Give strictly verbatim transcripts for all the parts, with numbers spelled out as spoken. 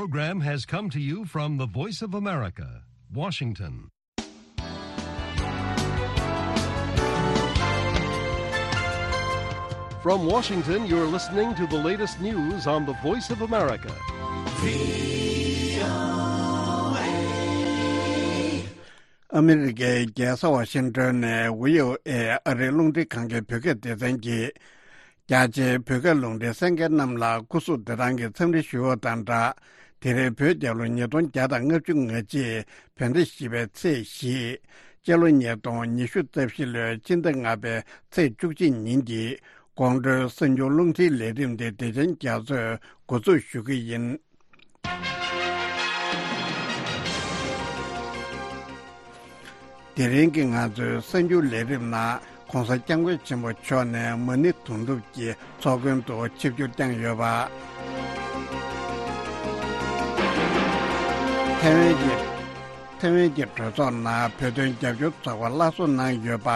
Program has come to you from the Voice of America, Washington. From Washington, you're listening to the latest news on the Voice of America. ཨ་མི་རི་ཀའི་རྒྱལ་ས་ཝ་ཤིང་ཏོན་ནས་བྷི་ཨོ་ཨེ་ཨ་རིའི་རླུང་འཕྲིན་ཁང་གི་བོད་སྐད་སྡེ་ཚན་གྱིས། རྒྱ་ཆེའི་བོད་སྐད་རླུང་འཕྲིན་གསན་མཁན་རྣམས་ལ་སྐུ་གཟུགས་བདེ་ཐང་གི་འཚམས་འདྲི་ཞུ་བ་དང་སྦྲགས། དེ་རིང་བོད་རྒྱལ་ལོ་ཉིས་སྟོང་བརྒྱ་དང་ལྔ་བཅུ་ང་གཅིག་བོད་ཟླ་བཞི་པའི་ཚེས་བཞི། སྤྱི་ལོ་ཉིས་སྟོང་ཉི་ཤུ་རྩ་བཞི་ལོའི་སྤྱི་ཟླ་ལྔ་པའི་ཚེས་བཅུ་གཅིག་ཉིན་གྱི་དགོང་དྲོའི་གསར་འགྱུར་རླུང་འཕྲིན་ལས་རིམ་དེ་བདེ་ཆེན་རྒྱ་མཚོས་འགོ་འཛུགས་ཞུ་གི་ཡིན། དེ་རིང་གི་ང་ཚོའི་གསར་འགྱུར་ལས་རིམ་ནང་། ྋགོང་ས་ྋསྐྱབས་མགོན་ཆེན་པོ་མཆོག་ནས་མ་ཎི་དུང་སྒྲུབ་ཀྱི་ཚོགས་མགོན་དུ་ཆིབས་བསྒྱུར་བསྐྱངས་ཡོད་པ། ཐེ་ཝན་གྱི་ཐེ་ཝན་གྱི་གྲོས་ཚོགས་ནང་བོད་དོན་རྒྱབ་སྐྱོར་ཚོགས་པ་སླར་གསོ་གནང་ཡོད་པ།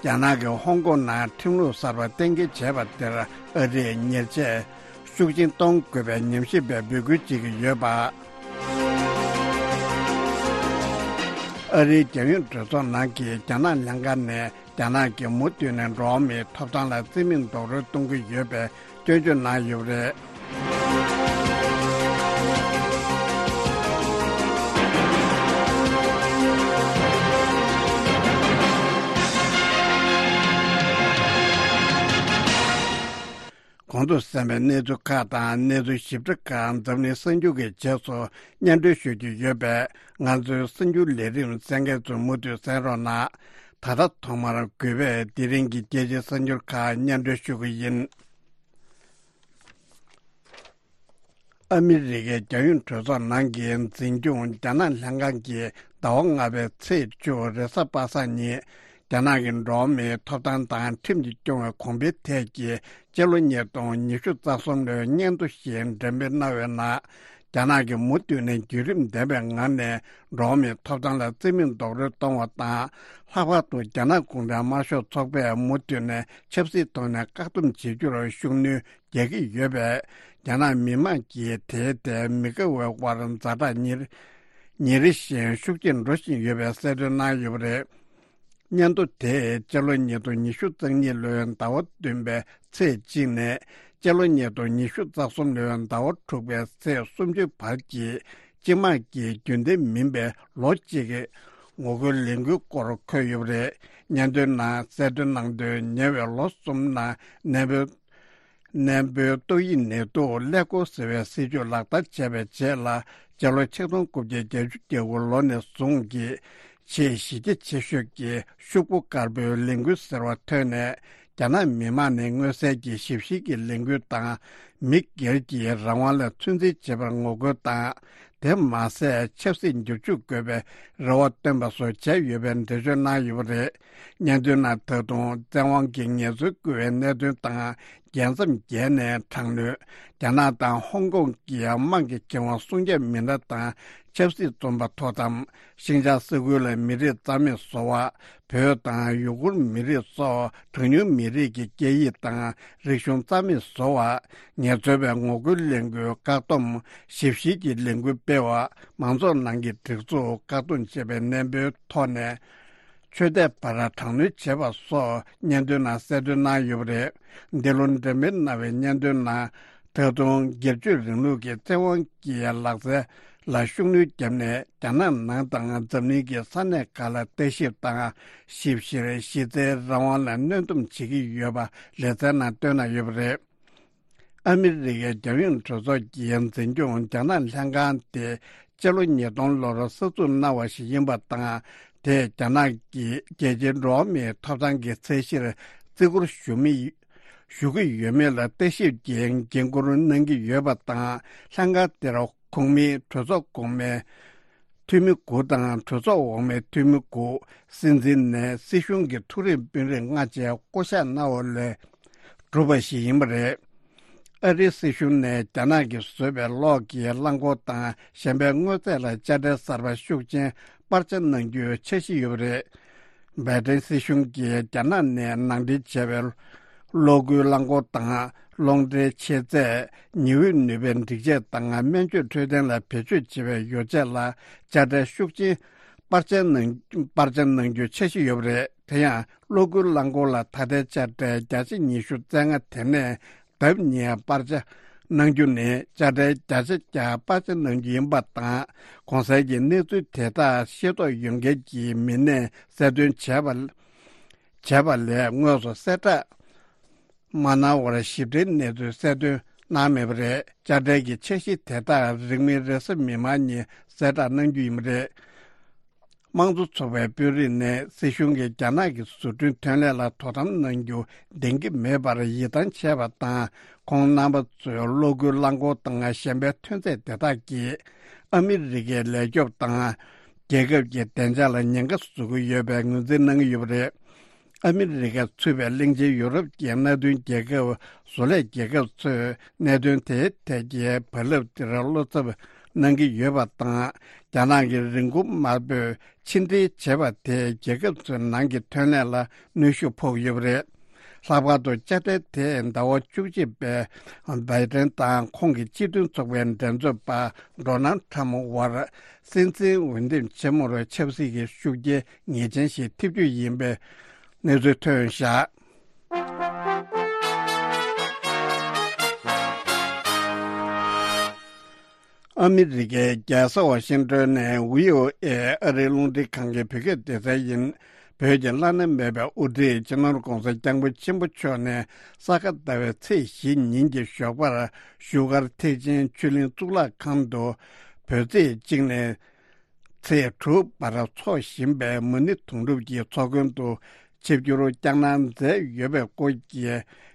རྒྱ་ནག་གིས་ཧོང་ཀོང་ནང་ཁྲིམས་ལུགས་གསར་པ་གཏན་འཁེལ་བྱས་པ་དེར་ཨ་རིས་ཉེས་ཆད་ཤུགས་ཆེན་གཏོང་དགོས་པའི་ཉམས་ཞིབ་པས་འབོད་སྐུལ་བྱེད་ཀྱི་ཡོད་པ། ཨ་རིའི་རྒྱལ་ཡོངས་གྲོས་ཚོགས་ནང་གི་རྒྱ་ནག་ལྷན་ཁང་ནས་རྒྱ་ནག་གིས་མུ་མཐུད་ནས་འགྲོ་བ་མིའི་ཐོབ་ཐང་ལ་བརྩི་མེད་རྡོག་རོལ་གཏོང་གི་ཡོད་པའི་སྐྱོན་བརྗོད་གནང་ཡོད་པ་རེད། གོང་དུ་གསན་པའི་གནས་ཚུལ་ཁག་དང་གནས་ཚུལ་ཞིབ་ཕྲ་ཁག་འཛམ་གླིང་གསར་འགྱུར་གྱི་རྗེས་སུ་སྙན་སྒྲོན་ཞུ་རྒྱུ་ཡོད་པས། ང་ཚོའི་གསར་འགྱུར་ལས་རིམ་གསན་མཁན་ཚོས་མུ་མཐུད་གསན་རོགས་གནང་། ད་ལྟ་ཐོག་མར་གུས་པས་དེ་རིང་གི་རྒྱལ་སྤྱིའི་གསར་འགྱུར་ཁག་སྙན་སྒྲོན་ཞུ་གི་ཡིན། ཨ་མི་རི་ཀའི་རྒྱལ་ཡོངས་གྲོས་ཚོགས་ནང་གི་འཛིན་སྐྱོང་རྒྱ་ནག་ལྷན་ཁང་གིས་ཟླ་བ་ལྔ་པའི་ཚེས་བཅུ་རེས་གཟའ་པ་སངས་ཉིན། རྒྱ་ནག་གི་འགྲོ་བ་མིའི་ཐོབ་ཐང་དང་ཁྲིམས་ཀྱིས་སྐྱོང་བའི་གོང་འཕེལ་ཐད་ཀྱི་སྤྱི་ལོ་ཉིས་སྟོང་ཉི་ཤུ་རྩ་གསུམ་ལོའི་སྙན་ཐོ་ཞིག་འགྲེམས་སྤེལ་གནང་བའི་ནང་། རྒྱ་ནག་གིས་མུ་མཐུད་ནས་བརྒྱུད་རིམ་ལྡན་པའི་ངང་ནས་འགྲོ་བ་མིའི་ཐོབ་ཐང་ལ་བརྩི་མེད་རྡོག་རོལ་གཏོང་བ་དང་། ལྷག་པར་དུ་རྒྱ་ནག་གུང་ཁྲན་དམར་ཤོག་ཚོགས་པས་མུ་མཐུད་ནས་ཆབ་སྲིད་ཐོག་ནས་བཀག་སྡོམ་བྱེད་རྒྱུར་ཤུགས་སྣོན་རྒྱག་གི་ཡོད་པས། རྒྱ་ནག་མི་དམངས་ཀྱིས་དེའི་ཐད་མི་དགའ་བའི་དབར་ཛ་དྲག་ཉིན་རེ་ཉིན་རེ་བཞིན་ཤུགས་ཆེར་འགྲོ་བཞིན་ཡོད་པའི་གསལ་སྟོན་གནང་ཡོད་པ་རེད། སྙན་ཐོ་དེས་སྤྱི་ལོ་ཉིས་སྟོང་ཉི་ཤུ་རྩ་གཉིས་ལོའི་ཟླ་བ་བདུན་པའི་ཚེས་གཅིག་ནས་སྤྱི་ལོ་ཉིས་སྟོང་ཉི་ཤུ་རྩ་གསུམ་ལོའི་ཟླ་བ་དྲུག་པའི་ཚེས་སུམ་ཅུ་བར་གྱི་སྤྱི་དམངས་ཀྱི་རྒྱུན་ལྡན་མིན་པའི་ལོ་གཅིག་གི་ངོ་རྒོལ་ལས་འགུལ་སྐོར་འཁོད་ཡོད་པ་རེད། སྙན་ཐོའི་ནང་གསལ་སྟོན་གནང་དོན། ཉེ་བའི་ལོ་གསུམ་ནང་ནན་པོའི་ནན་པོའི་ཏོག་དབྱིབས་ནད་དུག་ཀླད་ཀོར་ཟེར་བའི་སྲིད་ཇུས་ལག་བསྟར་བྱས་པའི་རྗེས་ལ། སྤྱི་ལོ་ཆིག་སྟོང་དགུ་བརྒྱ་བརྒྱད་ཅུ་གྱ་དགུ་ལོ་ནས་བཟུང་གི་ཆེས་གཞི་རྒྱ་ཆེ་ཤོས་ཀྱི་ཤོག་བུ་དཀར་པོའི་ལས་འགུལ་ཟེར་བ་ཐོན་ནས། རྒྱ་ནག་མི་དམངས་ནས་མངོན་གསལ་གྱི་ཞིབ་བཤེར་གྱི་ལས་འགུལ་དང་། མི་སྒེར་གྱི་རང་དབང་ལ་ཚོད་འཛིན་བྱེད་པར་ངོ་རྒོལ་དང་། དེ་མ་ཟད། ཆབ་སྲིད་འགྱུར་བཅོས་དགོས་པའི་རེ་བ་བཏོན་པ་སོགས་བྱས་ཡོད་པའི་འགྲེལ་བརྗོད་གནང་ཡོད་པ་རེད། སྙན་ཐོའི་ནང་ད་དུང་བཙན་དབང་གིས་ངལ་རྩོལ་བསྐུལ་བའི་གནད་དོན་དང་། རྒྱལ་མཚམས་བརྒལ་ནས་དྲག་གནོན། རྒྱ་ནག་དང་ཧོང་ཀོང་གི་དམངས་ཀྱི་ཁེ་དབང་སྲུང་སྐྱོབ་མི་སྣ་དང་ཆབ་སྲིད་བཙོན་པ་འཐོར་དམ། ཤིང་ཅང་ས་ཁུལ་ལ་མི་རིགས་རྩ་མེད་བཟོ་བ། བོད་དང་ཡུ་གུར་མི་རིགས་སོགས་གྲངས་ཉུང་མི་རིགས་ཀྱི་སྐད་ཡིག་དང་རིག་གཞུང་རྩ་མེད་བཟོ་བ། ངལ་རྩོལ་བའི་ངོ་རྒོལ་ལས་འགུལ་བཀག་སྡོམ། ཞིབ་བཤེར་གྱི་ལས་འགུལ་སྤེལ་བ། མང་ཚོགས་ནང་གི་སྒྲིག་འཛུགས་བཀག་སྡོམ་བྱས་པའི་གནས་བབ་ཐོག་ནས། ཆོས་དད་པར་དྲག་གནོན་བྱས་པ་སོགས་སྙན་ཐོའི་ནང་གསལ་སྟོན་གནང་ཡོད་པ་རེད། འདི་ལོ་འགྲེམས་སྤེལ་གནང་བའི་སྙན་ཐོའི་ནང་། ད་དུང་སྒེར་གཅོད་རིང་ལུགས་ཀྱི་བཙན་དབང་གི་ལག་རྩལ་ལ་ཤུགས་སྣོན་བརྒྱབ་ནས། རྒྱ་ནག་ནང་དང་འཛམ་གླིང་གི་ས་གནས་ཁག་ལ་ལྟ་ཞིབ་དང་། ཞིབ་བཤེར། གཞི་རྩའི་རང་དབང་ལ་གནོན་སྡོམ་བྱེད་ཀྱི་ཡོད་པ་ལེ་ཚན་ནང་བཏོན་གནང་ཡོད་པ་རེད། ཨ་མི་རི་ཀའི་རྒྱལ་ཡོངས་གྲོས་ཚོགས་ཀྱི་འཛིན་སྐྱོང་རྒྱ་ནག་ལྷན་ཁང་དེ། སྤྱི་ལོ་ཉིས་སྟོང་ལོར་གསར་འཛུགས་གནང་བ་ཞིག་ཡིན་པ་དང་། དེས་རྒྱ་ནག་གི་རྒྱལ་སྤྱིའི་འགྲོ་བ་མིའི་ཐོབ་ཐང་གི་ཚད་གཞིར་བརྩི་བཀུར་ཞུ་མི་ཞུ་གི་ཡོད་མེད་ལ་ལྟ་ཞིབ་ཀྱི་འགན་འཁུར་གནང་གི་ཡོད་པ་དང་། ལྷན་ཁང་དེར་ཁོངས་མིའི་གྲོས་ཚོགས་གོང་མའི་འཐུས་མི་དགུ་དང་གྲོས་ཚོགས་འོག་མའི་འཐུས་མི་དགུ། སྲིད་འཛིན་ནས་སྲིད་གཞུང་གི་མཐོ་རིམ་དཔོན་རིགས་ལྔ་བཅས་བསྐོ་གཞག་གནང་བ་ལས་གྲུབ་པ་ཞིག་ཡིན་པ་རེད། ཨ་རིའི་སྲིད་གཞུང་ནས་རྒྱ་ནག་གིས་བཟོས་པའི་གློག་གི་རླངས་འཁོར་དང་གཞན་པའི་དངོས་རྫས་ལ་དཔྱ་ཁྲལ་གསར་པ་ཤུགས་ཆེན་སྤར་ཆ་གནང་རྒྱུའི་འཆར་གཞི་ཡོད་པ་རེད། བྷའི་ཏིན་སྲིད་གཞུང་གིས་རྒྱ་ནག་ནས་ནང་འདྲེན་བྱས་པའི་ གློག་སྒུལ་རླངས་འཁོར་དང་། རླུང་འདྲེན་མཆེད་རྫས། ཉི་འོད་ནུས་པའི་སྒྲིག་ཆས་དང་། སྨན་བཅོས་འཕྲོད་བསྟེན་ལ་བེད་སྤྱོད་བྱེད་པའི་ཡོ་བྱད་ལ་དཔྱ་ཁྲལ་ཤུགས་ཆེན་པར་ཆས་གནང་པར་ཆས་གནང་རྒྱུའི་འཆར་གཞི་ཡོད་པ་རེད། དེ་ཡང་གློག་སྒུལ་རླངས་འཁོར་ལ་ད་ལྟའི་དཔྱ་ཁྲལ་བརྒྱ་ཆ་ཉི་ཤུ་རྩ་ལྔ་དེ་ནས་ལྡབ་གཉིས་པར་ཆས་གནང་རྒྱུ་ནི་དཔྱ་ཁྲལ་བརྒྱ་ཆ་བརྒྱ་པར་ཆས་གནང་རྒྱུ་ཡིན་པ་དང་། གོང་གསལ་གྱི་གནས་ཚུལ་དེ་དག་ཤེས་རྟོགས་ཡོད་མཁན་གྱི་མི་སྣས་གསལ་སྟོན་བྱས་པ། བྱས་པ་ལས་དངོས་སུ་གསལ་བསྒྲགས་མ་གནང་བར་ཞིབ་ཕྲའི་གནས་ཚུལ་གསལ་སྟོན་གནང་མེད་པ་རེད། དཔྱ་ཁྲལ་གྱི་འཆར་གཞི་དེ་དག་རིང་མིན་རེས་གཟའ་མིག་དམར་ཉིན་གསལ་བསྒྲགས་གནང་རྒྱུ་ཡིན་པ་རེད། དམངས་གཙོ་ཚོགས་པའི་དཔོན་རིགས་ནས་སྲིད་གཞུང་གིས་རྒྱ་ནག་གི་བཟོ་སྐྲུན་ཐོན་ལས་ལ་དོ་དམ་གནང་རྒྱུ་འདང་གི་མེད་པར་ཡིད་ཐང་ཆད་པ་དང་། ཁོང་རྣམ་པ་ཚོས་གློག་སྒུལ་རླངས་འཁོར་དང་གཞན་པའི་ཐོན་རྫས་དེ་དག་གིས་ཨ་མི་རི་ཀའི་ལས་སྐྱོབ་དང་། རྒྱལ་ཁབ་ཀྱི་བདེ་འཇགས་ལ་ཉེན་ཁ་བཟོ་གི་ཡོད་པའི་ངོས་འཛིན་གནང་གི་ཡོད་པ་རེད། ཨ་མི་རི་ཀ་ཚུད་པའི་གླིང་ཆེན་ཡུ་རོབ་ཀྱི་མནའ་མཐུན་རྒྱལ་ཁབ་བཟོ་ལས་རྒྱལ་ཁབ་ཚོས་གནད་དོན་དེའི་ཐད་ཀྱི་བག་ལེབ་དེར་བློ་འཚབ་གནང་གི་ཡོད་པ་དང་། རྒྱ་ནག་གིས་རིན་གོང་དམའ་པོས་ཕྱིར་འཐེན་བྱས་པ་དེས་རྒྱལ་ཁབ་ཚོའི་ནང་གི་ཐོན་ལས་ལ་གནོན་ཤུགས་ཕོག་ཡོད་པ་རེད། ལྷག་པར་དུ་དཔྱ་ཁྲལ་དེས་ཟླ་བ་བཅུ་གཅིག་པའི་བྷའི་ཏན་དང་ཁོང་གི་སྤྱི་མཐུན་ཚོགས་པའི་འགྲན་རྩོད་པ་ཌོ་ནལ་ཁྲམ་བར་སྲིད་འཛིན་འོས་འདེམས་ཆེན་མོར་ཆབ་སྲིད་ཀྱི་ཤུགས་རྐྱེན་ངེས་ཅན་ཞིག་ཐེབས་རྒྱུ་ཡིན་པའི་གནས་ཚུལ་ཐོན་བཞག་ཨ་མི་རི་ཀའི་རྒྱལ་ས་ཝ་ཤིང་ཏོན་ནས་བྷི་ཨོ་ཨེ་ཨ་རིའི་རླུང་འཕྲིན་ཁང་གི་བོད་སྐད་སྡེ་ཚན་ཡིན། བོད་ཀྱི་བླ་ན་མེད་པའི་དབུ་ཁྲིད་སྤྱི་ནོར་༧གོང་ས་༧སྐྱབས་མགོན་ཆེན་པོ་མཆོག་ནས་ས་ག་ཟླ་བའི་ཚེས་བཞི་ཉིན་གྱི་ཞོགས་པར་བཞུགས་སྒར་ཐེག་ཆེན་ཆོས་གླིང་གཙུག་ལག་ཁང་དུ་བོད་ཚེས་གཅིག་ནས་ཚེས་དྲུག་བར་འཚོགས་བཞིན་པའི་མ་ཎི་དུང་སྒྲུབ་ཀྱི་ཚོགས་མགོན་དུ་ཆིབས་བསྒྱུར་བསྐྱངས་གནང་མཛད་ཡོད་པའི་སྐོར་གྱི་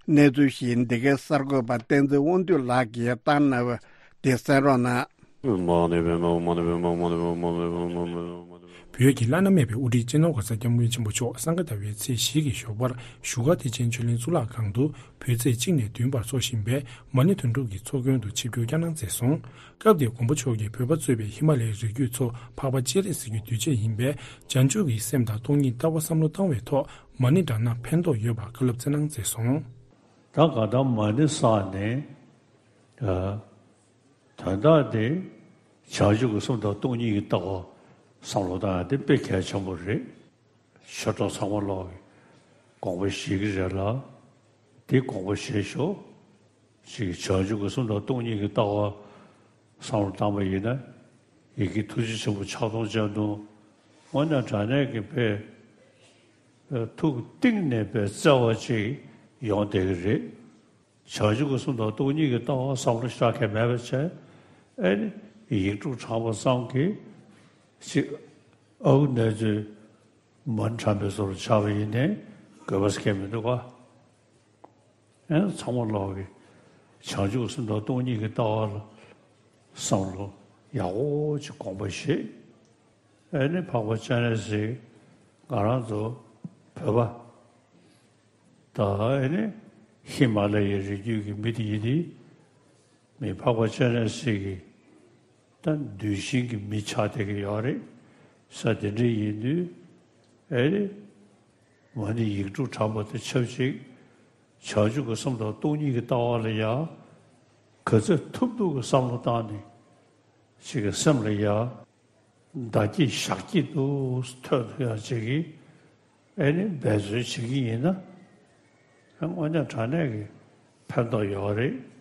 གནས་ཚུལ་ཞིག་འདི་གའི་གསར་འགོད་པ་བསྟན་འཛིན་དབང་འདུས་ལགས་ཀྱིས་བཏང་གནང་བ་དེ་གསན་རོགས་གནང་། བོད་ཀྱི་བླ་ན་མེད་པའི་དབུ་ཁྲིད་སྤྱི་ནོར་༧གོང་ས་༧སྐྱབས་མགོན་ཆེན་པོ་མཆོག་སང་ག་ཟླ་བའི་ཚེས་བཞི་གི་ཞོགས་པར་བཞུགས་སྒར་ཐེག་ཆེན་ཆོས་གླིང་གཙུག་ལག་ཁང་དུ་བོད་ཚེས་གཅིག་ནས་བདུན་བར་འཚོགས་བཞིན་པའི་མ་ཎི་དུང་སྒྲུབ་ཀྱི་ཚོགས་མགོན་དུ་ཆིབས་བསྒྱུར་བསྐྱངས་གནང་མཛད་སོང་། སྐབས་དེར་མགོན་པོ་མཆོག་གིས་བོད་པ་གཙོས་པའི་ཧི་མ་ལའི་རི་རྒྱུད་ཚོ་འཕགས་པ་སྤྱན་རས་གཟིགས་ཀྱི་གདུལ་བྱ་ཡིན་པས་བྱང་ཆུབ་ཀྱི་སེམས་དང་སྟོང་ཉིད་ལྟ་བ་བསམ་བློ་བཏང་བའི་ཐོག་མ་ཎི་བགྲངས་ན་ཕན་ཐོགས་ཡོད་པར་བཀའ་སློབ་སྩལ་གནང་མཛད་སོང་། ད་ག་ད་མ་ཎི་བསགས་ནས། ཨ། དོན་དག་དེ་བྱང་ཆུབ་ཀྱི་སེམས་དང་སྟོང་ཉིད་ཀྱི་ལྟ་བ་བསམ་བློ་བཏང་ཡ་དེ་དཔེ་གལ་ཆེན་པོ་རེད། ཆོས་གྲོགས་ཚང་མ་ལོག་གི་དགོངས་པ་བཞེས་ཀྱི་རེད་ལ། དེ་དགོངས་པ་བཞེས་ཤོག་ཅིག་བྱང་ཆུབ་ཀྱི་སེམས་དང་སྟོང་ཉིད་ཀྱི་ལྟ་བ་བསམ་བློ་བཏང་པ་ཡིན་ན། ཡི་གེ་ཐུགས་རྗེ་ཆེན་པོ་ཕྱག་སྟོང་སྤྱན་སྟོང་། དངོས་གནས་དྲང་གནས་ཀྱི་དཔེ། ཐུགས་གཏིང་ནས་དཔེ་བརྩེ་བ་ཅིག་ཡོང་བསྡད་ཀྱི་རེད། བྱང་ཆུབ་ཀྱི་སེམས་དང་སྟོང་ཉིད་ཀྱི་ལྟ་བ་བསམ་བློ་ཤར་མཁན་མེད་པ་བྱས། ཨེ་ནི་ཡིག་དྲུག་བགྲངས་པ་ཙམ་གྱིས་ཅིག་ཨ་ཁུ་ནེ་ཙོའི་མ་ཎི་བགྲངས་པའི་བཟོ་འདྲ་ཆགས་པ་ཡིན་ནའི་དགོས་པ་ཟེར་མཁན་མི་འདུག་ག་ཨེ་ཚང་མ་ལོག་གི་བྱང་ཆུབ་སེམས་དང་སྟོང་ཉིད་ཀྱི་ལྟ་བ་ལ་བསམ་བློ་ཡག་པོ་ཅིག་དགོངས་པ་བཞེས། ཨེ་ནི་འཕགས་པ་སྤྱན་རས་གཟིགས་ང་རང་ཚོ་བོད་པ་ད་ཨེ་ནི་ཧི་མ་ལ་ཡའི་རི་རྒྱུད་ཀྱི་མི་དེ་ཡིན་དུས། མི་འཕགས་པ་སྤྱན་རས་གཟིགས་ཀྱི་ད་གདུལ་ཞིང་གི་མི་ཆགས་བསྡད་ཀྱི་ཡོད་རེད། ས་དེ་འདྲ་ཡིན་དུས་ཨེ་རེད། མ་ཎི་ཡིག་དྲུག་བགྲངས་པ་དང་ཆབས་ཅིག་བྱང་ཆུབ་ཀྱི་སེམས་དང་སྟོང་ཉིད་ཀྱི་ལྟ་བ་ལ་ཡང་ག་ཚོད་ཐུབ་ཐུབ་ཀྱི་བསམ་བློ་བཏང་ནས་ཅིག་གི་སེམས་ལ་ཡང་བདག་སྐྱིད་ཞག་སྐྱིད་དུ་ཐོན་ཐུབ་ཡག་ཅིག་གི་ཨེ་ནི་འབད་བརྩོན་བྱེད་ཀྱི་ཡིན་ན། དངོས་གནས་དྲང་གནས་ཀྱི་ཕན་ཐོགས་ཡོད་རེད།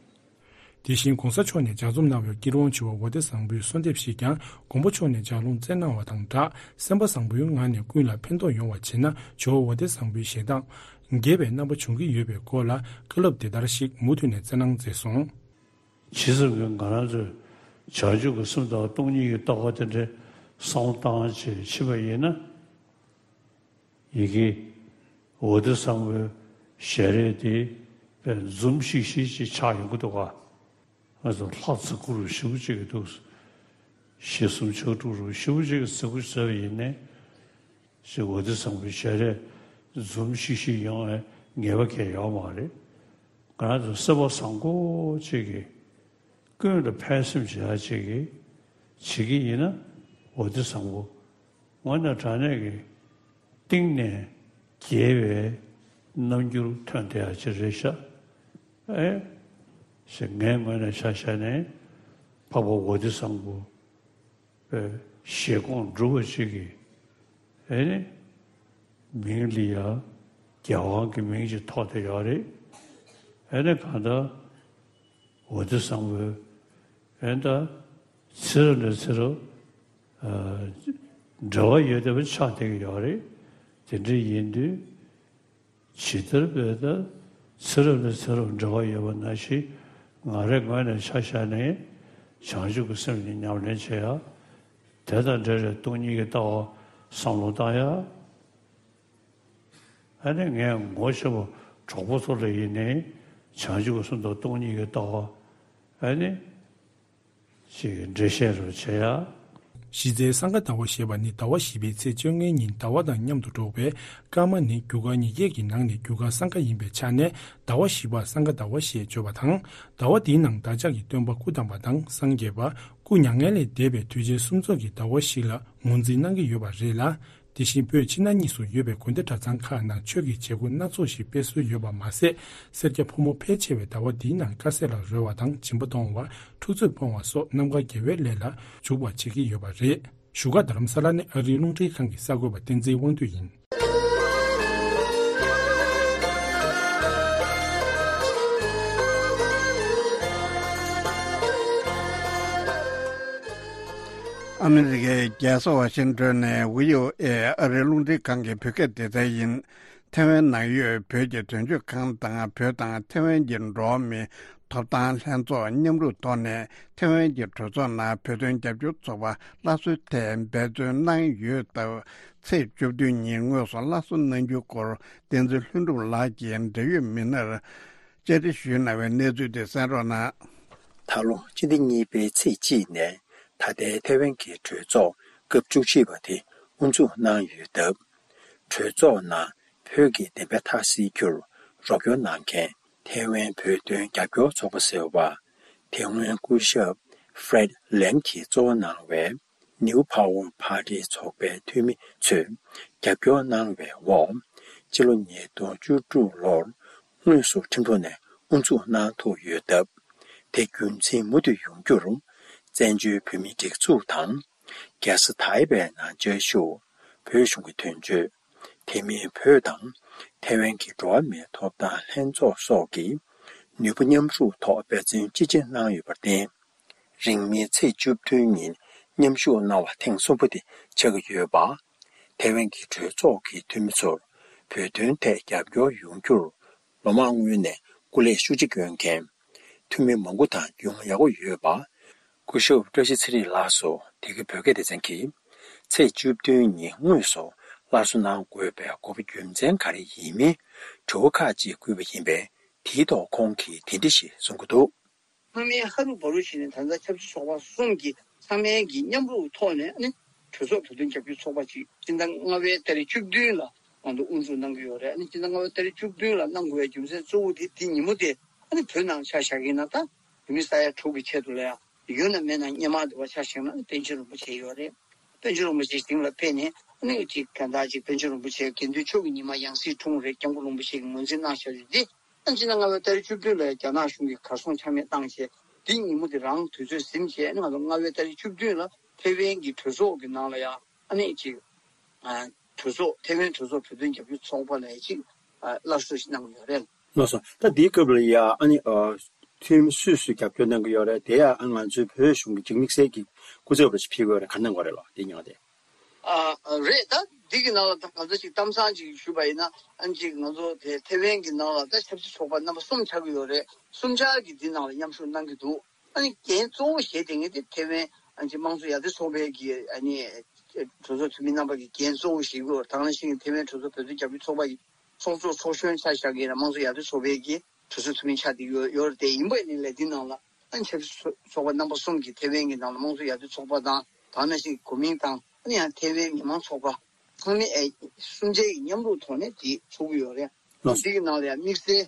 དེ་བཞིན་གོང་ས་མཆོག་ནས་ལྗགས་རྩོམ་གནང་བའི་སྐྱིད་རོང་ཇོ་བོ་ཝ་ཏི་བཟང་པོའི་གསོལ་འདེབས་ཤིག་ཀྱང་མགོན་པོ་མཆོག་ནས་ལྗགས་ལུང་བསྩལ་གནང་བ་དང་སྦྲགས་སེམས་པ་བཟང་པོའི་ངང་ནས་ཀུན་ལ་ཕན་ཐོགས་ཡོང་བ་བྱེད་ན་ཇོ་བོ་ཝ་ཏི་བཟང་པོའི་ཞལ་གདངས་རྒྱས་པའི་རྣམ་པ་འབྱུང་གི་ཡོད་པའི་སྐོར་ལ་བཀའ་སློབ་འདི་ལྟར་ཞིག་མུ་མཐུད་ནས་བསྩལ་གནང་མཛད་སོང་། ཇི་ཙམ་གྱིས་ང་རང་ཚོས་བྱང་ཆུབ་ཀྱི་སེམས་དང་སྟོང་ཉིད་ཀྱི་ལྟ་བ་དེ་འདྲའི་བསམ་བློ་བཏང་བྱས་ཕྱིན་པ་ཡིན་ན། ཡི་གེ་ཝ་ཏི་བཟང་པོའི་ཞལ་རས་དེ་དཔེ་འཛུམ་ཤིག་ཤིག་ཅིག་ཆགས་ཡོང་གི་འདུག་ག་ང་ཚོ་ལྷ་བརྩི་བཀུར་ཞེ་པོ་ཅིག་གི་འདུག་གཞི་གསུམ་ཕྱག་དྲུག་རུ་ཞེ་པོ་ཅིག་གི་བརྩི་བཀུར་བྱས་པ་ཡིན་ནའི། ཞེས་ཝ་ཏི་བཟང་པོའི་ཞལ་རས་འཛུམ་ཤིག་ཤིག་ཡོང་བའི་ངེས་པ་གང་ཡང་ཡོད་མ་རེད། ང་རང་ཚོ་སེམས་པ་བཟང་པོ་ཅིག་གིས་ཀུན་ལ་ཕན་སེམས་བྱེད་ཡག་ཅིག་གིས་བྱེད་ཀྱི་ཡིན་ན་ཝ་ཏི་བཟང་པོ་དངོས་གནས་དྲང་གནས་ཀྱི་གཏིང་ནས་དགྱེས་པའི་ རྣམ་འགྱུར་ཐོན་བསྡད་ཡ་ཅིག་རེད་ཤག་ཨེ། ཞེས་ངའི་ངོས་ནས་ཆ་བཞག་ནས་འཕགས་པ་ཝ་ཏི་སམ་བྷོ་བའི་བཞེད་དགོངས་སྒྲུབ་པ་ཅིག་གི་ཨེ་ནི་མིང་ལ་ཡ་རྒྱལ་དབང་གི་མིང་ཅིག་ཐོགས་བསྡད་ཡོད་རེད། ཨེ་ནི་གང་ལྟར་ཝ་ཏི་སམ་བྷོ་ཨེ་ད་ཚེ་རབས་ནས་ཚེ་རབས་ཨ་འབྲེལ་བ་ཡོད་བསྡད་པ་ཆགས་བསྡད་ཀྱི་ཡོད་རེད། དེ་འདྲ་ཡིན་དུས། ཇི་ལྟར་བས་ན་ཚེ་རབས་ནས་ཚེ་རབས་འབྲེལ་བ་ཡོད་པ་ནང་བཞིན་ང་རའི་ངོས་ནས་ཆ་བཞག་ནས་བྱང་ཆུབ་ཀྱི་སེམས་ཀྱི་ཉམས་ལེན་བྱེད་ཡ། དེ་དང་འབྲེལ་བའི་སྟོང་ཉིད་ཀྱི་ལྟ་བ་བསམ་བློ་བཏང་ཡ། ཨ་ནི་ངས་ངོ་ཤེས་པ་གྲོགས་པོ་ཚོ་ལ་ཡིན་ནའི་བྱང་ཆུབ་ཀྱི་སེམས་དང་སྟོང་ཉིད་ཀྱི་ལྟ་བ་ཨ་ནི། ཅིག་འགྲེལ་བཤད་རུ་བྱེད་ཡ། གཞི་རྩའི་སང་ག་ཟླ་བ་ཞེས་པ་ནི་ཟླ་བ་བཞི་པའི་ཚེས་བཅོ་ལྔའི་ཉིན་ཟླ་བ་དང་མཉམ་དུ་འགྲོགས་པས། སྐར་མ་ནི་རྒྱུ་སྐར་ཉིས་བརྒྱད་ཀྱི་ནང་ནས་རྒྱུ་སྐར་སང་ག་ཡིན་པའི་ཆ་ནས་ཟླ་བ་བཞི་པར་སང་ག་ཟླ་བ་ཞེས་བརྗོད་པ་དང་། ཟླ་བ་འདིའི་ནང་བདག་ཅག་གི་སྟོན་པ་སྐུ་བལྟམས་པ་དང་སངས་རྒྱས་པ། སྐུ་མྱ་ངན་ལས་འདས་པའི་དུས་ཆེན་གསུམ་ཚོགས་ཀྱི་ཟླ་བ་ཞིག་ལ་ངོས་འཛིན་གནང་གི་ཡོད་པ་རེད་ལ། དེ་བཞིན་བོད་ཕྱི་ནང་གཉིས་སུ་ཡོད་པའི་དགོན་སྡེ་གྲྭ་ཚང་ཁག་ནང་ཆོས་ཀྱི་བྱེད་སྒོ་སྣ་ཚོགས་ཤིག་སྤེལ་སྲོལ་ཡོད་པ་མ་ཟད། སེར་སྐྱ་ཕོ་མོ་ཕལ་ཆེ་བས་ཟླ་བ་འདིའི་ནང་དཀར་ཟས་ལ་རོལ་བ་དང་སྦྱིན་པ་གཏོང་བ། འཁྲུག་རྩོད་སྤོང་བ་སོགས་རྣམ་དཀར་དགེ་བའི་ལས་ལ་འཇུག་པར་བྱེད་ཀྱི་ཡོད་པ་རེད། བཞུགས་སྒར་རྡ་རམ་ས་ལ་ནས་ཨ་རིའི་རླུང་འཕྲིན་ཁང་གི་གསར་འགོད་པ་བསྟན་འཛིན་དབང་འདུས་ཡིན། ཨ་མི་རི་ཀའི་རྒྱལ་ས་ཝ་ཤིང་ཏོན་ནས་ཝི་ཨོ་ཨེ་ཨ་རིའི་རླུང་འཕྲིན་ཁང་གི་བོད་སྐད་སྡེ་ཚན་ཡིན། ཐེ་ཝན་ནང་ཡོད་བོད་ཀྱི་དོན་གཅོད་ཁང་དང་བོད་དང་ཐེ་ཝན་གྱི་འགྲོ་བ་མིའི་ཐོབ་ཐང་ལྷན་ཚོགས་མཉམ་རུབ་ཐོག་ནས་ཐེ་ཝན་གྱི་གྲོས་ཚོགས་ནང་བོད་དོན་རྒྱབ་སྐྱོར་ཚོགས་པ་སླར་གསོའི་ཐད་འབད་བརྩོན་གནང་ཡོད་སྟབས། ཚེས་བཅུ་བདུན་ཉིན་དངོས་སུ་སླར་གསོ་གནང་རྒྱུའི་སྐོར་བསྟན་འཛིན་ལྷུན་གྲུབ་ལགས་ཀྱིས་འབྲེལ་ཡོད་མི་སྣར་བཅར་འདྲི་ཞུས་གནང་བའི་གནས་ཚུལ་དེ་གསན་རོགས་གནང་། ད་ལོ་སྤྱི་ཟླ་གཉིས་པའི་ཚེས་གཅིག་ནས་ད་ལྟའི་ཐེ་ཝན་གྱི་གྲོས་ཚོགས་སྐབས་བཅུ་གཅིག་པ་དེ་དབུ་འཛུགས་གནང་ཡོད་སྟབས། གྲོས་ཚོགས་ནང་བོད་ཀྱི་བདེན་པ་མཐའ་གསལ་རྒྱུར་རོགས་སྐྱོར་གནང་མཁན་ཐེ་ཝན་བོད་དོན་རྒྱབ་སྐྱོར་ཚོགས་པ་ཟེར་བ། དེ་སྔོན་སྐུ་ཞབས་Fred Lam གྱིས་གཙོ་བོ་གནང་བའི་New Power Party ཚོགས་པའི་འཐུས་མི་ཚོས་རྒྱབ་སྐྱོར་གནང་བའི་འོག་སྤྱི་ལོ་ཉིས་སྟོང་བཅུ་དྲུག་ལོར་དངོས་སུ་ཁྲིམས་ལུགས་ནས་དབུ་འཛུགས་གནང་ཐུབ་ཡོད་སྟབས། དེ་རྒྱུན་འཛིན་མུ་མཐུད་ཡོང་རྒྱུར་བཙན་བྱོལ་བོད་མིའི་སྒྲིག་འཛུགས་དང་། རྒྱལ་ས་ཐའེ་པེ་ནང་བཅའ་བཞུགས་བོད་གཞུང་གི་དོན་གཅོད། དེ་མིན་བོད་དང་ཐེ་ཝན་གྱི་འགྲོ་བ་མིའི་ཐོབ་ཐང་ལྷན་ཚོགས་སོགས་ཀྱིས་ནུས་པ་མཉམ་རུབ་ཐོག་འབད་བརྩོན་ཅི་ཆེ་གནང་ཡོད་པར་བརྟེན། རིང་མིན་ཚེས་བཅུ་བདུན་ཉིན་མཉམ་ཞུགས་གནང་བ་ཐེངས་གསུམ་པ་དེ་ཆགས་ཀྱི་ཡོད་པ། ཐེ་ཝན་གྱི་གྲོས་ཚོགས་ཀྱི་འཐུས་མི་ཚོར་བོད་དོན་ཐད་རྒྱབ་སྐྱོར་ཡོང་རྒྱུར་ལོ་མང་སྔོན་ནས་སྐུ་ལས་ཤུགས་ཆེ་བསྐྱོན་མཁན་འཐུས་མི་མང་པོ་དང་མཇུག་མ་ཡག་པོ་ཡོད་པ། སྐུ་ཞབས་བཀྲ་ཤིས་ཚེ་རིང་ལགས་སུ་དེ་གའི་བོད་སྐད་སྡེ་ཚན་གྱིས་ཚེས་བཅུ་བདུན་ཉིན་དངོས་སུ་སླར་གསོ་གནང་དགོས་པའི་དགོས་པ་རྒྱུ་མཚན་ག་རེ་ཡིན་མིན་དྲི་བ་ཁག་ཅིག་བསྐུལ་བ་ཡིན་པས། དེའི་ཐོག་ཁོང་གིས་དེ་འདྲ་ཞིག་གསུང་གི་འདུག། སྔ་མའི་ཧ་རུ་བ་རུ་ཞིག་ནས་ད་ལྟ་ཆབ་སྲིད་ཚོགས་པ་གསུམ་གྱི་ཚང་མའི་གི་མཉམ་རུབ་ཐོག་ནས་ནི་གྲོས་ཚོགས་བོད་དོན་རྒྱབ་སྐྱོར་ཚོགས་པ་ཅིག་སྤྱི་ཟླ་ལྔ་པའི་ཏ་རིག་བཅུ་བདུན་ལ་ང་ཚོ་དབུ་འཛུགས་གནང་གི་ཡོད་རེད། ཨ་ནི་སྤྱི་ཟླ་ལྔ་པའི་ཏ་རིག་བཅུ་བདུན་ལ་གནང་དགོས་པའི་རྒྱུ་མཚན་གཙོ་བོ་དེ་དེ་ཉིན་མོ་དེ་ཨ་ནི་བོད་ནང་ཆ་བཞག་གི་ཡིན་ན་ད་བོད་མི་ས་ཡ་དྲུག་གི་ཆེད་དུ་ལ་ཡ་ཡོད་ན་མེད་ན་སྔོན་མ་དེ་བ་ཆ་བཞག་ན་ཨ་ནི་པཎ་ཆེན་རིན་པོ་ཆེ་ཡོད་རེད། པཎ་ཆེན་རིན་པོ་ཆེ་སྟེང་ལ་ཕེབས་ནས་ཨ་ནི་ཅིག་གང་ལྟར་ཅིག་པཎ་ཆེན་རིན་པོ་ཆེ་དགེ་འདུན་ཆོས་ཀྱི་ཉི་མ་ཡང་སྲིད་འཁྲུངས་རེད། སྐྱབས་མགོན་རིན་པོ་ཆེ་གིས་ངོས་འཛིན་གནང་བཞག་ཡོད་དེ། ཨ་ནི་སྤྱི་ཟླ་ལྔ་པའི་ཏ་རིག་བཅུ་བདུན་ལ་རྒྱ་ནག་གཞུང་གིས་གར་སོང་ཆ་མེད་བཏང་བྱས། དེ་ཉིན་མོ་དེ་རང་དུས་ཚོད་ཟིན་བྱས། ཨ་ནི་ང་ཚོ་ལྔ་པའི་ཏ་རིག་བཅུ་བདུན་ལ་ཐེ་ཝན་གྱི་གྲོས་ཚོགས་ཀྱི་ནང་ལ་ཡང་ཨ་ནི་ཅིག་ཨ་གྲོས་ཚོགས་ཐེ་ཝན་གྲོས་ཚོགས་བོད་དོན་རྒྱབ་སྐྱོར་ཚོགས་པ་ལ་ཅིག་ཨ་སླར་གསོ་ཞིག་གནང་གི་ཡོད་རེད། ལགས་སོ། ད་འདིའི་སྐབས་ལ་ཡ་ཨ་ནི་ཨ་འཐུས་མི་སུས་སུས་རྒྱབ་སྐྱོར་གནང་གི་ཡོད་རེད། དེ་ཡང་ཨ་ང་ཚོའི་བོད་གཞུང་གི་ཅིག་དམིགས་བསལ་གྱི་སྐུ་ཚབ་རུ་ཞིག་ཕེབས་ཀྱི་ཡོད་རེད། ག་འདྲ་གནང་གི་ཡོད་རེད་ལགས། དེ་མྱོང་སྟེ། ཨ་རེད། ད་འདི་གི་ནང་ལ་ད་ག་ཚོད་ཅིག་གཏམ་བཟང་ཅིག་ཞུས་པ་ཡིན་ན། ཨ་ཅིག་ང་ཚོ་དེ་ཐེ་ཝན་གྱི་ནང་ལ་ད་ཆབ་སྲིད་ཚོགས་པ་རྣམ་པ་གསུམ་ཆགས་ཀྱི་ཡོད་རེད། གསུམ་ཆར་གྱིས་འདི་ནང་ལ་མཉམ་ཞུགས་གནང་གི་འདུག། ཨ་ནི་འགན་གཙོ་བོ་བཞེས་བསྡད་མཁན་དེ་ཐེ་ཝན་ཨ་ཅིག་དམངས་གཙོ་ཡར་ཐོན་ཚོགས་པའི་གི་ཨ་ནི་གྲོས་ཚོགས་འཐུས་མི་རྣམ་པ་གི་འགན་གཙོ་བོ་བཞེས་ཀྱི་ཡོད་རེད། དེ་ནང་བཞིན་ཐེ་ཝན་གྲོས་ཚོགས་བོད་དོན་རྒྱབ་སྐྱོར་ཚོགས་པ་ཡི་ཚོགས་གཙོ་ཚོགས་གཞོན་ཆ་བཞག་གི་ཡིན་ན་དམངས་གཙོ་ཡར་ཐོན་ཚོགས་པའི་གི་གྲོས་ཚོགས་འཐུས་མི་ཆགས་བསྡད་ཡོད་ཡོད་རེད། དེ་ཡིན་པ་ཡིན་ནའི་ལས་དེ་ནང་ལ་ཨ་ནི་ཆབ་སྲིད་ཚོགས་པ་རྣམ་པ་གསུམ་གྱིས་ཐེ་ཝན་གྱི་ནང་ལ་དམངས་གཙོ་ཡར་ཐོན་ཚོགས་པ་དང་། དེ་ནང་བཞིན་གོ་མིང་དང་ཨ་ནི་ཡང་ཐེ་ཝན་མི་མང་ཚོགས་པ་ཚང་མས་ཨེ་གསུམ་ཆའི་མཉམ་རུབ་ཐོག་ནས་དེ་ཚོགས་ཀྱི་ཡོད་རེད། ལགས་སོ། འདི་གི་ནང་ལ་ཡང་དམིགས་བསལ་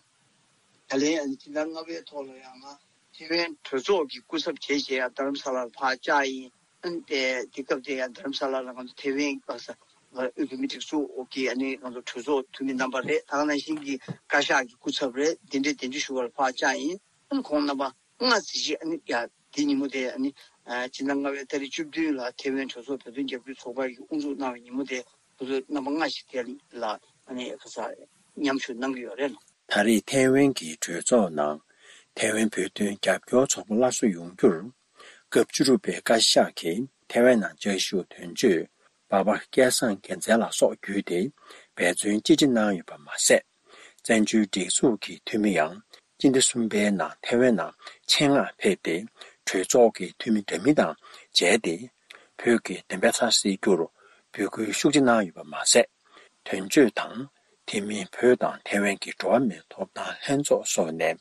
ད་ལན་ཨ་ནི་སྤྱི་ཟླ་ལྔ་པའི་ཐོག་ལ་ཡང་ང་ཐེ་ཝན་གྲོས་ཚོགས་ཀྱི་སྐུ་ཚབ་བྱས་བྱས་ཡང་རྡ་རམ་ས་ལར་ཕར་བཅར་ཡིན། ཨ་ནི་དེ་དེ་སྐབས་དེ་ཡང་རྡ་རམ་ས་ལ་ལ་ང་ཚོ་ཐེ་ཝན་པ་ས་ དབུས་བོད་མིའི་སྒྲིག་འཛུགས་ཀྱི་ཨ་ནི་ང་ཚོ་གྲོས་ཚོགས་འཐུས་མི་རྣམ་པ་རེད། ད་ག་ནང་བཞིན་གྱི་བཀའ་ཤག་གི་སྐུ་ཚབ་རེད། དེ་འདྲའི་གདན་འདྲེན་ཞུ་བར་ཕར་བཅར་ཡིན། ཨ་ནི་ཁོང་རྣམ་པ་ལྔ་ཙམ་ཞིག་ཨ་ནི་ཡ་དེ་ཉིན་མོ་དེ་ཨ་ནི་ཨ་སྤྱི་ཟླ་ལྔ་པའི་ཏ་རིག་བཅུ་བདུན་ལ་ཐེ་ཝན་གྲོས་ཚོགས་བོད་དོན་རྒྱབ་སྐྱོར་ཚོགས་པ་གིས་དབུ་འཛུགས་གནང་བའི་ཉིན་མོ་དེ་ཁོ་ཚོ་རྣམ་པ་ལྔ་ཞིག་དེ་ལ་ཨ་ནི་ཁ་ས་མཉམ་ཞུགས་གནང་གི་ཡོད་རེད། ད་རེས་ཐའེ་ཝན་གྱི་གྲོས་ཚོགས་ནང་ཐའེ་ཝན་བོད་དོན་རྒྱབ་སྐྱོར་ཚོགས་པ་སླར་གསོ་ཡོང་རྒྱུར། སྐབས་བཅུ་དྲུག་པའི་བཀའ་ཤག་གིས་ཐའེ་ཝན་ནང་བཅའ་བཞུགས་དོན་གཅོད་འབའ་པ་སྐལ་བཟང་རྒྱལ་མཚན་ལགས་སོགས་བརྒྱུད་དེ་འབད་བརྩོན་ཅི་ཆེ་གནང་ཡོད་པ་མ་ཟད། བཙན་བྱོལ་སྒྲིག་འཛུགས་ཀྱི་འཐུས་མི་ཡང་སྤྱི་ཟླ་གསུམ་པའི་ནང་ཐའེ་ཝན་ནང་ཆེད་མངགས་ཕེབས་ཏེ། གྲོས་ཚོགས་ཀྱི་འཐུས་མི་འདྲ་མིན་དང་མཇལ་ཏེ། བོད་ཀྱི་བདེན་པ་ཚ་སེལ་རྒྱུར་འབོད་སྐུལ་ཤུགས་ཆེ་གནང་ཡོད་པ་མ་ཟད། དོན་གཅོད་དང་དེ་མིན་བོད་དང་ཐའེ་ཝན་གྱི་འགྲོ་བ་མིའི་ཐོབ་ཐང་ལྷན་ཚོགས་སོགས་ནས་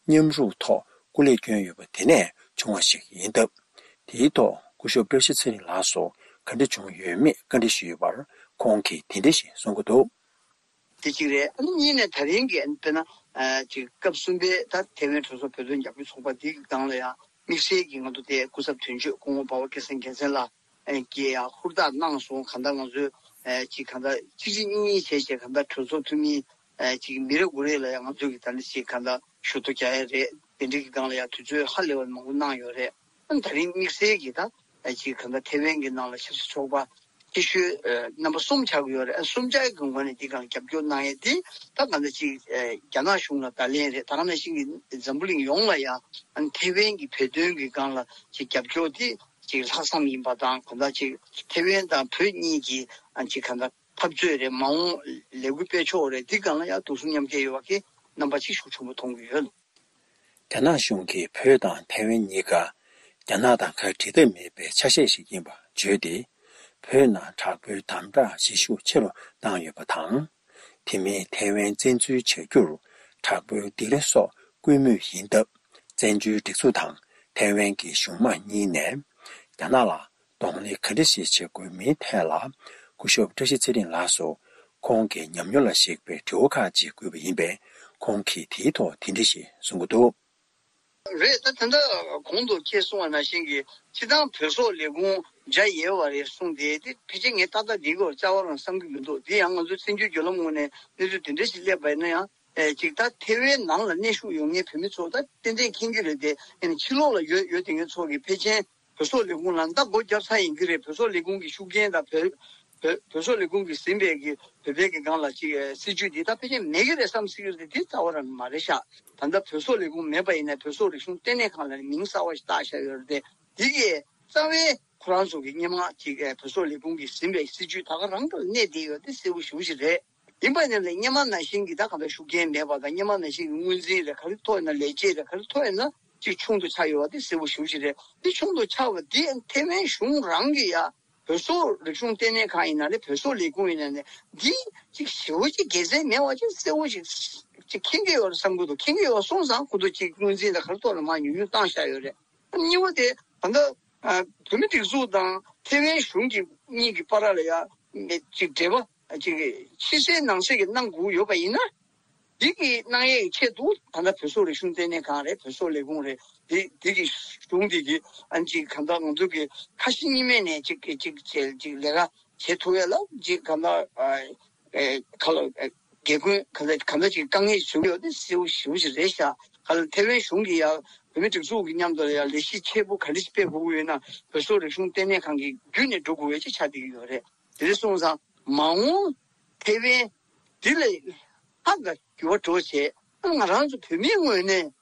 མཉམ་རུབ་ཐོག་སྐུ་ལས་བསྐྱོན་ཡོད་པ་དེ་ནས་བྱུང་བ་ཞིག་ཡིན་སྟབས། དེའི་ཐོག་སྐུ་ཞབས་བཀྲ་ཤིས་ཚེ་རིང་ལགས་སུ་ག་འདྲ་བྱུང་ཡོད་མེད་བཀའ་འདྲི་ཞུས་ཡོད་པར། ཁོང་གིས་དེ་འདྲ་ཞིག་གསུང་གི་འདུག། དེ་གཅིག་རེད། ཨ་ནི་གཉིས་ནས་ད་རིང་གི་དཔེར་ན་ཅིག་སྐབས་གསུམ་པའི་ད་ཐའེ་ཝན་གྲོས་ཚོགས་བོད་དོན་རྒྱབ་སྐྱོར་ཚོགས་པ་འདིའི་སྒང་ལ་ཡང་དམིགས་བསལ་གྱི་ང་ཚོ་དེ་སྐུ་ཚབ་དོན་གཅོད་སྐུ་ངོ་འབའ་པ་སྐལ་བཟང་རྒྱལ་མཚན་ལགས་ཀྱིས་ཡང་ཧུར་ཐག་གནང་སོང་། གང་ལྟར་ང་ཚོས་ཅིག་གང་ལྟར་གཅིག་གཅིག་གཉིས་གཉིས་བྱས་བྱས་གང་ལྟར་གྲོས་ཚོགས་འཐུས་མི་ཅིག་མི་རེ་དགུ་རེ་ལ་ཡང་ང་ཚོས་ཀྱི་ད་ནི་ཅིག་གང་ལྟར་ཞུ་གཏུག་རྒྱག་ཡ་རེད། དེ་འདྲའི་གི་སྒང་ལ་ཡང་དུས་ཚོད་ཧ་ལས་པ་མང་པོ་གནང་ཡོད་རེད། ཨ་ནི་ད་རིང་དམིགས་བསལ་གྱི་ད་ཅིག་གང་ལྟར་ཐའེ་ཝན་གྱི་ནང་ལ་ཆབ་སྲིད་ཚོགས་པ་ཆེ་ཤོས་རྣམ་པ་གསུམ་ཆགས་ཀྱི་ཡོད་རེད། ཨ་གསུམ་ཆ་གི་ངོས་ནས་འདི་སྒང་རྒྱབ་སྐྱོར་གནང་ཡས་དེ་ད་གང་ལྟར་ཅིག་རྒྱ་ནག་གཞུང་ལ་བརྡ་ལན་རེད། ད་ག་ནང་བཞིན་གྱི་འཛམ་བུ་གླིང་ཡོངས་ལ་ཡང་ཨ་ནི་ཐའེ་ཝན་གྱི་བོད་དོན་གྱི་སྒང་ལ་ཅིག་རྒྱབ་སྐྱོར་དེ་ཅིག་ལྷག་བསམ་ཡིན་པ་དང་། གང་ལྟར་ཅིག་ཐའེ་ཝན་དང་བོད་གཉིས་ཀྱི་ཨ་ཅིག་གང་ལྟར་འཐབ་རྩོད་རེད། མ་འོངས་ལས་འགུལ་སྤེལ་ཕྱོགས་རེད། འདི་སྒང་ལ་ཡང་དུག་གསུམ་མཉམ་སྐྱེད་ཡོད་པ་གི་རྣམ་པ་ཅིག་ཤུགས་ཆེན་པོ་མཐོང་གི་ཡོད། རྒྱ་ནག་གཞུང་གིས་བོད་དང་ཐའེ་ཝན་གཉིས་ཀ་རྒྱ་ནག་དང་ཁ་བྲལ་ཐབས་མེད་པའི་ཆ་ཤས་ཤིག་ཡིན་པ་བརྗོད་དེ། བོད་ནང་དྲག་པོའི་དམ་དྲག་བྱེད་ཤུགས་ཆེ་རུ་བཏང་ཡོད་པ་དང་། དེ་མིན་ཐའེ་ཝན་བཙན་འཛུལ་བྱ་རྒྱུར་དྲག་པོའི་སྡིགས་ར་སོགས་བསྐུལ་མུས་ཡིན་སྟབས། བཙན་བྱོལ་སྒྲིག་འཛུགས་དང་ཐའེ་ཝན་གྱི་གཞུང་མང་གཉིས་ནས་རྒྱ་ནག་ལ་གདོང་ལེན་ག་འདྲ་ཞིག་བྱེད་དགོས་མིན་ཐད་ལ། སྐུ་ཞབས་བཀྲ་ཤིས་ཚེ་རིང་ལགས་སུ་ཁོང་གི་ཉམས་མྱོང་ལ་གཞིགས་པའི་དྲི་བ་ཁག་ཅིག་བཀོད་པ་ཡིན་པས། ཁོང་གིས་དེའི་ཐོག་དེ་འདྲ་ཞིག་གསུང་གི་འདུག། རེད། ད་ད་ལྟ་གོང་དུ་ཁྱེད་གསུངས་པ་ནང་བཞིན་གྱི་སྤྱི་བཏང་བོད་སོག་ལས་ཁུངས་བྱ་ཡས་པ་རེད་གསུངས་ཏེ། དེ་ཕལ་ཆེར་ངས་ཏག་ཏག་འདིའི་སྐོར་རྩ་བ་རང་བསམ་གྱི་མི་འདུག། འདི་ཡང་ང་ཚོའི་བཙན་བྱོལ་བརྒྱུད་ལམ་ངོས་ནས་གནས་ཚུལ་དེ་འདྲ་ཞིག་སླེབས་པ་ཡིན་ན་ཡང་། ཨེ་ཅིག་ད་ཐེ་ཝན་ནང་ལ་གནས་བཞུགས་ཡོད་མཁན་བོད་མི་ཚོ་ད་ཏན་ཏན་མཁྱེན་གྱི་རེད་དེ། ཨ་ནི་ཕྱི་ལོགས་ལ་ཡོད་ཡོད་དེ་ངའི་ཚོ་གི་ཕལ་ཆེར་བོད་སོག་ལས་ཁུངས་ལ་ད་སྒོ་བརྒྱབ་ཚར་ཡིན་གྱི་རེད། བོད་སོག་ལས་ཁུངས་ཀྱི་ཤུགས་རྐྱེན་དང་བོད་བོད་བོད་སོག་ལས་ཁུངས་ཀྱིས་ཟིན་པའི་གི་བོད་པའི་གི་སྒང་ལ་ཅིག་ཨེ་སྲིད་ཇུས་འདི་ད་ཕལ་ཆེར་མེད་ཀྱི་རེད་བསམ་སྲིད་ཀྱི་རེད་དེ། དེ་རྩ་བ་རང་མ་རེད་ཤག། ད་ལྟ་བོད་སོག་ལས་ཁུངས་མེད་པ་ཡིན་ན་བོད་སོག་རིག་གཞུང་ལྟེ་གནས་ཁང་ལ་ནི་མིང་གསར་བ་ཞིག་བཏགས་བཞག་ཡོད་རེད་དེ། འདི་གི་རྩ་བའི་ཁོ་རང་ཚོ་གི་སྔོན་མ་ཅིག་ཨེ་བོད་སོག་ལས་ཁུངས་ཀྱིས་ཟིན་པའི་སྲིད་ཇུས་ད་ག་རང་ག་ལ་གནས་བསྡད་ཡོད་དེ་གསལ་པོ་ཞེ་པོ་ཅིག་རེད། ཡིན་པ་ཡིན་ན་ལས་སྔོན་མ་ནང་བཞིན་གྱི་ད་གང་ལྟར་ཤུགས་རྐྱེན་མེད་པ་དང་། སྔོན་མ་ནང་བཞིན་གྱི་དངུལ་འཛིན་རེད། ག་རེ་ཐོག་ཡིན་ན་ལས་བྱེད་རེད། ག་རེ་ཐོག་ཡིན་ན་ཅིག་ཆུང་དུ་ཆགས་ཡོད་པ་དེ་གསལ་པོ་ཞེ་པོ་ཅིག་རེད། དེ་ཆུང་དུ་ཆགས་པ་དེ་ཐེ་ཝན་གཞུང་རང་གིས་ཡ་བོད་སོག་རིག་གཞུང་ལྟེ་གནས་ཁང་ཡིན་ན་རེད། བོད་སོག་ལས་ཁུངས་ཡིན་ན་རེད། འདི་ཅིག་ཞེ་པོ་ཅིག་དགེ་མཚན་མེད་པ་ཅིག་གསལ་པོ་ཞིག་ཅིག་མཁྱེན་གྱི་ཡོད་རེད་བསམ་གྱི་འདུག། མཁྱེན་གྱི་ཡོད་སོང་ཙང་ཁོ་ཚོ་ཅིག་དངུལ་འཛིན་དང་ག་རེ་ཐོག་ལ་མར་ཉུང་ཉུང་བཏང་བཞག་ཡོད་རེད། གཉིས་པ་དེ་ད་ལྟ་ཨ་བོད་མི་སྒྲིག་འཛུགས་དང་ཐེ་ཝན་གཞུང་གི་གཉིས་ཀྱི་བར་ལ་ཡ་ཅིག་འབྲེལ་བ་ཅིག་ཕྱི་གསལ་ནང་གསལ་གྱི་གནང་དགོས་ཡོད་པ་ཡིན་ན། འདི་གི་གནང་ཡས་ཀྱི་ཆེད་དུ་ད་ལྟ་བོད་སོག་རིག་གཞུང་ལྟེ་གནས་ཁང་རེད། བོད་སོག་ལས་ཁུངས་རེད། འདི་འདི་གི་གཞུང་འདི་གི་ཨ་ཅིག་གང་ལྟར་ང་ཚོ་གི་ཁ་ཞེ་གཉིས་མེད་ནས་ཅིག་གི་ཅིག་བྱས་ཅིག་ལས་ཀ་བྱེད་ཐུབ་ཡས་ལ་ཅིག་གང་ལྟར་ཨ་ཨེ་ཁ་ལོ་ཨེ་སྒེར་དགོན་གང་ལྟར་གང་ལྟར་ཅིག་དཀའ་ངལ་བྱུང་ཡོད་དེ་གསལ་པོ་ཞེ་པོ་ཞིག་རེད་ཤག། ག་ལ་ཐེ་ཝན་གཞུང་གིས་ཡ་བོད་མི་སྒྲིག་འཛུགས་ཀྱི་མཉམ་དུ་ལ་ཡ་ལས་གཞི་ཆེ་པོ་ག་འདྲ་ཞིག་སྤེལ་དགོས་ཀྱི་ཡོད་ན་བོད་སོག་རིག་གཞུང་ལྟེ་གནས་ཁང་གི་བརྒྱུད་ནས་འགྲོ་དགོས་པའི་ཅིག་ཆགས་བསྡད་ཀྱི་ཡོད་རེད། དེ་འདྲ་སོང་ཙང་མ་འོངས་ཐེ་ཝན་འདི་ལ་ཧ་ག་འགྱུར་བ་འགྲོ་བྱས། ང་རང་ཚོ་བོད་མིའི་ངོས་ནས་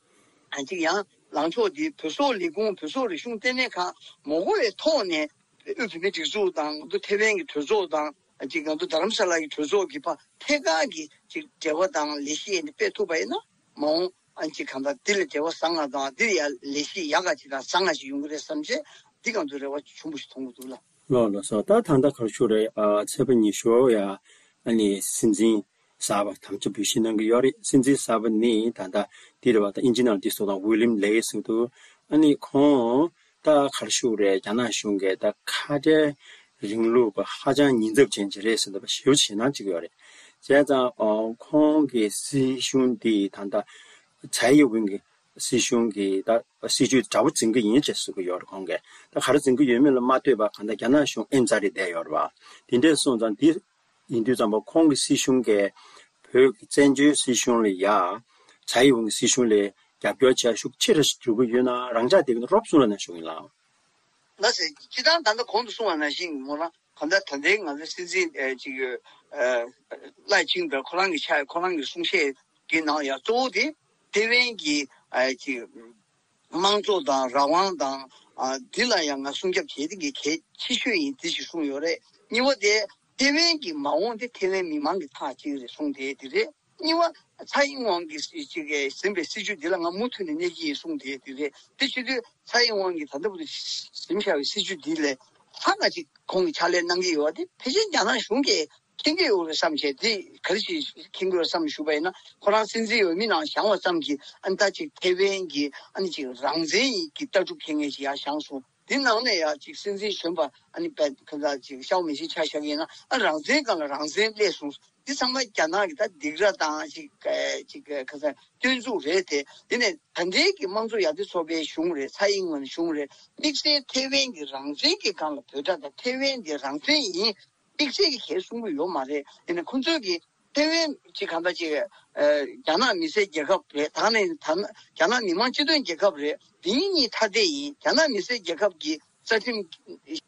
ཨ་ཅིག་ཡང་ལངས་ཕྱོགས་འདི་བོད་སོག་ལས་ཁུངས་བོད་སོག་རིག་གཞུང་ལྟེ་གནས་ཁང་མ་དགོས་པའི་ཐོག་ནས་དབུས་བོད་མིའི་སྒྲིག་འཛུགས་དང་ཐེ་ཝན་གྱི་གྲོས་ཚོགས་དང་ཨ་ཅིག་ང་ཚོ་རྡ་རམ་ས་ལ་གི་གྲོས་ཚོགས་ཀྱི་བར་ཐད་ཀར་གྱི་ཅིག་འབྲེལ་བ་དང་ལས་གཞི་ཡིན་སྤེལ་ཐུབ་པ་ཡིན་ན་མ་འོངས་ཨ་ཅིག་གང་ལྟར་འདི་ལ་འབྲེལ་བ་བཟང་ང་དང་འདི་ལ་ཡང་ལས་གཞི་ཡག་ག་ཅིག་དང་བཟང་ང་ཞིག་ཡོང་གི་རེད་བསམ་བྱས་འདི་གང་ཚོ་རེ་བ་ཆེན་པོ་ཞིག་མཐོང་གི་འདུག་ལ། ལགས་ལགས་སོ། ད་ད་ལྟ་ག་རེ་ཞུ་རེད། ཨ་ཚེས་པ་ཉི་ཤུ་ཡ་ཨ་ནི་སྲིད་འཛིན་གསར་པ་དམ་བཅའ་འབུལ་བཞེས་གནང་གི་ཡོད་རེད། སྲིད་འཛིན་གསར་པ་ནི་ད་ལྟ་འདི་རེད་བ། ད་ཨིན་ཇི་ནང་འདི་སོ་དང་ཝི་ལིམ་ལེ་ཟེར་འདུག། ཨ་ནི་ཁོང་ད་ག་རེ་ཞུ་རེད། རྒྱ་ནག་གཞུང་གིས་ད་ཁ་བྲལ་རིང་ལུགས་པ་ཧ་ཅང་ཉེན་ཚབས་ཅན་ཅིག་རེད་ཟེར་འདུག་པ་ཞེ་པོ་ཞེད་སྣང་ཅིག་ཡོད་རེད། བྱས་ཙང་ཨ་ཁོང་གི་སྲིད་གཞུང་འདི་ད་ལྟ་ཚའེ་ཡི་ཝིན་གྱི་ སྲིད་གཞུང་གི་ད་སྲིད་ཇུས་དྲག་པོ་འཛིན་གྱི་ཡིན་ཅེས་གསུང་གི་ཡོད་རེད་ཁོང་གིས། ད་ག་རེ་འཛིན་གྱི་ཡོད་མེད་ལ་མ་ལྟོས་པར་གང་ལྟར་རྒྱ་ནག་གཞུང་ཨེ་རྩ་རེད་བསྡད་ཡོད་རེད་བ། དེ་འདྲས་སོང་ཙང་འདི་ཡིན་དུས་ཙམ་པ་ཁོང་གི་སྲིད་གཞུང་གིས་བོད་ཀྱི་བཙན་བྱོལ་སྲིད་གཞུང་ལ་ཡ་ཚ་ཡི་ཝང་གི་སྲིད་གཞུང་ལ་རྒྱབ་སྐྱོར་བྱ་ཤུགས་ཆེ་རུ་འགྲོ་གི་ཡོད་ན་རང་འཇགས་བསྡད་ཀྱི་འདུག་རོབ་གསུང་རོགས་གནང་ཞུ་གི་ཡིན་ལགས། ལགས་སེ། སྤྱིར་བཏང་ད་ལྟ་གོང་དུ་གསུངས་པ་ནང་བཞིན་མོ་རང་གང་ལྟར་ད་ལྟའི་ང་ཚོའི་སྲིད་འཛིན་ཨེ་ཅིག་ཨེ་ལའེ་ཆིང་ཏེ་ཁོ་རང་གི་ཆ་ཁོ་རང་གི་གསུང་བཤད་ཀྱི་ནང་ཡང་གཙོ་བོ་དེ་ཐེ་ཝན་གྱི་ཨེ་ཅིག་དམངས་གཙོ་དང་རང་དབང་དང་ཨ་འདི་ལ་ཡང་ང་སྲུང་སྐྱོབ་བྱེད་ཡ་དེ་གི་གལ་ཆེ་ཤོས་ཡིན་དེ་ཞིག་གསུངས་ཡོད་རེད། གཉིས་པ་དེ་ཐེ་ཝན་གྱི་མ་འོངས་དེ་ཐེ་ཝན་མི་མང་གི་ཐག་གཅིག་རེད་གསུངས་དེ་དེ་རེད། གཉིས་པ། ཚ་ཡིན་ཝང་གིས་ཅིག་གིས་ཟིན་པའི་སྲིད་ཇུས་འདི་ལ་ང་མུ་མཐུད་ནས་གནས་ཀྱི་ཡིན་གསུངས་དེ་དེ་རེད། དེ་བྱེད་དུས་ཚ་ཡིན་ཝང་གིས་ད་ལྟ་བར་དུ་ཟིན་བཞག་པའི་སྲིད་ཇུས་འདི་ལས་ཧ་ལས་ཅིག་ཁོང་གིས་ཕྱག་ལས་གནང་གི་ཡོད་པ་དེ་ཕལ་ཆེར་རྒྱ་ནག་གཞུང་གིས་མཁྱེན་གྱི་ཡོད་རེད་བསམ་བྱས། དེ་ག་རེ་ཞིག་མཁྱེན་གྱི་ཡོད་བསམ་ཞུས་པ་ཡིན་ན་ཁོ་རང་སྲིད་འཛིན་འོས་མི་ནང་བཞེངས་པ་ཙམ་གྱིས་ཨ་ནི་ད་ཅིག་ཐེ་ཝན་གྱི་ཨ་ནི་ཅིག་རང་བཙན་གྱི་ལྟ་གྲུབ་འཁྱེར་མཁན་ཞིག་ཡར་བཞེངས་སོང་། དེ་ནང་ནས་ཡང་ཅིག་སྲིད་འཛིན་གཞོན་པ་ཨ་ནི་པད་ཁ་ཁ་ཅིག་ཤའོ་མེ་ཤིན་ཆ་བཞག་ཡིན་ན་ཨ་རང་བཙན་སྒང་ལ་རང་བཙན་སླེབས་སོང་། འདི་ཚང་མ་རྒྱ་ནག་གི་ད་སྡིགས་ར་དང་ཅིག་ཅིག་ཁ་ས་སྐྱོན་འཛུགས་རེད་དེ། དེ་ནས་ད་ལྟའི་གི་དམངས་གཙོ་ཡར་ཐོན་ཚོགས་པའི་གཞུང་རེད། ཚ་ཡིན་ཝང་གཞུང་རེད། དམིགས་བསལ་ཐེ་ཝན་གྱི་རང་བཙན་གྱི་སྒང་ལ་འབོད་སྒྲ་དང་ཐེ་ཝན་འདི་རང་བཙན་ཡིན། དམིགས་བསལ་གྱི་གལ་གསུང་གི་ཡོད་མ་རེད། དེ་ནས་ཁོང་ཚོས་ཀྱི་ཐེ་ཝན་གཅིག་གང་ལྟར་གཅིག་ཨ་རྒྱ་ནག་མི་སེར་རྒྱལ་ཁབ་རེད། ད་ནི་ད་ནི་རྒྱ་ནག་མི་དམངས་སྤྱི་མཐུན་རྒྱལ་ཁབ་རེད། དེ་གཉིས་ཐ་དད་ཡིན། རྒྱ་ནག་མི་སེར་རྒྱལ་ཁབ་ཀྱི་རྩ་ཁྲིམས་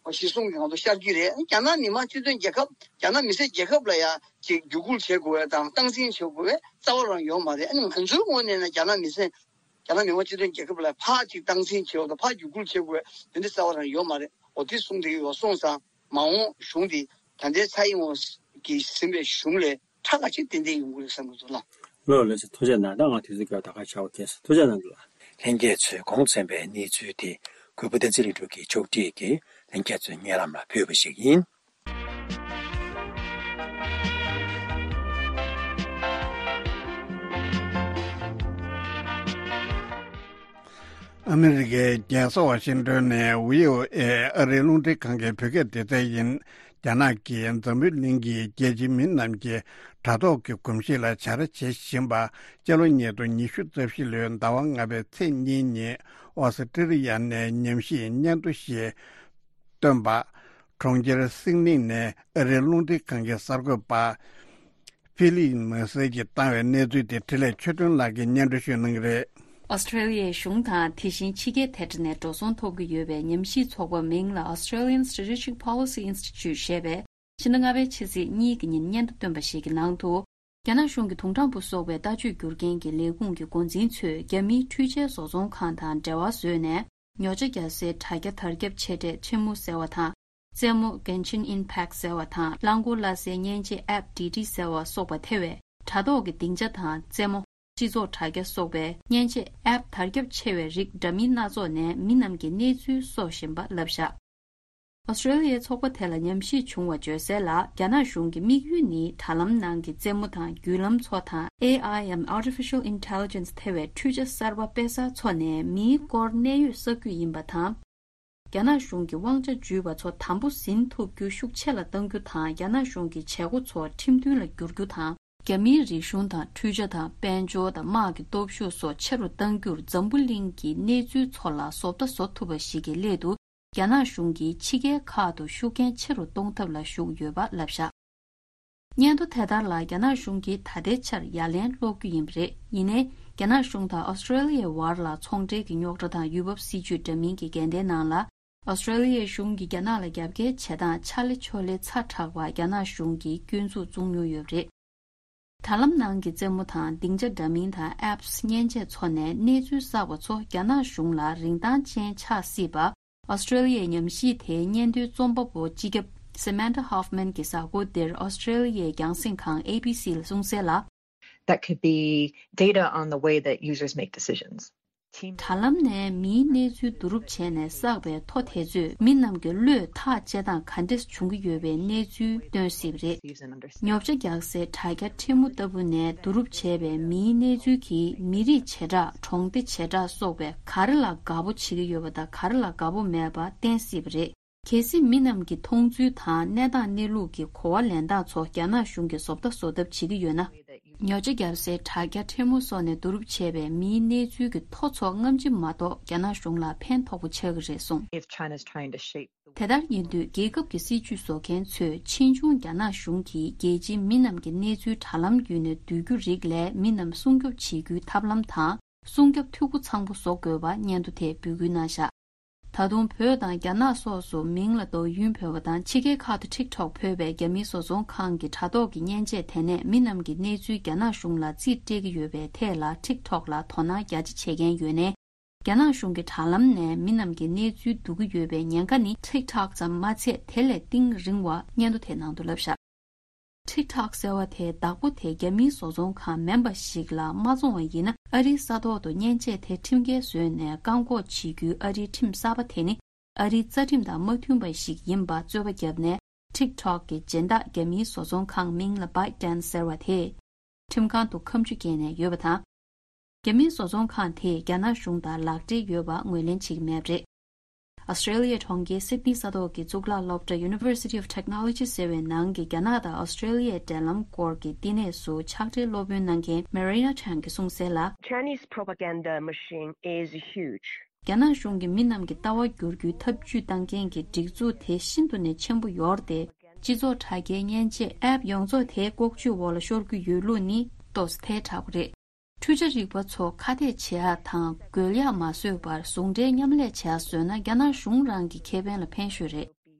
གཞི་བཟུང་གི་ངང་དུ་ཤར་གྱི་རེད། རྒྱ་ནག་མི་དམངས་སྤྱི་མཐུན་རྒྱལ་ཁབ་རྒྱ་ནག་མི་སེར་རྒྱལ་ཁབ་ལ་ཡང་ཅིག་བརྒྱུད་སྐུལ་བྱེད་དགོས་པ་དང་སྟངས་འཛིན་བྱེད་དགོས་པའི་རྩ་བ་རང་ཡོད་མ་རེད། ཨ་ནི་ང་ཚོའི་ངོས་ནས་ན་རྒྱ་ནག་མི་སེར་རྒྱ་ནག་མི་དམངས་སྤྱི་མཐུན་རྒྱལ་ཁབ་ལ་ཕར་ཅིག་སྟངས་འཛིན་བྱེད་དགོས་དང་ཕར་བརྒྱུད་སྐུལ་བྱེད་དགོས་པའི་དེ་འདྲ་རྩ་བ་རང་ཡོད་མ་རེད། འོ་དེ་གསུངས་བསྡད་ཡོད་སོང་ཙང་། མ་འོངས་གཞུང་འདི་ད་ལྟའི་ཚ་ཡིན་ཝང་གིས་ཟིན་པའི་གཞུང་ལས་ཁྲ་ཁ་ཅིག་ཏན་ཏན་ཡོང་གི་རེད་བསམ་གྱི་འདུག་ལགས། ལགས་ལགས་སེ། ཐུགས་རྗེ་གནང་། ད་ང་དུས་ཚོད་ཀྱི་ད་ག་ཆགས་པ་ཁེལ་སོང་། ཐུགས་རྗེ་གནང་འདུག་ལགས། ལྷན་རྒྱས་ཚོས་གོང་གསན་པའི་གནས་ཚུལ་དེ་གུས་པ་བསྟན་འཛིན་ལྷུན་གྲུབ་ཀྱིས་ཕྱོགས་སྒྲིག་གིས་ལྷན་རྒྱས་ཚོའི་སྙན་ལམ་ལ་ཕུལ་བ་ཞིག་ཡིན། ཨ་མི་རི་ཀའི་རྒྱལ་ས་ཝ་ཤིང་ཏོན་ནས་བྷི་ཨོ་ཨེ་ཨ་རིའི་རླུང་འཕྲིན་ཁང་གི་བོད་སྐད་སྡེ་ཚན་ཡིན། རྒྱ་ནག་གིས་འཛམ་བུའི་གླིང་གི་རྒྱལ་སྤྱིའི་མི་རྣམས་ཀྱི་དྲ་ཐོག་གི་གོམས་གཤིས་ལ་བྱ་ར་བྱེད་བཞིན་པ། སྤྱི་ལོ་ཉིས་སྟོང་ཉི་ཤུ་རྩ་བཞི་ལོའི་ཟླ་བ་ལྔ་པའི་ཚེས་གཉིས་ཉིན་ཨོ་སི་ཀྲི་ལི་ཡ་ནས་ཉམས་ཞིབ་སྙན་ཐོ་ཞིག་བཏོན་པ། གྲོང་ཁྱེར་སིད་ནི་ནས་ཨ་རིའི་རླུང་འཕྲིན་ཁང་གི་གསར་འགོད་པ་ཕི་ལིབ་མེ་སི་གིས་བཏང་བའི་གནས་ཚུལ་དེ་འཕྲིན་ལས་ཆོས་སྒྲོན་ལགས་ཀྱིས་སྙན་སྒྲོན་ཞུ་གནང་གི་རེད། ཨོ་སི་ཀྲི་ལི་ཡའི་གཞུང་དང་དེ་བཞིན་ཕྱི་རྒྱལ་ཐེ་ཊར་ནས་འགྲོ་སོང་ཐོབ་ཀྱི་ཡོད་པའི་ཉམས་ཞིབ་ཚོགས་པ་མིང་ལ་Australian Strategic Policy Institute ཞེས་པས། ཕྱི་ཟླ་ལྔ་པའི་ཕྱི་ཚེས་གཉིས་ཀྱི་ཉིན་སྙན་ཐོ་བཏོན་པ་ཞིག་གི་ནང་དུ། རྒྱ་ནག་གཞུང་གི་དུང་སྦྲང་བུ་སོགས་པའི་ལྟ་སྤྱོད་སྒྱུར་མཁན་གྱི་ལས་ཁུངས་ཀྱི་འགོ་འཛིན་ཚོས་རྒྱ་མིའི་འཕྲུལ་ཆས་བཟོ་ཚོང་ཁང་དང་འབྲེལ་བ་བཟོས་ནས། ཉོ་ཆ་རྒྱག་སའི་དྲ་རྒྱ་དར་ཁྱབ་ཆེ་གྲས་Temu ཟེར་བ་དང་། རྩེད་མོ་Genshin Impact ཟེར་བ་དང་། རླངས་འཁོར་གླ་སའི་མཉེན་ཆས་App Didi ཟེར་བ་སོགས་པ་ཐེ་བའི་དྲ་ཐོག་གི་སྡིངས་ཆ་དང་རྩེད་མོ། སྤྱི་ཚོགས་དྲ་རྒྱ་སོགས་པའི་མཉེན་ཆས་App དར་ཁྱབ་ཆེ་བའི་རིགས་འདྲ་མིན་སྣ་ཚོགས་ནས་མི་རྣམས་ཀྱི་གནས་ཚུལ་གསོག་བཞིན་པ་ལབ་བཞག་ཨོ་སི་ཀྲི་ལི་ཡའི་ཚོགས་པ་དེ་ལ་ཉམས་ཞིབ་བྱུང་བ་བརྗོད་གསལ་ལ། རྒྱ་ནག་གཞུང་གི་དམིགས་ཡུལ་ནི་དྲ་ལམ་ནང་གི་རྩེད་མོ་དང་བརྒྱུད་ལམ་ཚོ་དང་ཨེ་ཨའི་འམ་Artificial Intelligence ཐེ་བའི་འཕྲུལ་ཆ་གསར་པ་དཔེ་གསར་ཚོ་ནས་མིའི་སྐོར་གནད་ཡོད་གསར་བརྒྱུད་ཡིན་པ་དང་། རྒྱ་ནག་གཞུང་གི་དབང་ཆ་འཇུས་པ་ཚོ་དམ་པོ་ཟིན་ཐུབ་རྒྱུ་ཤུགས་ཆེ་ལ་གཏང་རྒྱུ་དང་། རྒྱ་ནག་གཞུང་གི་བྱེད་སྒོ་ཚོ་ཁྲིམས་མཐུན་ལ་བསྒྱུར་རྒྱུ་དང་། རྒྱ་མིའི་རིག་གཞུང་དང་འཕྲུལ་ཆ་དང་དཔལ་འབྱོར་དང་དམག་གི་སྟོབས་ཤུགས་སོགས་ཆེ་རུ་གཏང་རྒྱུར་འཛམ་བུ་གླིང་གི་གནས་ཚུལ་ཚོ་ལ་བཟོ་ལྟ་བཟོ་ཐུབ་པ་ཞིག་གི་སླད་དུ། རྒྱ་ནག་གཞུང་གིས་ཕྱི་རྒྱལ་ཁག་ཏུ་ཤུགས་རྐྱེན་ཆེ་རུ་གཏོང་ཐབས་ལ་ཞུགས་ཡོད་པ་ལབ་བཞག་སྙན་ཐོ་དེ་ལྟར་ལ། རྒྱ་ནག་གཞུང་གིས་ད་ལྟའི་ཆར་ཡ་ལན་སློག་རྒྱུ་ཡིན་པ་རེད། ཡིན་ནའི། རྒྱ་ནག་གཞུང་དང་ཨོ་སི་ཀྲི་ལི་ཡའི་བར་ལ་ཚོང་འབྲེལ་གྱི་རྙོག་དྲ་དང་ཡུལ་བབ་སྲིད་ཇུས་འདྲ་མིན་གྱི་འགལ་ཟླའི་ནང་ལ། ཨོ་སི་ཀྲི་ལི་ཡའི་གཞུང་གིས་རྒྱ་ནག་ལ་རྒྱབ་འགལ་བྱེད་སྟངས་ཆ་ལེ་ཆོ་ལེ་ཚ་དྲགས་པ་རྒྱ་ནག་གཞུང་གིས་སྐྱོན་འཛུགས་བཙུགས་མྱོང་ཡོད་པ་རེད། དྲ་ལམ་ནང་གི་རྩེད་མོ་དང་སྡིངས་ཆ་འདྲ་མིན་དང་Apps མཉེན་ཆས་ཚོ་ནས་གནས་ཚུལ་བསགས་པ་ཚོ་རྒྱ་ནག་གཞུང་ལ་རིན་ཐང་ཅན་ཆགས་སྲིད་པ། ཨོ་སི་ཀྲི་ལི་ཡའི་ཉམས་ཞིབ་དེའི་སྙན་ཐོའི་རྩོམ་པ་པོ་སྤྱི་ཁྱབ་Samantha Hoffman གྱིས་གཟའ་འཁོར་འདིར་ཨོ་སི་ཀྲི་ལི་ཡའི་རྒྱང་སྲིང་ཁང་A B C ལ་གསུངས་གསལ་ལ། That could be data on the way that users make decisions. དྲ་ལམ་ནས་མིའི་གནས་ཚུལ་བསྡུ་རུབ་བྱས་ནས་བསགས་པའི་ཐོ་དེ་ཚོས་མི་རྣམས་ཀྱི་བློས་ཐག་བཅད་སྟངས་ག་འདྲས་བྱུང་གི་ཡོད་པའི་གནས་ཚུལ་སྟོན་སྲིད་པ་རེད། ཉོ་ཆ་རྒྱག་སའི་དྲ་རྒྱ་ཁྲི་མོ་ལྟ་བུ་ནས་བསྡུ་རུབ་བྱས་པའི་མིའི་གནས་ཚུལ་གྱིས་མི་རིགས་བྱེ་བྲག་གྲོང་སྡེ་བྱེ་བྲག་སོགས་པའི་ག་རེ་ལ་དགའ་པོ་བྱེད་ཀྱི་ཡོད་པ་དང་ག་རེ་ལ་དགའ་པོ་མེད་པ་བསྟན་སྲིད་པ་རེད། གལ་སྲིད་མི་རྣམས་ཀྱི་མཐོང་ཚུལ་དང་གནས་སྟངས་གནས་ལུགས་ཀྱི་གོ་བ་ལེན་སྟངས་ཚོ་རྒྱ་ནག་གཞུང་གིས་བཟོ་ལྟ་བཟོ་ཐབས་བྱེད་ཀྱི་ཡོད་ན། ཉོ་ཆ་བརྒྱབ་སའི་དྲ་རྒྱ་ཕྲན་བུ་སོགས་ནས་བསྡུ་རུབ་བྱས་པའི་མིའི་གནས་ཚུལ་གྱི་ཐོ་ཚོ་སྔ་ཕྱི་མ་གཏོགས་རྒྱ་ནག་གཞུང་ལ་ཕན་ཐོགས་པོ་ཆགས་ཀྱི་རེད་གསུངས། If China's trying to shape the དེ་ལྟར་ཡིན་དུས་རྒྱལ་ཁབ་ཀྱི་སྲིད་ཇུས་བཟོ་མཁན་ཚོས་ཕྱིས་འབྱུང་རྒྱ་ནག་གཞུང་གིས་རྒྱལ་སྤྱིའི་མི་རྣམས་ཀྱི་གནས་ཚུལ་དྲ་ལམ་བརྒྱུད་ནས་བསྡུ་རྒྱུ་རིགས་ལས་མི་རྣམས་སྲུང་སྐྱོབ་བྱེད་རྒྱུའི་ཐབས་ལམ་དང་སྲུང་སྐྱོབ་འཐུས་སྒོ་ཚང་པོ་བཟོ་དགོས་པ་སྙན་ཐོ་དེས་འབོད་སྐུལ་གནང་བཞག་ད་དུང་བོད་དང་རྒྱ་ནག་སོགས་སུ་མིང་ལ་ཏོའུ་ཡུན་བོད་པ་དང་ཕྱི་རྒྱལ་ཁག་ཏུ་ཊིག་ཊོག་ཕུད་པའི་རྒྱ་མིའི་བཟོ་ཚོང་ཁང་གི་དྲ་ཐོག་གི་མཉེན་ཆས་དེ་ནས་མི་རྣམས་ཀྱི་གནས་ཚུལ་རྒྱ་ནག་གཞུང་ལ་རྩིས་སྤྲད་ཀྱི་ཡོད་པའི་ཐད་ལ་ཊིག་ཊོག་ལ་དོ་སྣང་རྒྱ་ཆེ་བྱེད་མཁན་ཡོད་ནའི། རྒྱ་ནག་གཞུང་གི་དྲ་ལམ་ནས་མི་རྣམས་ཀྱི་གནས་ཚུལ་བསྡུ་གི་ཡོད་པའི་ཉེན་ཁ་ནི་ཊིག་ཊོག་ཙམ་མ་ཚད་དེ་ལས་གཏིང་རིང་བ་སྙན་ཐོ་དེའི་ནང་དུ་ལབ་བཞག་ཊིག་ཊོག་ཟེར་བ་དེའི་བདག་པོ་དེ་རྒྱ་མིའི་བཟོ་ཚོང་ཁང་མིན་པ་ཞིག་ལ་མ་བཙོང་བ་ཡིན་ན། ཨ་རིའི་ས་ཐོག་ཏུ་མཉེན་ཆས་དེ་ཁྲིམས་འགལ་བཟོས་ནས་བཀག་འགོག་བྱེད་རྒྱུའི་ཨ་རིའི་ཁྲིམས་གསར་པ་དེ་ནི་ཨ་རིའི་རྩ་ཁྲིམས་དང་མ་མཐུན་པ་ཞིག་ཡིན་པ་རྩོད་པ་བརྒྱབ་ནས། ཊིག་ཊོག་གི་སྦྱིན་བདག་རྒྱ་མིའི་བཟོ་ཚོང་ཁང་མིང་ལ་བའི་ཏན་ཟེར་བ་དེས་ཁྲིམས་ཁང་དུ་ཁ་མཆུ་བཀལ་ནས་ཡོད་པ་དང་། རྒྱ་མིའི་བཟོ་ཚོང་ཁང་དེས་རྒྱ་ནག་གཞུང་དང་ལག་འབྲེལ་ཡོད་པ་ངོས་ལེན་བྱེད་ཀྱི་མེད་པ་རེད། ཨོ་སི་ཀྲེ་ལི་ཡའི་གྲོང་ཁྱེར་སིད་ནི་ས་ཐོག་གི་གཙུག་ལག་སློབ་གྲྭ་University of Technology ཟེར་བའི་ནང་གི་རྒྱ་ནག་དང་ཨོ་སི་ཀྲེ་ལི་ཡའི་འབྲེལ་ལམ་སྐོར་གྱི་བསྟི་གནས་སུ་ཕྱག་སྦྲེལ་སློབ་དཔོན་གནང་མཁན་Marina Chan གྱིས་གསུངས་གསལ་ལ། Chinese propaganda machine is huge. རྒྱ་ནག་གཞུང་གིས་མི་རྣམས་ཀྱི་ལྟ་བ་བསྒྱུར་རྒྱུའི་ཐབས་ཇུས་བཏང་མཁན་གྱི་སྒྲིག་འཛུགས་དེ་ཤིན་ཏུ་ནས་ཆེན་པོ་ཡོད་རེད་དེ། སྤྱི་ཚོགས་དྲ་རྒྱའི་མཉེན་ཆས་ཨེབ་ཡོངས་རྫོགས་དེ་ལྐོག་ཇུས་འོག་ལ་ཤོར་གྱི་ཡོད་ལུགས་ནི་ཏོག་ཙམ་ཐལ་དྲགས་པ་རེད། འཕྲུལ་ཆ་རིག་པ་ཚོ་ཁ་གཏད་བྱེད་ཡག་དང་རྒོལ་ཡག་མ་བཟོས་པར་ཟུང་འབྲེལ་མཉམ་ལས་བྱེད་ཡག་བཟོས་ན་རྒྱ་ནག་གཞུང་རང་གི་ཁེ་ཕན་ལ་ཕན་ཤོས་རེད།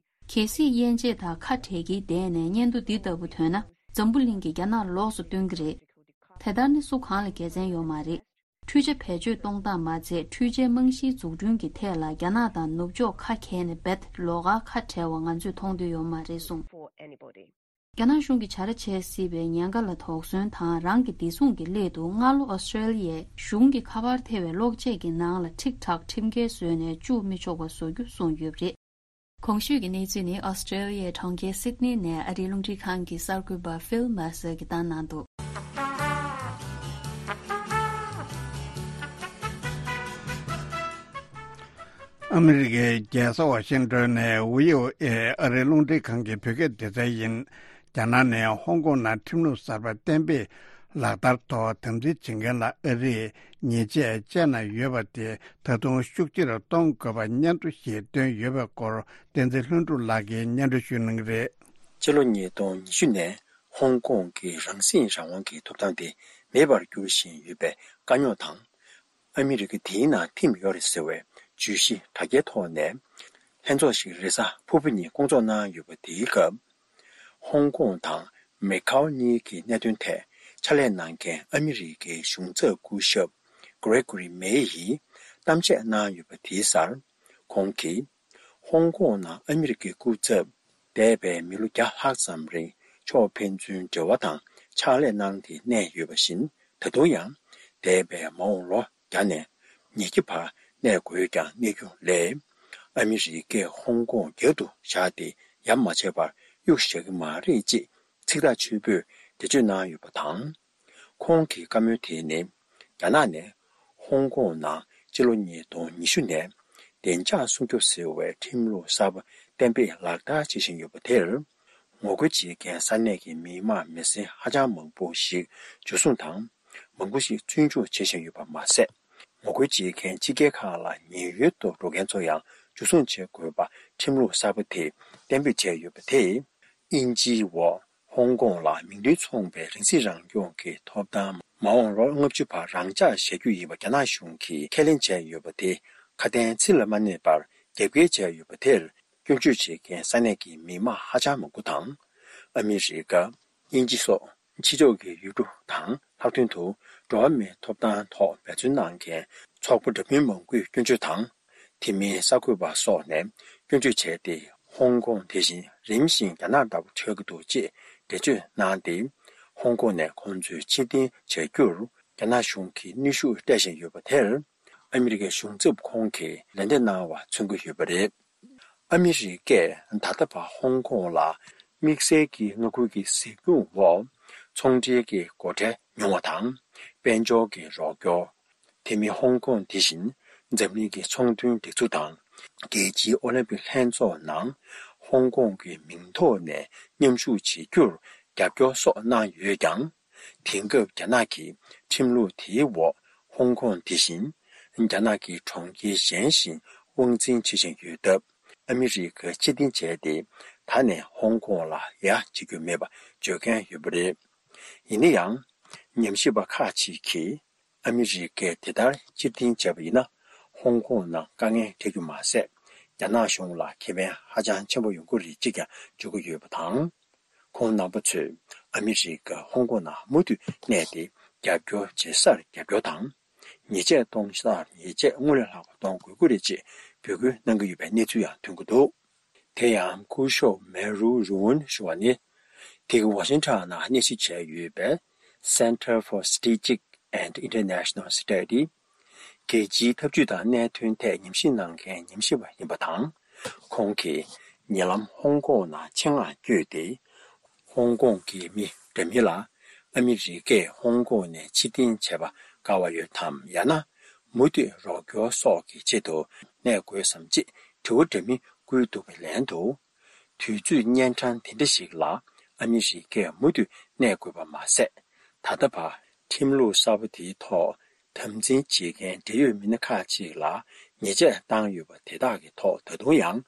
གལ་སྲིད་དབྱེ་འབྱེད་དང་ཁ་བྲལ་གྱིས་བསྡད་ནས་སྙན་ཐོ་འདི་ལྟ་བུ་ཐོན་ན་འཛམ་བུ་གླིང་གིས་རྒྱ་ནག་ལོགས་སུ་སྟོན་གྱི་རེད། དེ་ལྟར་ནི་སུ་གང་ལ་དགེ་མཚན་ཡོད་མ་རེད། འཕྲུལ་ཆ་བེད་སྤྱོད་གཏོང་སྟངས་མ་ཚད་འཕྲུལ་ཆའི་རྨང་གཞིའི་འཛུགས་སྐྲུན་གྱི་ཐད་ལ་རྒྱ་ནག་དང་ནུབ་ཕྱོགས་ཁ་གྱེས་ནས་རྦད་ལོགས་ཀར་ཁ་བྲལ་བ་ང་ཚོས་མཐོང་འདོད་ཡོད་མ་རེད་གསུངས། རྒྱ་ནག་གཞུང་གིས་བྱ་ར་བྱེད་སྲིད་པའི་ཉེན་ཁ་ལ་དོགས་ཟོན་དང་རང་གི་བདེ་སྲུང་གི་སླད་དུ་སྔ་ལོ་ཨོ་སི་ཀྲེ་ལི་ཡའི་གཞུང་གི་ཁ་པར་ཐེ་བའི་གློག་ཆས་ཀྱི་ནང་ལ་ཊིག་ཊོག་ཁྲིམས་འགལ་བཟོས་ནས་བཅུག་མི་ཆོག་པ་བཟོ་རྒྱུ་གསུངས་ཡོད་པ་རེད། གོང་ཞུས་ཀྱི་གནས་ཚུལ་ནི་ཨོ་སི་ཀྲེ་ལི་ཡའི་གྲོང་ཁྱེར་སིད་ནི་ནས་ཨ་རིའི་རླུང་འཕྲིན་ཁང་གི་གསར་འགོད་པ་ཕིལ་མར་སར་གྱིས་བཏང་གནང་འདུག་ཨ་མི་རི་ཀའི་རྒྱལ་ས་ཝ་ཤིང་ཏོན་ནས་ཝི་ཨོ་ཨེ་ཨ་རིའི་རླུང་འཕྲིན་ཁང་གི་བོད་སྐད་སྡེ་ཚན་ཡིན། རྒྱ་ནག་ནས་ཧོང་ཀོང་ནང་ཁྲིམས་ལུགས་གསར་པ་གཏན་འབེབས་ལག་བསྟར་ཐོག་དམ་འཛིན་བྱེད་མཁན་ལ་ཨ་རིས་ཉེས་ཆད་བཅད་གནང་ཡོད་པ་དེ་ད་དུང་ཤུགས་ཆེ་རུ་གཏོང་དགོས་པ་སྙན་ཐོ་ཞིག་བཏོན་ཡོད་པའི་སྐོར་བསྟན་འཛིན་ལྷུན་གྲུབ་ལགས་ཀྱིས་སྙན་སྒྲོན་ཞུ་གནང་གི་རེད། ཕྱི་ལོ་ཉིས་སྟོང་ཉི་ཤུ་ནས་ཧོང་ཀོང་གི་རང་སྲིད་རང་དབང་གི་ཐོབ་ཐང་དེ་མེད་པར་འགྱུར་བཞིན་ཡོད་པའི་དཀའ་རྙོག་དང་། ཨ་མི་རི་ཀ་དེའི་ནང་ཐིམ་ཡོད་རེད་ཟེར་བའི་བརྗོད་གཞི་དྲ་རྒྱའི་ཐོག་ནས་ལྷན་ཚོགས་ཤིག་རེས་གཟའ་ཕུར་བུ་ཉིན་བསྐོང་ཚོགས་གནང་ཡོད་པ་དེའི་སྐབས། ཧོང་ཀོང་དང་མེ་ཁའོ་གཉིས་ཀྱི་གནད་དོན་ཐད་ཕྱག་ལས་གནང་མཁན་ཨ་མི་རི་ཀའི་གཞུང་ཚབ་སྐུ་ཞབས་གྷི་རེ་གྷོ་རི་མེ་ཡིས་གཏམ་བཤད་གནང་ཡོད་པ་དེའི་སར། ཁོང་གིས་ཧོང་ཀོང་ནང་ཨ་མི་རི་ཀའི་སྐུ་ཚབ་འདས་པའི་མི་ལོ་བརྒྱ་ལྷག་ཙམ་རིང་ཕྱོགས་ཕན་ཚུན་འབྲེལ་བ་དང་ཕྱག་ལས་གནང་སྟེ་གནས་ཡོད་པ་བཞིན། ད་དུང་ཡང་འདས་པའི་མ་འོངས་ལོ་བརྒྱ་ནས་ཉིས་བརྒྱ་བར་གནས་དགོས་ཀྱང་གནས་རྒྱུ་ལས། ཨ་མི་རི་ཀས་ཧོང་ཀོང་རྒྱབ་ཏུ་བཞག་སྟེ་ཡ་མ་བྱས་པར་གཡུག་བཞག་གི་མ་རེད་ཅེས་ཚིག་ཐག་ཆོད་པོས་འགྲེལ་བརྗོད་གནང་ཡོད་པ་དང་། ཁོང་གི་བཀའ་མོལ་དེ་ནི་རྒྱ་ནག་ནས་ཧོང་ཀོང་ནང་སྤྱི་ལོ་ཉིས་སྟོང་ཉི་ཤུ་ནས་བདེ་འཇགས་སྲུང་སྐྱོབ་ཟེར་བའི་ཁྲིམས་ལུགས་གསར་པ་གཏན་འབེབས་ལག་བསྟར་བྱེད་བཞིན་ཡོད་པ་དེར། ངོ་རྒོལ་བྱེད་མཁན་ས་གནས་ཀྱི་མི་དམངས་མི་སེར་ཧ་ཅང་མང་པོ་ཞིག་འཇུ་བཟུང་དང་མང་པོ་ཞིག་བཙོན་འཇུག་བྱེད་བཞིན་ཡོད་པ་མ་ཟད། ངོ་རྒོལ་བྱེད་མཁན་ཕྱི་རྒྱལ་ཁག་ལ་ཉེན་གཡོལ་དུ་འགྲོ་མཁན་ཚོ་ཡང་འཇུ་བཟུང་བྱེད་དགོས་པ་ཁྲིམས་ལུགས་གསར་པ་དེས་གཏན་འབེབས་བྱས་ཡོད་པ་དེས། དབྱིན་ཇིའི་འོག་ཧོང་ཀོང་ལ་མིང་དོན་མཚུངས་པའི་རང་སྲིད་རང་སྐྱོང་གི་ཐོབ་ཐང་མ་འོངས་ལོ་ལྔ་བཅུ་བར་རང་འཇགས་བཞག་རྒྱུ་ཡིན་པ་རྒྱ་ནག་གཞུང་གིས་ཁས་ལེན་བྱས་ཡོད་པ་དེ་ཁ་དན་ཚིག་ལ་མ་གནས་པར་རྒྱབ་འགལ་བྱས་ཡོད་པ་དེར། སྐྱོན་བརྗོད་བྱེད་མཁན་ས་གནས་ཀྱི་མི་དམངས་ཧ་ཅང་མང་པོ་དང་། ཨ་མི་རི་ཀ། དབྱིན་ཇི་སོགས་ཕྱི་ཕྱོགས་ཀྱི་ཡུལ་གྲུ་དང་ལྷག་དོན་དུ་འགྲོ་བ་མིའི་ཐོབ་ཐང་ཐོག་འབད་བརྩོན་གནང་མཁན་ཚོགས་པ་འདྲ་མིན་མང་པོས་སྐྱོན་བརྗོད་དང་། དེ་མིན་གསར་འགོད་པ་སོགས་ནས་སྐྱོན་བརྗོད་བྱས་ཏེ། ཧོང་ཀོང་དེ་བཞིན་རིམ་བཞིན་རྒྱ་ནག་ལྟ་བུ་ཆགས་ཀྱི་འདུག་ཅེས་འགྲེལ་བརྗོད་གནང་སྟེ། ཧོང་ཀོང་ནས་ཁོང་ཚོའི་ཕྱིར་འཐེན་བྱ་རྒྱུར་རྒྱ་ནག་གཞུང་གིས་གནོན་ཤུགས་སྤྲད་བཞིན་ཡོད་པ་དེར། ཨ་མི་རི་ཀའི་གཞུང་ཚབ་ཁོང་གིས་ལན་འདེབས་གནང་བ་མཚོན་གྱི་ཡོད་པ་རེད། ཨ་མི་རི་ཀས་ད་ལྟ་བར་ཧོང་ཀོང་ལ་དམིགས་བསལ་གྱི་མངའ་ཁུལ་གྱི་གཟིགས་སྐྱོང་འོག་ཚོང་འབྲེལ་གྱི་སྒོ་ཁྲལ་ཉུང་བ་དང་། དཔལ་འབྱོར་གྱི་རོགས་སྐྱོར། དེ་མིན་ཧོང་ཀོང་དེ་བཞིན་འཛམ་གླིང་གི་ཚོང་དོན་སྒྲིག་འཛུགས་དང་། རྒྱལ་སྤྱིའི་ཨོ་ལིམ་པིག་ལྷན་ཚོགས་ནང་ཧོང་ཀོང་གི་མིང་ཐོག་ནས་མཉམ་ཞུགས་བྱེད་རྒྱུར་རྒྱབ་སྐྱོར་སོགས་གནང་ཡོད་ཀྱང་། དེང་སྐབས་རྒྱ་ནག་གི་ཁྲིམས་ལུགས་དེའི་འོག་ཧོང་ཀོང་དེ་བཞིན་རྒྱ་ནག་གི་གྲོང་ཁྱེར་གཞན་བཞིན་དབང་འཛིན་བྱེད་བཞིན་ཡོད་སྟབས། ཨ་མི་རི་ཀ་ཕྱིར་འཐེན་བྱས་ཏེ། ད་ནས་ཧོང་ཀོང་ལ་ཡ་བྱེད་རྒྱུ་མེད་པ་བརྗོད་མཁན་ཡོད་པ་རེད། ཡིན་ན་ཡང་། ཉམས་ཞིབ་པ་ཁག་ཅིག་གིས། ཨ་མི་རི་ཀས་དེ་ལྟར་ཕྱིར་འཐེན་བྱས་པ་ཡིན་ན། ཧོང་ཀོང་ནང་དཀའ་ངལ་འཕྲད་རྒྱུ་མ་ཟད། རྒྱ་ནག་གཞུང་ལ་ཁེ་ཕན་ཧ་ཅང་ཆེན་པོ་ཡོང་གི་རེད་ཅེས་ཀྱང་བརྗོད་ཀྱི་ཡོད་པ་དང་། ཁོང་རྣམ་པ་ཚོས་ཨ་མི་རི་ཀ་ཧོང་ཀོང་ནང་མུ་མཐུད་གནས་ཏེ། རྒྱབ་སྐྱོར་བྱེད་སར་རྒྱབ་སྐྱོར་དང་། ཉེས་ཆད་གཏོང་སར་ཉེས་ཆད་སྔོན་ལས་ལྷག་པ་གཏོང་དགོས་ཀྱི་རེད་ཅེས་འབོད་སྐུལ་གནང་གི་ཡོད་པའི་གནས་ཚུལ་ཡང་ཐོན་གྱི་འདུག། དེ་ཡང་སྐུ་ཞབས་མེ་རུ་རུ་ཝུན་ཞུ་བ་ནི། དེ་གི་ཝ་ཤིང་ཊོན་ནང་གནས་གཟིགས་བྱས་ཡོད་པའི་Center for Strategic and International Study། རྒྱལ་སྤྱིའི་འཐབ་ཇུས་དང་གནད་དོན་ཐད་ཉམས་ཞིབ་གནང་མཁན་ཉམས་ཞིབ་པ་ཡིན་པ་དང་། ཁོང་གིས་ཉེ་ལམ་ཧོང་ཀོང་ནང་ཆེད་མངགས་བསྐྱོད་དེ། ཧོང་ཀོང་གི་མི་འདྲ་མིན་ལ་ཨ་མི་རི་ཀས་ཧོང་ཀོང་ནས་ཕྱིར་འཐེན་བྱས་པ་དགའ་བ་ཡོད་དམ། ཡང་ན་མུ་མཐུད་རོགས་སྐྱོར་སོགས་ཀྱི་ཆེད་དུ་གནས་དགོས་སམ་ཅེས་དྲི་བ་འདྲ་མིན་བསྐུལ་འདུག་པའི་ལན་དུ། དུས་ཚོད་གཉན་འཕྲང་དེ་འདྲ་ཞིག་ལ་ཨ་མི་རི་ཀས་མུ་མཐུད་གནས་དགོས་པ་མ་ཟད། ད་ལྟ་བར་ཁྲིམས་ལུགས་གསར་པ་དེའི་ཐོག་དམ་འཛིན་བྱེད་མཁན་འབྲེལ་ཡོད་མི་སྣ་ཁག་ཅིག་ལ་ཉེས་ཆད་བཏང་ཡོད་པ་དེ་དག་གི་ཐོག་ད་དུང་ཡང་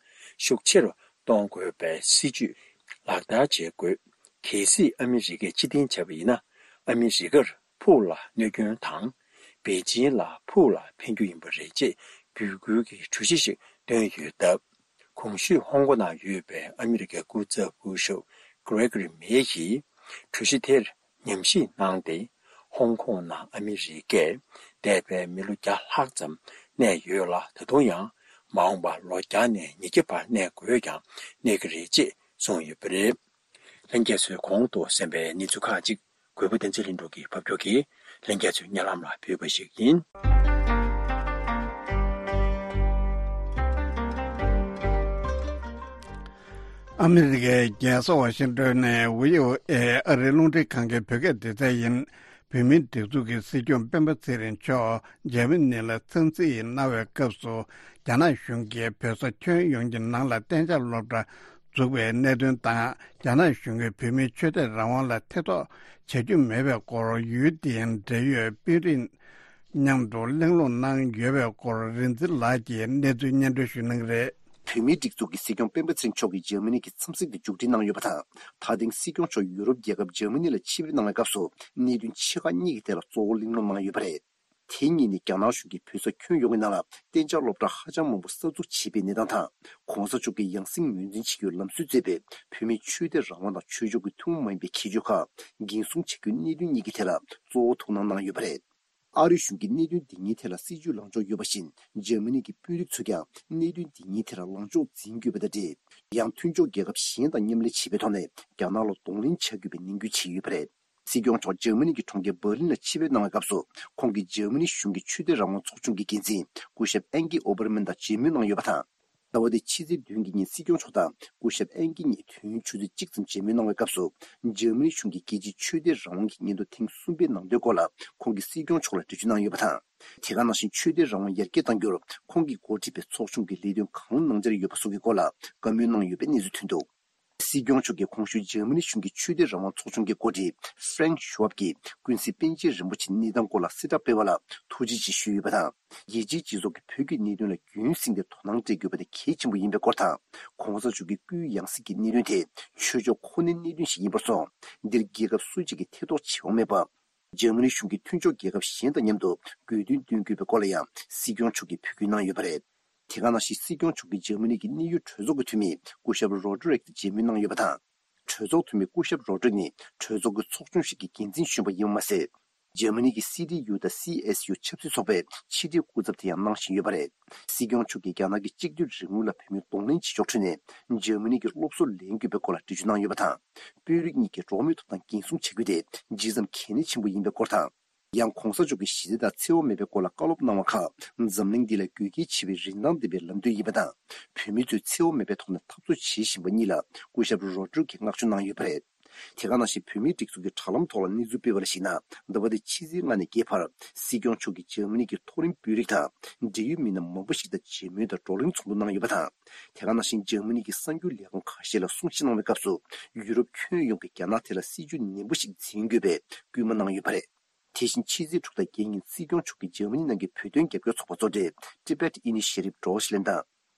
ཤུགས་ཆེ་རུ་གཏོང་དགོས་པའི་སྲིད་ཇུས་ལག་བསྟར་བྱེད་དགོས། གལ་སྲིད་ཨ་མི་རི་ཀས་ཕྱིར་འཐེན་བྱས་པ་ཡིན་ན། ཨ་མི་རི་ཀར་ཕུགས་ལ་གནོད་སྐྱོན་དང་། པེ་ཅིན་ལ་ཕུགས་ལ་ཕན་རྒྱུ་ཡིན་པ་རེད་ཅེས་འབོད་སྐུལ་གྱི་གྲོས་གཞི་ཞིག་བཏོན་ཡོད་སྟབས། གོང་ཞུས་ཧོང་ཀོང་ནང་ཡོད་པའི་ཨ་མི་རི་ཀའི་སྐུ་ཚབ་སྐུ་ཞབས་Gregory Meyer་ཡིས་གྲོས་གཞི་དེར་ཉམས་ཞིབ་གནང་སྟེ། ཧོང་ཀོང་ནང་ཨ་མི་རི་ཀས་འདས་པའི་མི་ལོ་བརྒྱ་ལྷག་ཙམ་གནས་ཡོད་ལ། ད་དུང་ཡང་མ་འོངས་པར་ལོ་བརྒྱ་ནས་ཉིས་བརྒྱ་བར་གནས་དགོས་ཀྱང་གནས་ཀྱི་རེད་ཅེས་གསུངས་ཡོད་པ་རེད། ལྷན་རྒྱས་ཚོས་གོང་དུ་གསན་པའི་གནས་ཚུལ་ཁག་ཅིག་གུས་པ་བསྟན་འཛིན་ལྷུན་གྲུབ་ཀྱིས་ཕབ་སྒྱུར་གྱིས་ལྷན་རྒྱས་ཚོའི་སྙན་ལམ་ལ་ཕུལ་བ་ཞིག་ཡིན། ཨ་མི་རི་ཀའི་རྒྱལ་ས་ཝ་ཤིང་ཏོན་ནས་བྷི་ཨོ་ཨེ་ཨ་རིའི་རླུང་འཕྲིན་ཁང་གི་བོད་སྐད་སྡེ་ཚན་ཡིན། བོད་མིའི་སྒྲིག་འཛུགས་ཀྱི་སྲིད་སྐྱོང་སྤེན་པ་ཚེ་རིང་མཆོག་འཇར་མ་ནི་ལ་འཚམས་གཟིགས་གནང་བའི་སྐབས་སུ། རྒྱ་ནག་གཞུང་གིས་བོད་ས་ཁྱོན་ཡོངས་ཀྱི་ནང་ལ་གཏན་འཇགས་སློབ་གྲྭ་འཛུགས་པའི་གནད་དོན་དང་། རྒྱ་ནག་གཞུང་གིས་བོད་མིའི་ཆོས་དད་རང་དབང་ལ་ཐེ་གཏོགས་བྱ་རྒྱུ་མེད་པའི་སྐོར་ཡུའེ་ཏེན་འབྲེལ་ཡོད་དཔོན་རིགས་མཉམ་དུ་གླེང་སློང་གནང་ཡོད་པའི་སྐོར། རིག་འཛིན་ལགས་ཀྱིས་གནས་ཚུལ་སྙན་སྒྲོན་ཞུ་གནང་གི་རེད། བོད་མིའི་སྒྲིག་འཛུགས་ཀྱི་སྲིད་སྐྱོང་སྤེན་པ་ཚེ་རིང་མཆོག་གིས་འཇར་མ་ནི་གི་འཚམས་གཟིགས་དེ་མཇུག་སྒྲིལ་གནང་ཡོད་པ་དང་། ད་ཐེངས་སྲིད་སྐྱོང་མཆོག་ཡུ་རོབ་རྒྱལ་ཁབ་འཇར་མ་ནི་ལ་ཆིབས་བསྒྱུར་གནང་བའི་སྐབས་སུ། གནད་དོན་ཆེ་ཁག་གཉིས་ཀྱི་ཐད་ལ་གཙོ་བོ་གླེང་སློང་གནང་ཡོད་པ་རེད། དེ་གཉིས་ནི་རྒྱ་ནག་གཞུང་གིས་བོད་ས་ཁྱོན་ཡོངས་ཀྱི་ནང་ལ་གཏན་འཇགས་སློབ་གྲྭ་ཧ་ཅང་མང་པོ་གསར་འཛུགས་བྱས་པའི་གནས་སྟངས་དང་། གོང་ས་མཆོག་གིས་ཡང་སྲིད་ངོས་འཛིན་བྱེད་རྒྱུའི་ལམ་སྲོལ་མཛད་པའི་བོད་མིའི་ཆོས་དད་རང་དབང་དང་ཆོས་ཕྱོགས་ཀྱི་ཐུན་མོང་མ་ཡིན་པའི་ཁྱད་ཆོས་ཁག་འགན་སྲུང་བྱེད་རྒྱུའི་གནད་དོན་གཉིས་ཀྱི་ཐད་ལ་གཙོ་བོ་ཐུགས་སྣང་གནང་ཡོད་པ་རེད། ཨ་རིའི་གཞུང་གིས་གནད་དོན་འདི་གཉིས་ཐད་ལ་སྲིད་ཇུས་ལངས་ཕྱོགས་ཡོད་པ་བཞིན། འཇར་མ་ནི་གི་དཔོན་རིགས་ཚོས་ཀྱང་གནད་དོན་འདི་གཉིས་ཐད་ལ་ལངས་ཕྱོགས་འཛིན་དགོས་པ་དང་འབྲེལ། ཡང་མཐུན་ཕྱོགས་རྒྱལ་ཁབ་གཞན་དང་མཉམ་ལས་བྱེད་པའི་ཐོག་ནས་རྒྱ་ནག་ལ་གདོང་ལེན་བྱ་དགོས་པའི་ནན་སྐུལ་བྱས་ཡོད་པ་རེད། སྲིད་སྐྱོང་མཆོག་འཇར་མ་ནི་གི་གྲོང་ཁྱེར་འབར་ལིན་ལ་ཆིབས་བསྒྱུར་གནང་བའི་སྐབས་སུ། ཁོང་གིས་འཇར་མ་ནི་གཞུང་གི་ཆོས་དད་རང་དབང་ཚོགས་ཆུང་གི་འགན་འཛིན་སྐུ་ཞབས་ཨན་ཀི་ཨོ་པར་མན་དང་མཇལ་མོལ་གནང་ཡོད་པ་དང་། ཟླ་བ་འདིའི་ཕྱི་ཚེས་བདུན་གྱི་ཉིན་སྲིད་སྐྱོང་མཆོག་དང་སྐུ་ཞབས་ཨན་ཀི་གཉིས་དུས་ཡུན་ཆུ་ཚོད་གཅིག་ཙམ་མཇལ་མོལ་གནང་བའི་སྐབས་སུ། འཇར་མ་ནི་གཞུང་གིས་རྒྱལ་སྤྱིའི་ཆོས་དད་རང་དབང་གི་སྙན་ཐོ་ཐེངས་གསུམ་པའི་ནང་དོན་སྐོར་ལ་ཁོང་གིས་སྲིད་སྐྱོང་མཆོག་ལ་འགྲེལ་བརྗོད་གནང་ཡོད་པ་དང་། དེ་ག་ནང་བཞིན་ཆོས་དད་རང་དབང་ཡར་རྒྱས་གཏང་རྒྱུར་ཁོང་གིས་འགོ་ཁྲིད་པའི་ཚོགས་ཆུང་གིས་ལས་དོན་གང་གནང་འཆར་ཡོད་པ་སོགས་ཀྱི་སྐོར་ལ་བཀའ་མོལ་གནང་ཡོད་པའི་གནས་ཚུལ་ཐོན་འདུག། སྲིད་སྐྱོང་མཆོག་གིས་གོང་ཞུས་འཇར་མ་ནི་གཞུང་གི་ཆོས་དད་རང་དབང་ཚོགས་ཆུང་གི་འགོ་ཁྲིད་Frank Schwab་གྱིས་ཀུན་གཟིགས་པཎ་ཆེན་རིན་པོ་ཆེ་གནས་སྟངས་སྐོར་ལ་གསལ་བསྒྲགས་སྤེལ་བ་ལ་ཐུགས་རྗེ་ཆེ་ཞུས་ཡོད་པ་དང་། རྒྱལ་སྤྱིའི་སྤྱི་ཚོགས་ཀྱིས་བོད་ཀྱི་གནད་དོན་ལ་རྒྱུན་བསྲིངས་ཏེ་དོ་སྣང་སྤྲད་དགོས་པ་དེ་གལ་ཆེན་པོ་ཡིན་པའི་སྐོར་དང་། གོང་ས་མཆོག་གི་སྐུའི་ཡང་སྲིད་ཀྱི་གནད་དོན་དེ་ཆོས་ཕྱོགས་ཁོ་ནའི་གནད་དོན་ཞིག་ཡིན་པར་སོང་། འདིར་རྒྱལ་ཁབ་སུ་གཅིག་གིས་ཐེ་གཏོགས་བྱེད་དབང་མེད་པ། འཇར་མ་ནི་གཞུང་གིས་མཐུན་ཕྱོགས་རྒྱལ་ཁབ་གཞན་དང་མཉམ་དུ་དགོས་འདུན་འདོན་དགོས་པའི་སྐོར་ལ་ཡང་སྲིད་སྐྱོང་མཆོག་གིས་འབོད་སྐུལ་གནང་ཡོད་པ་རེད། དེ་ག་ནང་བཞིན་སྲིད་སྐྱོང་མཆོག་གིས་འཇར་མ་ནི་གི་གནད་ཡོད་གྲོས་ཚོགས་ཀྱི་འཐུས་མི་སྐུ་ཞབས་རོ་ཌི་རིག་དང་མཇལ་མོལ་གནང་ཡོད་པ་དང་། གྲོས་ཚོགས་འཐུས་མི་སྐུ་ཞབས་རོ་ཌི་རིག་ནི་གྲོས་ཚོགས་ཀྱི་ཚོགས་ཆུང་ཞིག་གི་འགན་འཛིན་གཞོན་པ་ཡིན་པ་མ་ཟད། འཇར་མ་ནི་གི་སི་ཌི་ཡུ་དང་སི་ཨེས་ཡུ་ཆབ་སྲིད་ཚོགས་པའི་ཕྱི་དྲིལ་སྐུ་ཚབ་དེ་ཡང་གནང་བཞིན་ཡོད་པ་རེད། སྲིད་སྐྱོང་མཆོག་གིས་རྒྱ་ནག་གི་གཅིག་སྡུད་རིང་ལུགས་ལ་བོད་མིས་གདོང་ལེན་བྱེད་ཕྱོགས་ཁྲོད་ནས་འཇར་མ་ནི་གི་སློབ་གསོ་ལེན་དགོས་པའི་སྐོར་ལ་འགྲེལ་བརྗོད་གནང་ཡོད་པ་དང་། དཔོན་རིགས་གཉིས་ཀྱིས་འགྲོ་བ་མིའི་ཐོབ་ཐང་འགན་སྲུང་བྱ་རྒྱུ་དེ་ཇི་ཙམ་གལ་གནད་ཆེན་པོ་ཡིན་པའི་སྐོར་དང་། ཡང་གོང་ས་མཆོག་གིས་ཞི་བདེ་དང་འཚེ་བ་མེད་པའི་སྐོར་ལ་བཀའ་སློབ་གནང་བ་ཁག་འཛམ་གླིང་འདི་ལ་དགོས་གལ་ཆེ་བའི་རིན་ཐང་ལྡན་པའི་ལམ་སྟོན་ཡིན་པ་དང་། བོད་མི་ཚོས་འཚེ་བ་མེད་པའི་ཐོག་ནས་འཐབ་རྩོད་བྱེད་བཞིན་པ་གཉིས་ལ་སྐུ་ཞབས་རོ་ཌི་རིག་གིས་བསྔགས་བརྗོད་གནང་ཡོད་པ་རེད། དེ་ག་ནང་བཞིན་བོད་མིའི་སྒྲིག་འཛུགས་ཀྱི་དྲ་ལམ་ཐོག་ལ་གནས་ཚུལ་སྤེལ་བ་ལ་གཞིགས་ན། འདི་པ་དེ་ཕྱི་ཚེས་ལྔ་ནས་བརྒྱད་བར་སྲིད་སྐྱོང་མཆོག་གིས་འཇར་མ་ནི་གི་མཐོ་རིམ་དཔོན་རིགས་དང་འབྲེལ་ཡོད་མི་སྣ་མང་པོ་ཞིག་དང་མཇལ་མོལ་དང་བགྲོ་གླེང་ཚོགས་འདུ་གནང་ཡོད་པ་དང་། དེ་ག་ནང་བཞིན་འཇར་མ་ནི་གི་གསར་འགྱུར་ལས་ཁང་ཁ་ཤས་ལ་གསུང་བཤད་གནང་བའི་སྐབས་སུ། ཡུ་རོབ་ཁྱོན་ཡོངས་ཀྱིས་རྒྱ་ནག་ཐད་ལ་སྲིད་ཇུས་ནན་པོ་ཞིག་འཛིན་དགོས་པའི་སྐུལ་མ་གནང་ཡོད་པ་རེད། དེ་བཞིན་ཕྱི་ཚེས་དྲུག་དང་བརྒྱད་ཉིན་སྲིད་སྐྱོང་མཆོག་གིས་འཇར་མ་ནི་ནང་གི་བོད་དོན་རྒྱབ་སྐྱོར་ཚོགས་པ་གཙོ་གྲས་Tibet Initiative Deutschland དང་།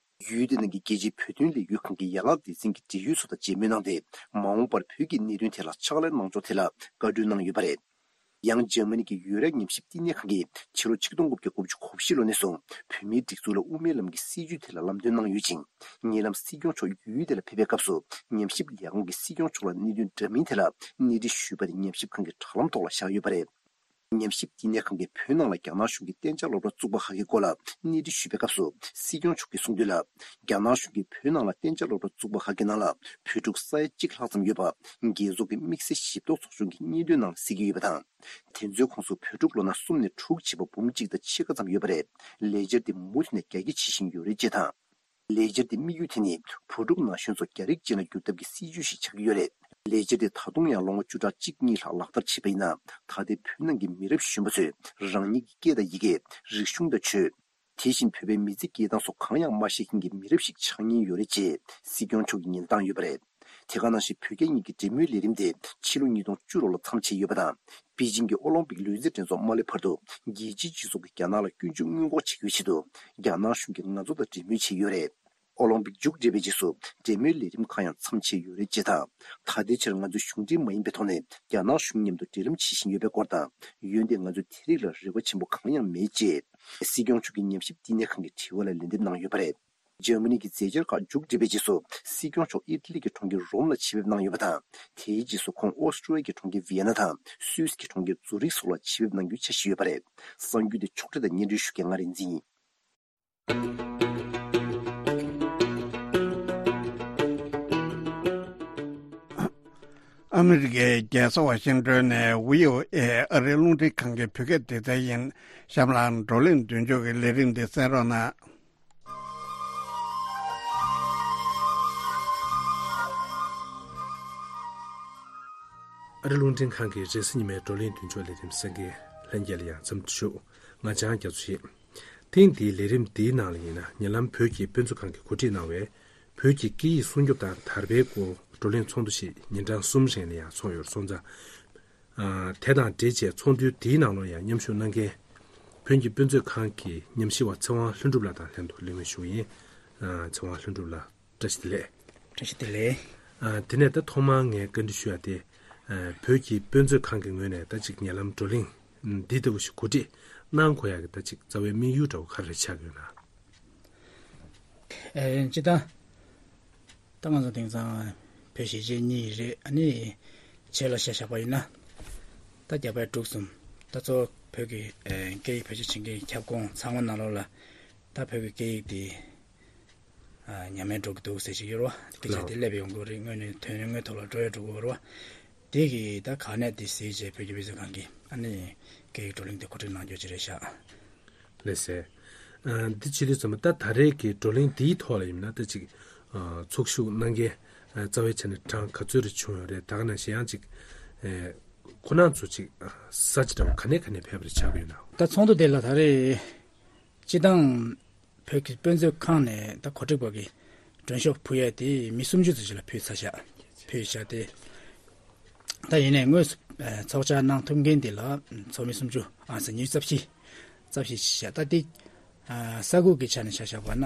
ཡུལ་དེ་ནང་གི་རྒྱལ་སྤྱིའི་བོད་དོན་ལས་འགུལ་ཁང་གི་ཡན་ལག་སྡེ་ཚན་གྱི་འབྲེལ་ཡོད་ཚོ་དང་མཇལ་མོལ་གནང་སྟེ། མ་འོངས་པར་བོད་ཀྱི་གནད་དོན་ཐད་ལ་ཕྱག་ལས་གནང་ཕྱོགས་ཐད་ལ་བཀའ་འཁྲོལ་གནང་ཡོད་པ་རེད། ཡང་འཇར་མ་ནི་གི་ཡུ་རོབ་ཉམས་ཞིབ་བསྟི་གནས་ཁང་གིས་ཕྱི་ལོ་ཆིག་སྟོང་དགུ་བརྒྱ་དགུ་བཅུ་གོ་བཞི་ལོ་ནས་བཟུང་བོད་མིའི་སྒྲིག་འཛུགས་ལ་དབུ་མའི་ལམ་གྱི་སྲིད་བྱུས་ཐད་ལ་ལམ་སྟོན་གནང་ཡོད་ཅིང་། ཉེ་ལམ་སྲིད་སྐྱོང་མཆོག་ཡུལ་དེ་ལ་ཕེབས་པའི་སྐབས་སུ། ཉམས་ཞིབ་ལས་ཁང་གིས་སྲིད་སྐྱོང་མཆོག་ལ་གནད་དོན་འདྲ་མིན་ཐད་ལ་གནས་འདྲི་ཞུས་པ་དེ་ཉམས་ཞིབ་ཁང་གི་དྲ་ལམ་ཐོག་ལ་བཞག་ཡོད་པ་རེད། ཉམས་ཞིབ་བསྟི་གནས་ཁང་གིས་བོད་ནང་ལ་རྒྱ་ནག་གཞུང་གིས་གཏན་འཇགས་སློབ་གྲྭ་བཙུགས་པ་ཁག་གི་སྐོར་ལ་གནས་འདྲི་ཞུས་པའི་སྐབས་སུ། སྲིད་སྐྱོང་མཆོག་གིས་གསུངས་དོན་ལ། རྒྱ་ནག་གཞུང་གིས་བོད་ནང་ལ་གཏན་འཇགས་སློབ་གྲྭ་བཙུགས་པ་ཁག་གི་ནང་ལ་བོད་ཕྲུག་ས་ཡ་གཅིག་ལྷག་ཙམ་ཡོད་པ། རྒྱལ་ཚོགས་ཀྱི་དམིགས་བསལ་ཞིབ་ལྟ་ཚོགས་ཆུང་གི་སྙན་ཐོའི་ནང་གསལ་གྱི་ཡོད་པ་དང་། དེ་ཚོའི་ཁོངས་སུ་བོད་ཕྲུག་ལོ་ན་གསུམ་ནས་དྲུག་བྱས་པ་འབུམ་གཅིག་དང་ཕྱེད་ཀ་ཙམ་ཡོད་པ་རེད། ལས་འཆར་དེ་མུ་མཐུད་ནས་རྒྱ་སྐྱེད་བྱེད་བཞིན་ཡོད་རེད་ཅེས་དང་། ལས་འཆར་དེ་དམིགས་ཡུལ་དེ་ནི་བུ་ཕྲུག་ན་གཞོན་ཚོ་རྒྱ་རིགས་ཅན་ལ་བསྒྱུར་ཐབས་ཀྱི་སྲིད་ཇུས་ཤིག་ཆགས་ཀྱི་ཡོད་རེད། ལས་འཆར་དེ་ད་དུང་ཡང་ལོ་ངོ་བཅུ་ཕྲག་གཅིག་གཉིས་ལྷག་ལག་བསྟར་བྱས་པ་ཡིན་ན། ད་ལྟའི་བོད་ནང་གི་མི་རབས་གཞོན་པ་ཚོས་རང་ཉིད་ཀྱི་སྐད་དང་ཡི་གེ། རིག་གཞུང་དང་ཆོས། དེ་བཞིན་བོད་པའི་མི་ཚེ་སྐྱེལ་སྟངས་སོགས་གང་ཡང་མ་ཤེས་མཁན་གྱི་མི་རབས་ཤིག་ཆགས་ཉེན་ཡོད་རེད་ཅེས་སྲིད་སྐྱོང་མཆོག་གིས་ཉེན་བཏང་ཡོད་པ་རེད། དེ་ག་ནང་བཞིན་བོད་རྒྱ་གཉིས་ཀྱི་འབྲེལ་མོལ་ལས་རིམ་དེ་ཕྱི་ལོ་ཉིས་སྟོང་བཅུ་དྲུག་ལོར་མཚམས་ཆད་ཡོད་པ་དང་། པེ་ཅིང་གི་ཨོ་ལིམ་པིག་ལུས་རྩལ་འགྲན་ཚོགས་མ་སླེབས་བར་དུ་རྒྱལ་སྤྱིའི་སྤྱི་ཚོགས་ཀྱིས་རྒྱ་ནག་ལ་སྐྱོན་བརྗོད་སྔོན་འགོག་བྱེད་རྒྱུའི་ཆེད་དུ། རྒྱ་ནག་གཞུང་གིས་ང་ཚོ་དང་འབྲེལ་མོལ་བྱས་ཡོད་རེད། ཨོ་ལིམ་པིག་མཇུག་བསྒྲིལ་བའི་རྗེས་སུ་འབྲེལ་མོལ་ལས་རིམ་ཁག་ཡང་མཚམས་ཆད་ཡོད་རེད་ཅེས་དང་། ད་ལྟའི་ཆར་ང་ཚོས་གཞུང་འབྲེལ་མ་ཡིན་པའི་ཐོག་ནས་རྒྱ་ནག་གཞུང་མཉམ་དུ་འབྲེལ་ལམ་བྱེད་བཞིན་ཡོད་པའི་སྐོར་དང་། འོན་ཏེ་ང་ཚོས་དེ་རིགས་ལ་རེ་བ་ཆེན་པོ་གང་ཡང་མེད་ཅེས། སྲིད་སྐྱོང་མཆོག་གིས་ཉམས་ཞིབ་བསྟི་གནས་ཁང་གི་དྲི་བ་ལ་ལན་འདེབས་གནང་ཡོད་པ་རེད། འཇར་མ་ནི་གི་མཛད་འཆར་ཁག་མཇུག་བསྒྲིལ་བའི་རྗེས་སུ། སྲིད་སྐྱོང་མཆོག་ཨི་ཊ་ལི་གི་གྲོང་ཁྱེར་རོམ་ལ་ཆེད་ཕེབས་གནང་ཡོད་པ་དང་། དེའི་རྗེས་སུ་ཁོང་ཨོ་སི་ཀྲི་ཡ་གི་གྲོང་ཁྱེར་ཝི་ཡེ་ན་དང་སུད་སི་གི་གྲོང་ཁྱེར་ཛུ་རིག་སོགས་ལ་ཆེད་ཕེབས་གནང་རྒྱུའི་འཆར་གཞི་ཡོད་པ་རེད། གསར་འགྱུར་དེ་ཕྱོགས་སྒྲིག་དང་སྙན་སྒྲོན་ཞུ་མཁན་ང་རིག་འཛིན་ཡིན། ཨ་མི་རི་ཀའི་རྒྱལ་ས་ཝ་ཤིང་ཏོན་ནས་བྷི་ཨོ་ཨེ་ཨ་རིའི་རླུང་འཕྲིན་ཁང་གི་བོད་སྐད་སྡེ་ཚན་ཡིན། གཤམ་ལ་བགྲོ་གླེང་མདུན་ལྕོག་གི་ལས་རིམ་འདི་གསན་རོགས་གནང་། ཨ་རི་རླུང་འཕྲིན་ཁང་གི་རེས་གཟའ་ཉི་མའི་བགྲོ་གླེང་མདུན་ལྕོག་ལས་རིམ་གསན་མཁན་ལྷན་རྒྱས་ལ་ཡང་འཚམས་འདྲི་ཞུ། ང་འཇང་རྒྱ་མཚོ་ཡིན། ཐེངས་འདིའི་ལས་རིམ་འདིའི་ནང་ལ་ཡིན་ན། ཉེ་ལམ་བོད་ཀྱི་དཔེ་མཛོད་ཁང་གིས་གོ་སྒྲིག་གནང་བའི་བོད་ཀྱི་སྐད་ཡིག་སྲུང་སྐྱོབ་དང་དར་སྤེལ་སྐོར་བགྲོ་གླེང་ཚོགས་འདུ་ཞིག་ཉིན་གྲངས་གསུམ་རིང་ལ་ཡང་ཚོགས་ཡོད་སོང་ཙང་། ཨ། དེ་དང་འབྲེལ་བྱས་ཚོགས་འདུའི་འདིའི་ནང་ལོགས་ཡང་མཉམ་ཞུགས་གནང་མཁན་བོད་ཀྱི་དཔེ་མཛོད་ཁང་གི་ཉམས་ཞིབ་པ་ཚེ་དབང་ལྷུན་གྲུབ་ལགས་དང་ལྷན་དུ་གླེང་མོལ་ཞུ་གི་ཡིན། ཨ། ཚེ་དབང་ལྷུན་གྲུབ་ལགས། བཀྲ་ཤིས་བདེ་ལེགས། བཀྲ་ཤིས་བདེ་ལེགས། ཨ། དེ་ནས་ད་ཐོག་མར་ངས་བཀའ་འདྲི་ཞུ་ཡ་དེ། ཨ། བོད་ཀྱི་དཔེ་མཛོད་ཁང་གི་ངོས་ནས་ད་ཅིག་ཉེ་ལམ་བགྲོ་གླེང་འདི་ལྟ་བུ་ཞིག་གོ་སྒྲིག་གནང་དགོས་ཡ་གི་ད་ཅིག་རྩ་བའི་དམིགས་ཡུལ་འདྲ་བོ་ག་རེ་ཆགས་ཡོད་ན། ཨེ། སྤྱིར་བཏང་ད་ང་ཚོ་དེང་སང་བོད་གཞིས་བྱེས་གཉིས་རེད། ཨ་ནི་བྱེས་ལ་ཆ་བཞག་པ་ཡིན་ན་ད་རྒྱ་བལ་འབྲུག་གསུམ། ད་གཙོ་བོ་བོད་ཀྱི་ཨེ་སྐད་ཡིག་བེད་སྤྱོད་བྱེད་མཁན་གྱི་ཁྱབ་ཁོངས་ཚང་མ་ནང་ལོགས་ལ་ད་བོད་ཀྱི་སྐད་ཡིག་དེ། ཨ། ཉམས་དམས་འགྲོ་གི་འདུག་ཟེར་ཞིག་ཡོད་རེད་བ། སྐད་ཆ་དེ་སླེབས་ཡོང་གི་རེད། དངོས་གནས་དོན་དངོས་ཐོག་ལ་འགྲོ་ཡ་འགྲོ་གི་རེད་བ། དེ་གི་ད་ག་ནས་དེ་གཟིགས་བྱས་བོད་ཀྱི་དཔེ་མཛོད་ཁང་གིས་ཨ་ནི་སྐད་ཡིག་བགྲོ་གླེང་དེ་གོ་སྒྲིག་གནང་རྒྱུ་ཅིག་རེད་ཤག་ལགས་སེ། ཨ། འདི་བྱེད་དུས་ཙམ་པ་ད་ད་རེས་ཀྱི་བགྲོ་གླེང་འདིའི་ཐོག་ལ་ཡིན་ན་ད་ཅིག་ཨ། ཚོགས་ཞུགས་གནང་མཁན་ཨ། རྩ་བའི་ཆ་ནས་གྲངས་ག་ཚོད་རེ་བྱུང་ཡོད་རེད། ད་ག་ནང་བཞིན་ཡང་ཅིག་ཨེ། ཁོ་རང་ཚོ་ཅིག་ས་ཆ་འདྲ་བོ་ག་ནས་ག་ནས་ཕེབས་པ་རེད་ཆགས་ཀྱི་ཡོད་ན། ད་ཚོགས་འདུ་དེ་ལ་ད་རེས་སྤྱིར་བཏང་བོད་ཀྱི་དཔེ་མཛོད་ཁང་ནས་ད་གོ་སྒྲིག་པ་གི་མགྲོན་ཤོག་ཕུལ་ཡ་དེ་མི་སུམ་ཅུ་ཙམ་ཞིག་ལ་ཕུལ་ཚར་ཤག་ཕུལ་ཤག་སྟེ། ད་ཡིན་ནའི་དངོས་སུ་ཚོགས་བཅར་གནང་ཐུབ་མཁན་དེ་ལ་ཚོགས་མི་སུམ་ཅུ་ཨང་ས་ཉི་ཤུ་རྩ་བཞི། རྩ་བཞི་ཞིག་ཤག་ད་དེ་ས་ཁུལ་གྱི་ཆ་ནས་ཆ་བཞག་པ་ན་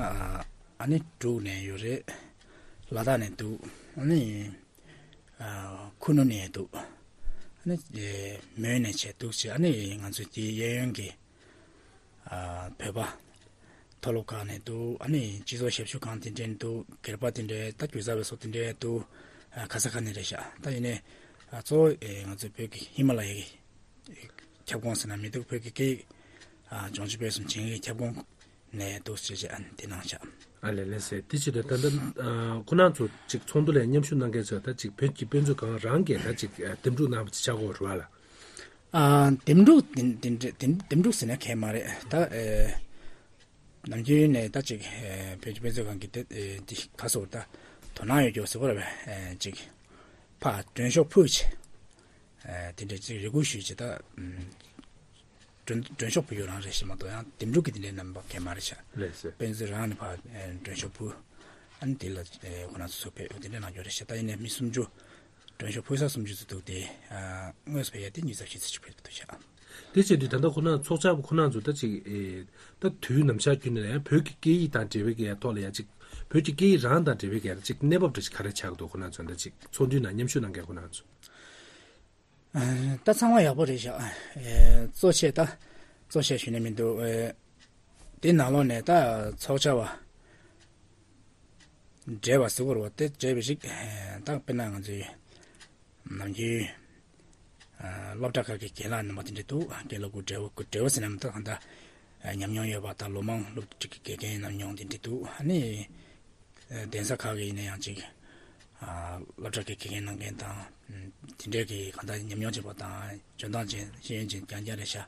ཨ་ནི་འབྲུག་ནས་ཡོད་རེད། ལ་དྭགས་ནས་འདུག་ཨ་ནི་ཨ་ཁུ་ནུ་ནས་འདུག་ཨ་ནི་མོན་ནས་བྱས་འདུག་ཅེས། ཨ་ནི་ང་ཚོའི་དེའི་གཡས་གཡོན་གྱི་ཨ་བོད་པ་མཐོ་སློབ་ཁག་ནས་འདུག་ཨ་ནི་སྤྱི་ཚོགས་ཞབས་ཞུ་ཁང་དེ་འདྲས་འདུག་སྒེར་པ་དེ་འདྲས། ད་རྒྱུ་ཟ་བའི་སོགས་དེ་འདྲས་འདུག་ཨ་ག་ས་ག་ནས་རེད་ཤག་ད་ཡིན་ནའི་ཨ་གཙོ་བོ་ཨེ་ང་ཚོའི་བོད་ཀྱི་ཧི་མ་ལ་ཡའི་ཁྱབ་ཁོངས་ཟེར་ན་མི་འདུག་བོད་ཀྱི་སྐད་ཡིག་ཨ་སྦྱོང་སྤྱོད་སྤེལ་གསུམ་བྱེད་མཁན་གྱི་ཁྱབ་ཁོངས་ནས་འདུག་ཅེས་བྱས་ཨ་ནི་དེ་གནང་ཤག་ཨ་ལས་ལས་སེ། དེ་བྱེད་དུས་ད་ལྟ་ཨ་ཁོ་རང་ཚོ་ཅིག་ཚོགས་འདུ་ལ་མཉམ་ཞུགས་གནང་མཁན་ཚོས་ད་ཅིག་བོད་ཀྱི་དཔེ་མཛོད་ཁང་རང་གིས་ད་ཅིག་ཨ་འདེམས་སྒྲུག་གནང་བ་ཅིག་ཆགས་ཀྱི་ཡོད་རེད་བ་ལ། ཨ་འདེམས་སྒྲུག་འདེམས་འདེམས་འདེམས་སྒྲུག་ཟེར་ན་གང་ཡང་མ་རེད། ད་ཨེ་ནམ་རྒྱུན་ནས་ད་ཅིག་ཨེ་བོད་ཀྱི་དཔེ་མཛོད་ཁང་གི་དེ་ཨེ་འདི་ག་སོགས་ད་དོ་སྣང་ཡོད་རྒྱུ་ཟེར་བ་རེད་པས། ཨེ་ཅིག་ ཕར་མགྲོན་ཤོག་ཕུལ་བྱས། ཨ་དེ་འདྲ་ཅིག་རེ་སྐུལ་ཞུས་བྱས། ད་ཨམ་མགྲོན་མགྲོན་ཤོག་ཕུལ་ཡོད་རང་རེད་ཤག་མ་གཏོགས། ཡང་འདེམས་སྒྲུག་གི་དེ་འདྲའི་རྣམ་པ་གང་ཡང་མ་རེད་ཤག་ལགས་སོ། དཔེ་མཛོད་རང་ནས་ཕར་ཨ་མགྲོན་ཤོག་ཕུལ། ཨ་ནི་དེ་ལ་ཨ་ཁོ་རང་ཚོ་ཚུར་ཕེབས་དེ་འདྲ་གནང་རྒྱུ་རེད་ཤག་ད་ཡིན་ནའི་མི་སུམ་ཅུ། མགྲོན་ཤོག་ཕུལ་ས་སུམ་ཅུ་ཙམ་འདུག་སྟེ། ཨ་དངོས་སུ་ཕེབས་ཡ་དེ་ཉི་ཤུ་རྩ་བཞི་ཙམ་ཅིག་ཕེབས་འདུག་ཤག་དེ་བྱས་དུས་ད་ལྟ་ཁོ་ན་ཚོགས་བཅར་བ་ཁོ་ན་ཚོ་ད་ཅིག་ཨེ་ད་དུས་ནམ་ཞག་རྒྱུན་ནས་ཡང་བོད་ཀྱི་སྐད་ཡིག་དང་འབྲེལ་བའི་གི་ཐོག་ལ་ཡ་ཅིག་བོད་ཀྱི་སྐད་ཡིག་རང་དང་འབྲེལ་བའི་གི་ཅིག་གནས་བབ་འདྲ་ཞིག་ག་རེ་ཆགས་འདུག་ཁོ་ན་ཚོ་ད་ཅིག་ཚོགས་འདུའི་ནང་མཉམ་ཞུགས་གནང་མཁན་ཁོ་ན་ཚོ། ཨ་ད་ཚང་མ་ཡག་པོ་རེད་ཤག་ཨེ་གཙོ་ཆེ་ད་གཙོ་ཆེ་ཞུ་ནས་མི་འདུག་ཨེ་དེ་ནང་ལོགས་ནས་ད་ཚོགས་བཅར་བ་འབྲེལ་བ་ཟེར་དགོས་རེད་བ། དེ་འབྲེལ་བ་ཞིག་ཨེ་ད་དཔེར་ན་ང་ཚོའི་ནམ་རྒྱུན་ཨ་སློབ་གྲྭ་ཁག་གི་རྒན་ལགས་རྣམ་པ་དེ་འདྲ་འདུག་རྒན་ལགས་ཀྱི་འབྲེལ་བ་ཀྱི་འབྲེལ་བ་ཟེར་ན་མི་འདུག་གང་ལྟར་ཨ་ཉམས་མྱོང་ཡོད་པ་དང་ལོ་མང་སློབ་ཁྲིད་ཀྱི་དགེ་རྒན་ཉམས་མྱོང་དེ་འདྲ་འདུག་ཨ་ནི་ཨ་གདན་ས་ཁག་གི་ཡིན་ན་ཡང་ཅིག་ཨ་སློབ་གྲྭ་གི་དགེ་རྒན་གནང་མཁན་དང་། ཨ་དེ་འདྲའི་གི་གང་ལྟར་ཉམས་མྱོང་ཆེ་བ་དང་འཇོན་ཐང་ཅན་ཤེས་ཡོན་ཅན་རྐྱང་རྐྱང་རེད་ཤག་ཨ་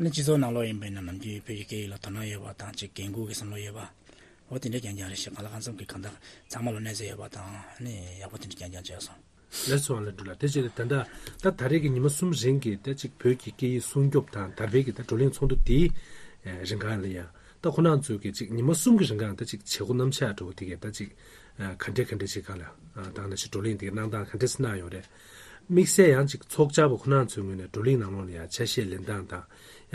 ནི་སྤྱི་ཚོགས་ནང་ལོགས་ཡིན་པ་ཡིན་ན་ནམ་རྒྱུན་བོད་ཀྱི་སྐད་ཡིག་ལ་དོ་སྣང་ཡོད་པ་དང་ཅིག་འགན་ཁུར་གྱི་བསམ་བློ་ཡོད་པ། འོ་དེ་འདྲ་རྐྱང་རྐྱང་རེད་ཤག་གང་ལ་གང་འཚམ་གྱི་གང་ལྟར་ཚང་མ་ལ་གནས་ཚུལ་ཡོད་པ་དང་ཨ་ནི་ཡག་པོ་དེ་འདྲ་རྐྱང་རྐྱང་བྱས་སོང་། ལགས་སོ། ཨ་ལས་འགྲོ་ལ་དེ་བྱས་ཏེ་ད་ལྟ་ད་ད་རེས་ཀྱི་ཉི་མ་གསུམ་རིང་གི་ད་ཅིག་བོད་ཀྱི་སྐད་ཡིག་སྲུང་སྐྱོབ་དང་དར་སྤེལ་གྱི་ད་བགྲོ་གླེང་ཚོགས་འདུ་དེའི་ཨ་རིང་གང་ལ་ཡང་ད་ཁོ་རང་ཚོས་ཀྱི་ཅིག་ཉི་མ་གསུམ་གྱི་རིང་གང་ད་ཅིག་བྱེད་སྒོ་རྣམ་གཞག་འདྲ་བོ་དེ་གས་ད་ཅིག་ཨ་ག་འདྲས་ག་འདྲས་ཅིག་གང་ལ་ཨ་དང་ནང་བཞིན་བགྲོ་གླེང་དེ་གནང་སྟངས་ག་འདྲས་སེ་གནང་ཡོད་རེད། དམིགས་བསལ་ཡང་ཅིག་ཚོགས་བཅར་བ་ཁོ་རང་ཚོའི་ངོས་ནས་བགྲོ་གླེང་ནང་ལོགས་ལ་ཡང་ཆ་ཤས་ལེན་སྟངས་དང་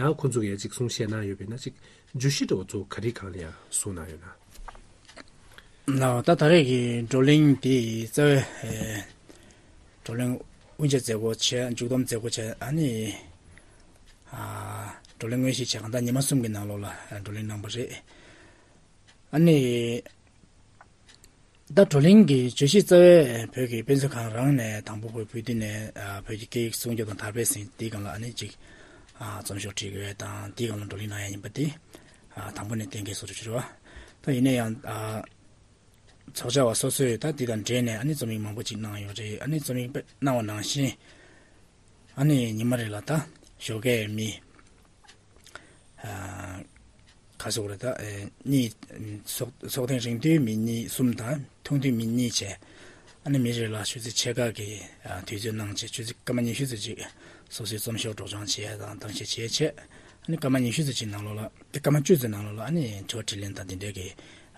ཡང་ཁོ་ཚོ་གིས་ཡང་ཅིག་གསུང་བཤད་གནང་ཡོད་པས་ན་ཅིག་བརྗོད་གཞི་འདྲ་བོ་ཚོ་ག་རེ་གང་ལ་ཡང་གསུངས་གནང་ཡོད་ན། ལགས། ད་ད་རེས་ཀྱི་བགྲོ་གླེང་འདི་རྩ་བའི་ཨེ་བགྲོ་གླེང་དབུ་འབྱེད་མཛད་སྒོ་བྱས། མཇུག་བསྡོམས་མཛད་སྒོ་བྱས། ཨ་ནི་ཨ་བགྲོ་གླེང་དངོས་གཞི་བྱས་གང་ལྟར་ཉི་མ་གསུམ་གྱི་ནང་ལོགས་ལ་ཨ་བགྲོ་གླེང་གནང་བ་རེད། ཨ་ནི་ད་བགྲོ་གླེང་གི་བརྗོད་གཞི་རྩ་བའི་བོད་ཀྱི་དཔེ་མཛོད་ཁང་རང་ནས་དང་པོ་བོད་བོད་དུས་ནས་ཨ་བོད་ཀྱི་སྐད་ཡིག་སྲུང་སྐྱོབ་དང་དར་སྤེལ་ཟེར་དེའི་སྒང་ལ་ཨ་ནི་ཅིག་ཨ་རྩོམ་ཤོག་བྲིས་དགོས་དང་དེའི་སྒང་ལ་བགྲོ་གླེང་གནང་ཡ་ཡིན་པ་དེ་ཨ་དང་པོ་ནས་གཏན་འཁེལ་བཟོ་འདྲ་ཅིག་རེད་བ། ད་ཡིན་ན་ཡང་ཨ་ཚོགས་བཅར་བ་སོ་སོས་ད་དེ་དང་འབྲེལ་ནས་ཨ་ནི་རྩོམ་ཡིག་མང་པོ་ཅིག་གནང་ཡོད་རེད། ཨ་ནི་རྩོམ་ཡིག་དཔེ་གནང་བ་ནང་བཞིན་ཨ་ནི་ཉི་མ་རེ་ལ་ད་ཞོགས་ཀས་མི་ཨ་ག་ཟེར་དགོས་རེད། ད་ཨེ་གཉིས། ཚོགས་ཚོགས་ཐེངས་རིང་དུས་མི་གཉིས་གསུམ་དང་ཐུང་དུས་མི་གཉིས་བྱས། ཨ་ནི་མི་རེ་ལ་ཆུ་ཚོད་ཕྱེད་ཀ་གི་ཨ་དུས་ཚོད་གནང་བྱས། ཆུ་ཚོད་སྐར་མ་ཉི་ཤུ་ཙམ་ཅིག་སོ་སོའི་རྩོམ་ཤོག་སྒྲོག་སྦྱང་བྱས་དང་གཏམ་བཤད་བྱས་བྱས། ཨ་ནི་སྐར་མ་ཉི་ཤུ་ཙམ་ཅིག་ནང་ལོགས་ལ་དེ་སྐར་མ་བཅུ་ཙམ་ནང་ལོགས་ལ་ཨ་ནི་དྲི་བ་དྲིས་ལན་དང་དེ་འདྲའི་གི་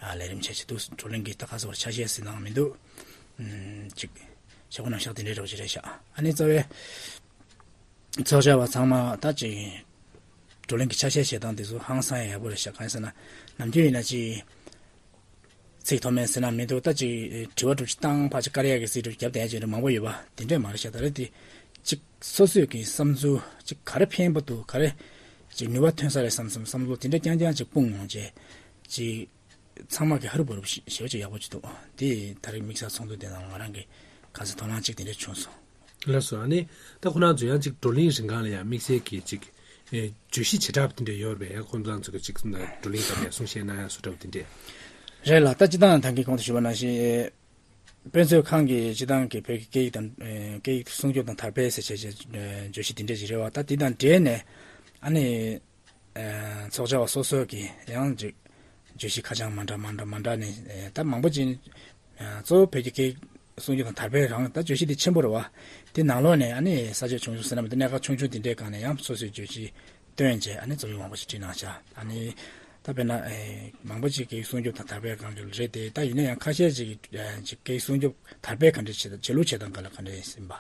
ཨ་ལས་རིམ་བྱས་བྱས་འདུག་བགྲོ་གླེང་གི་ད་ག་ཟེར་བ་ཆ་ཤས་ཟེར་ནའང་མི་འདུག་ཨམ་ཅིག་བྱེད་སྒོ་རྣམ་གཞག་དེ་འདྲའི་འདྲ་བོ་ཅིག་རེད་ཤག་ཨ་ནི་རྩ་བའི་ཚོགས་བཅར་བ་ཚང་མ་ད་ཅིག་བགྲོ་གླེང་གི་ཆ་ཤས་བཤད་སྟངས་དེ་ཚོ་ཧང་སང་ཡག་པོ་རེད་ཤག་གང་ཡིན་ཟེར་ན་ནམ་རྒྱུན་ཡིན་ན་ཅིག་ཚིག་ཐོགས་མེད་ཟེར་ན་མི་འདུག་ད་ཅིག་དྲི་བ་དྲུག་ཅུ་བཏང་ཕར་ཅིག་བཀར་ཡག་གི་ཚིག་དྲུག་ཅུ་རྒྱབ་བསྡད་ཡག་ཅིག་མང་པོ་ཡོད་པ་དེ་འདྲས་མ་རེད་ཤག་ད་རེས་དེ་ཅིག་སོ་སོས་ཀྱི་བསམ་ཚུལ་ཅིག་ག་རེ་ཕན་པ་འདུག་ག་རེ་ཅིག་ནུས་པ་ཐོན་ས་རེད་བསམ་བསམ་བསམ་བློ་དེ་འདྲས་རྐྱང་རྐྱང་ཅིག་སྤུངས་ཡོང་བྱས་ཅིག་ཚང་མ་གི་ཧ་རུ་བ་རུ་ཞེ་པོ་ཅིག་ཡག་པོ་ཅིག་འདུག་དེ་ད་རེས་དམིགས་བསལ་ཚོགས་འདུ་དེ་ནང་ང་རང་གི་ག་ཚོད་དོ་སྣང་ཅིག་དེ་འདྲས་བྱུང་སོང་། ལགས་སོ། ཨ་ནི་ད་ཁོ་རང་ཚོ་ཡང་ཅིག་བགྲོ་གླེང་རིང་གང་ལ་ཡང་དམིགས་བསལ་གྱི་ཅིག་ཨེ་བརྗོད་གཞི་བྱེ་བྲག་དེ་འདྲ་ཡོད་རེད་པས། ཡང་ཁོང་ཚོ་ཚོ་གི་ཅིག་བགྲོ་གླེང་སྐབས་ཡང་གསུང་བཤད་གནང་ཡ་སུ་འདྲ་བོ་དེ་འདྲས། རེད་ལགས། ད་སྤྱིར་བཏང་ད་གིན་གོང་དུ་ཞུས་པ་ནང་བཞིན་དཔེ་མཛོད་ཁང་གི་སྤྱིར་བཏང་གི་བོད་ཀྱི་སྐད་ཡིག་དང་ཨེ་སྐད་ཡིག་སྲུང་སྐྱོབ་དང་དར་སྤེལ་ཟེར་བྱས་བྱས་ཨེ་བརྗོད་གཞི་དེ་འདྲས་ཅིག་རེད་བ། ད་དེ་དང་འབྲེལ་ནས་ཨ་ནི་ཨེ་ཚོགས་བཅར་བ་སོ་སོ་གིས་ཡང་ཅིག་བརྗོད་གཞི་ཁ་བྱང་མ་འདྲ་མ་འདྲ་མ་འདྲ་ནས་ཨེ་ད་མང་པོ་ཅིག་གཙོ་བོ་བོད་ཀྱི་སྐད་སྲུང་སྐྱོབ་དང་དར་སྤེལ་རང་ད་བརྗོད་གཞི་དེ་ཆེན་པོ་རེད་བ། དེ་ནང་ལོགས་ནས་ཨ་ནི་ས་ཆ་ཆུང་ཆུང་ཟེར་ན་མི་འདུག་གནད་འགག་ཆུང་ཆུང་དེ་འདྲའི་སྒང་ནས་ཡང་སོ་སོའི་བརྗོད་གཞི་བཏོན་བྱས་ཨ་ནི་རྩོམ་ཡིག་མང་པོ་ཞིག་བྲིས་གནང་བཞག་ཨ་ནི་ད་དཔེར་ན་ཨེ་མང་པོ་ཅིག་སྐད་ཡིག་སྲུང་སྐྱོབ་དང་དར་སྤེལ་སྒང་གི་རེད་དེ། ད་ཡིན་ན་ཡང་ཁ་ཤས་ཅིག་ཨེ་ཅིག་སྐད་ཡིག་སྲུང་སྐྱོབ་དར་སྤེལ་ག་འདྲ་བྱེད་བྱེད་ལུགས་བྱེད་སྟངས་སྒང་ལ་ག་འདྲ་ཡིན་པ།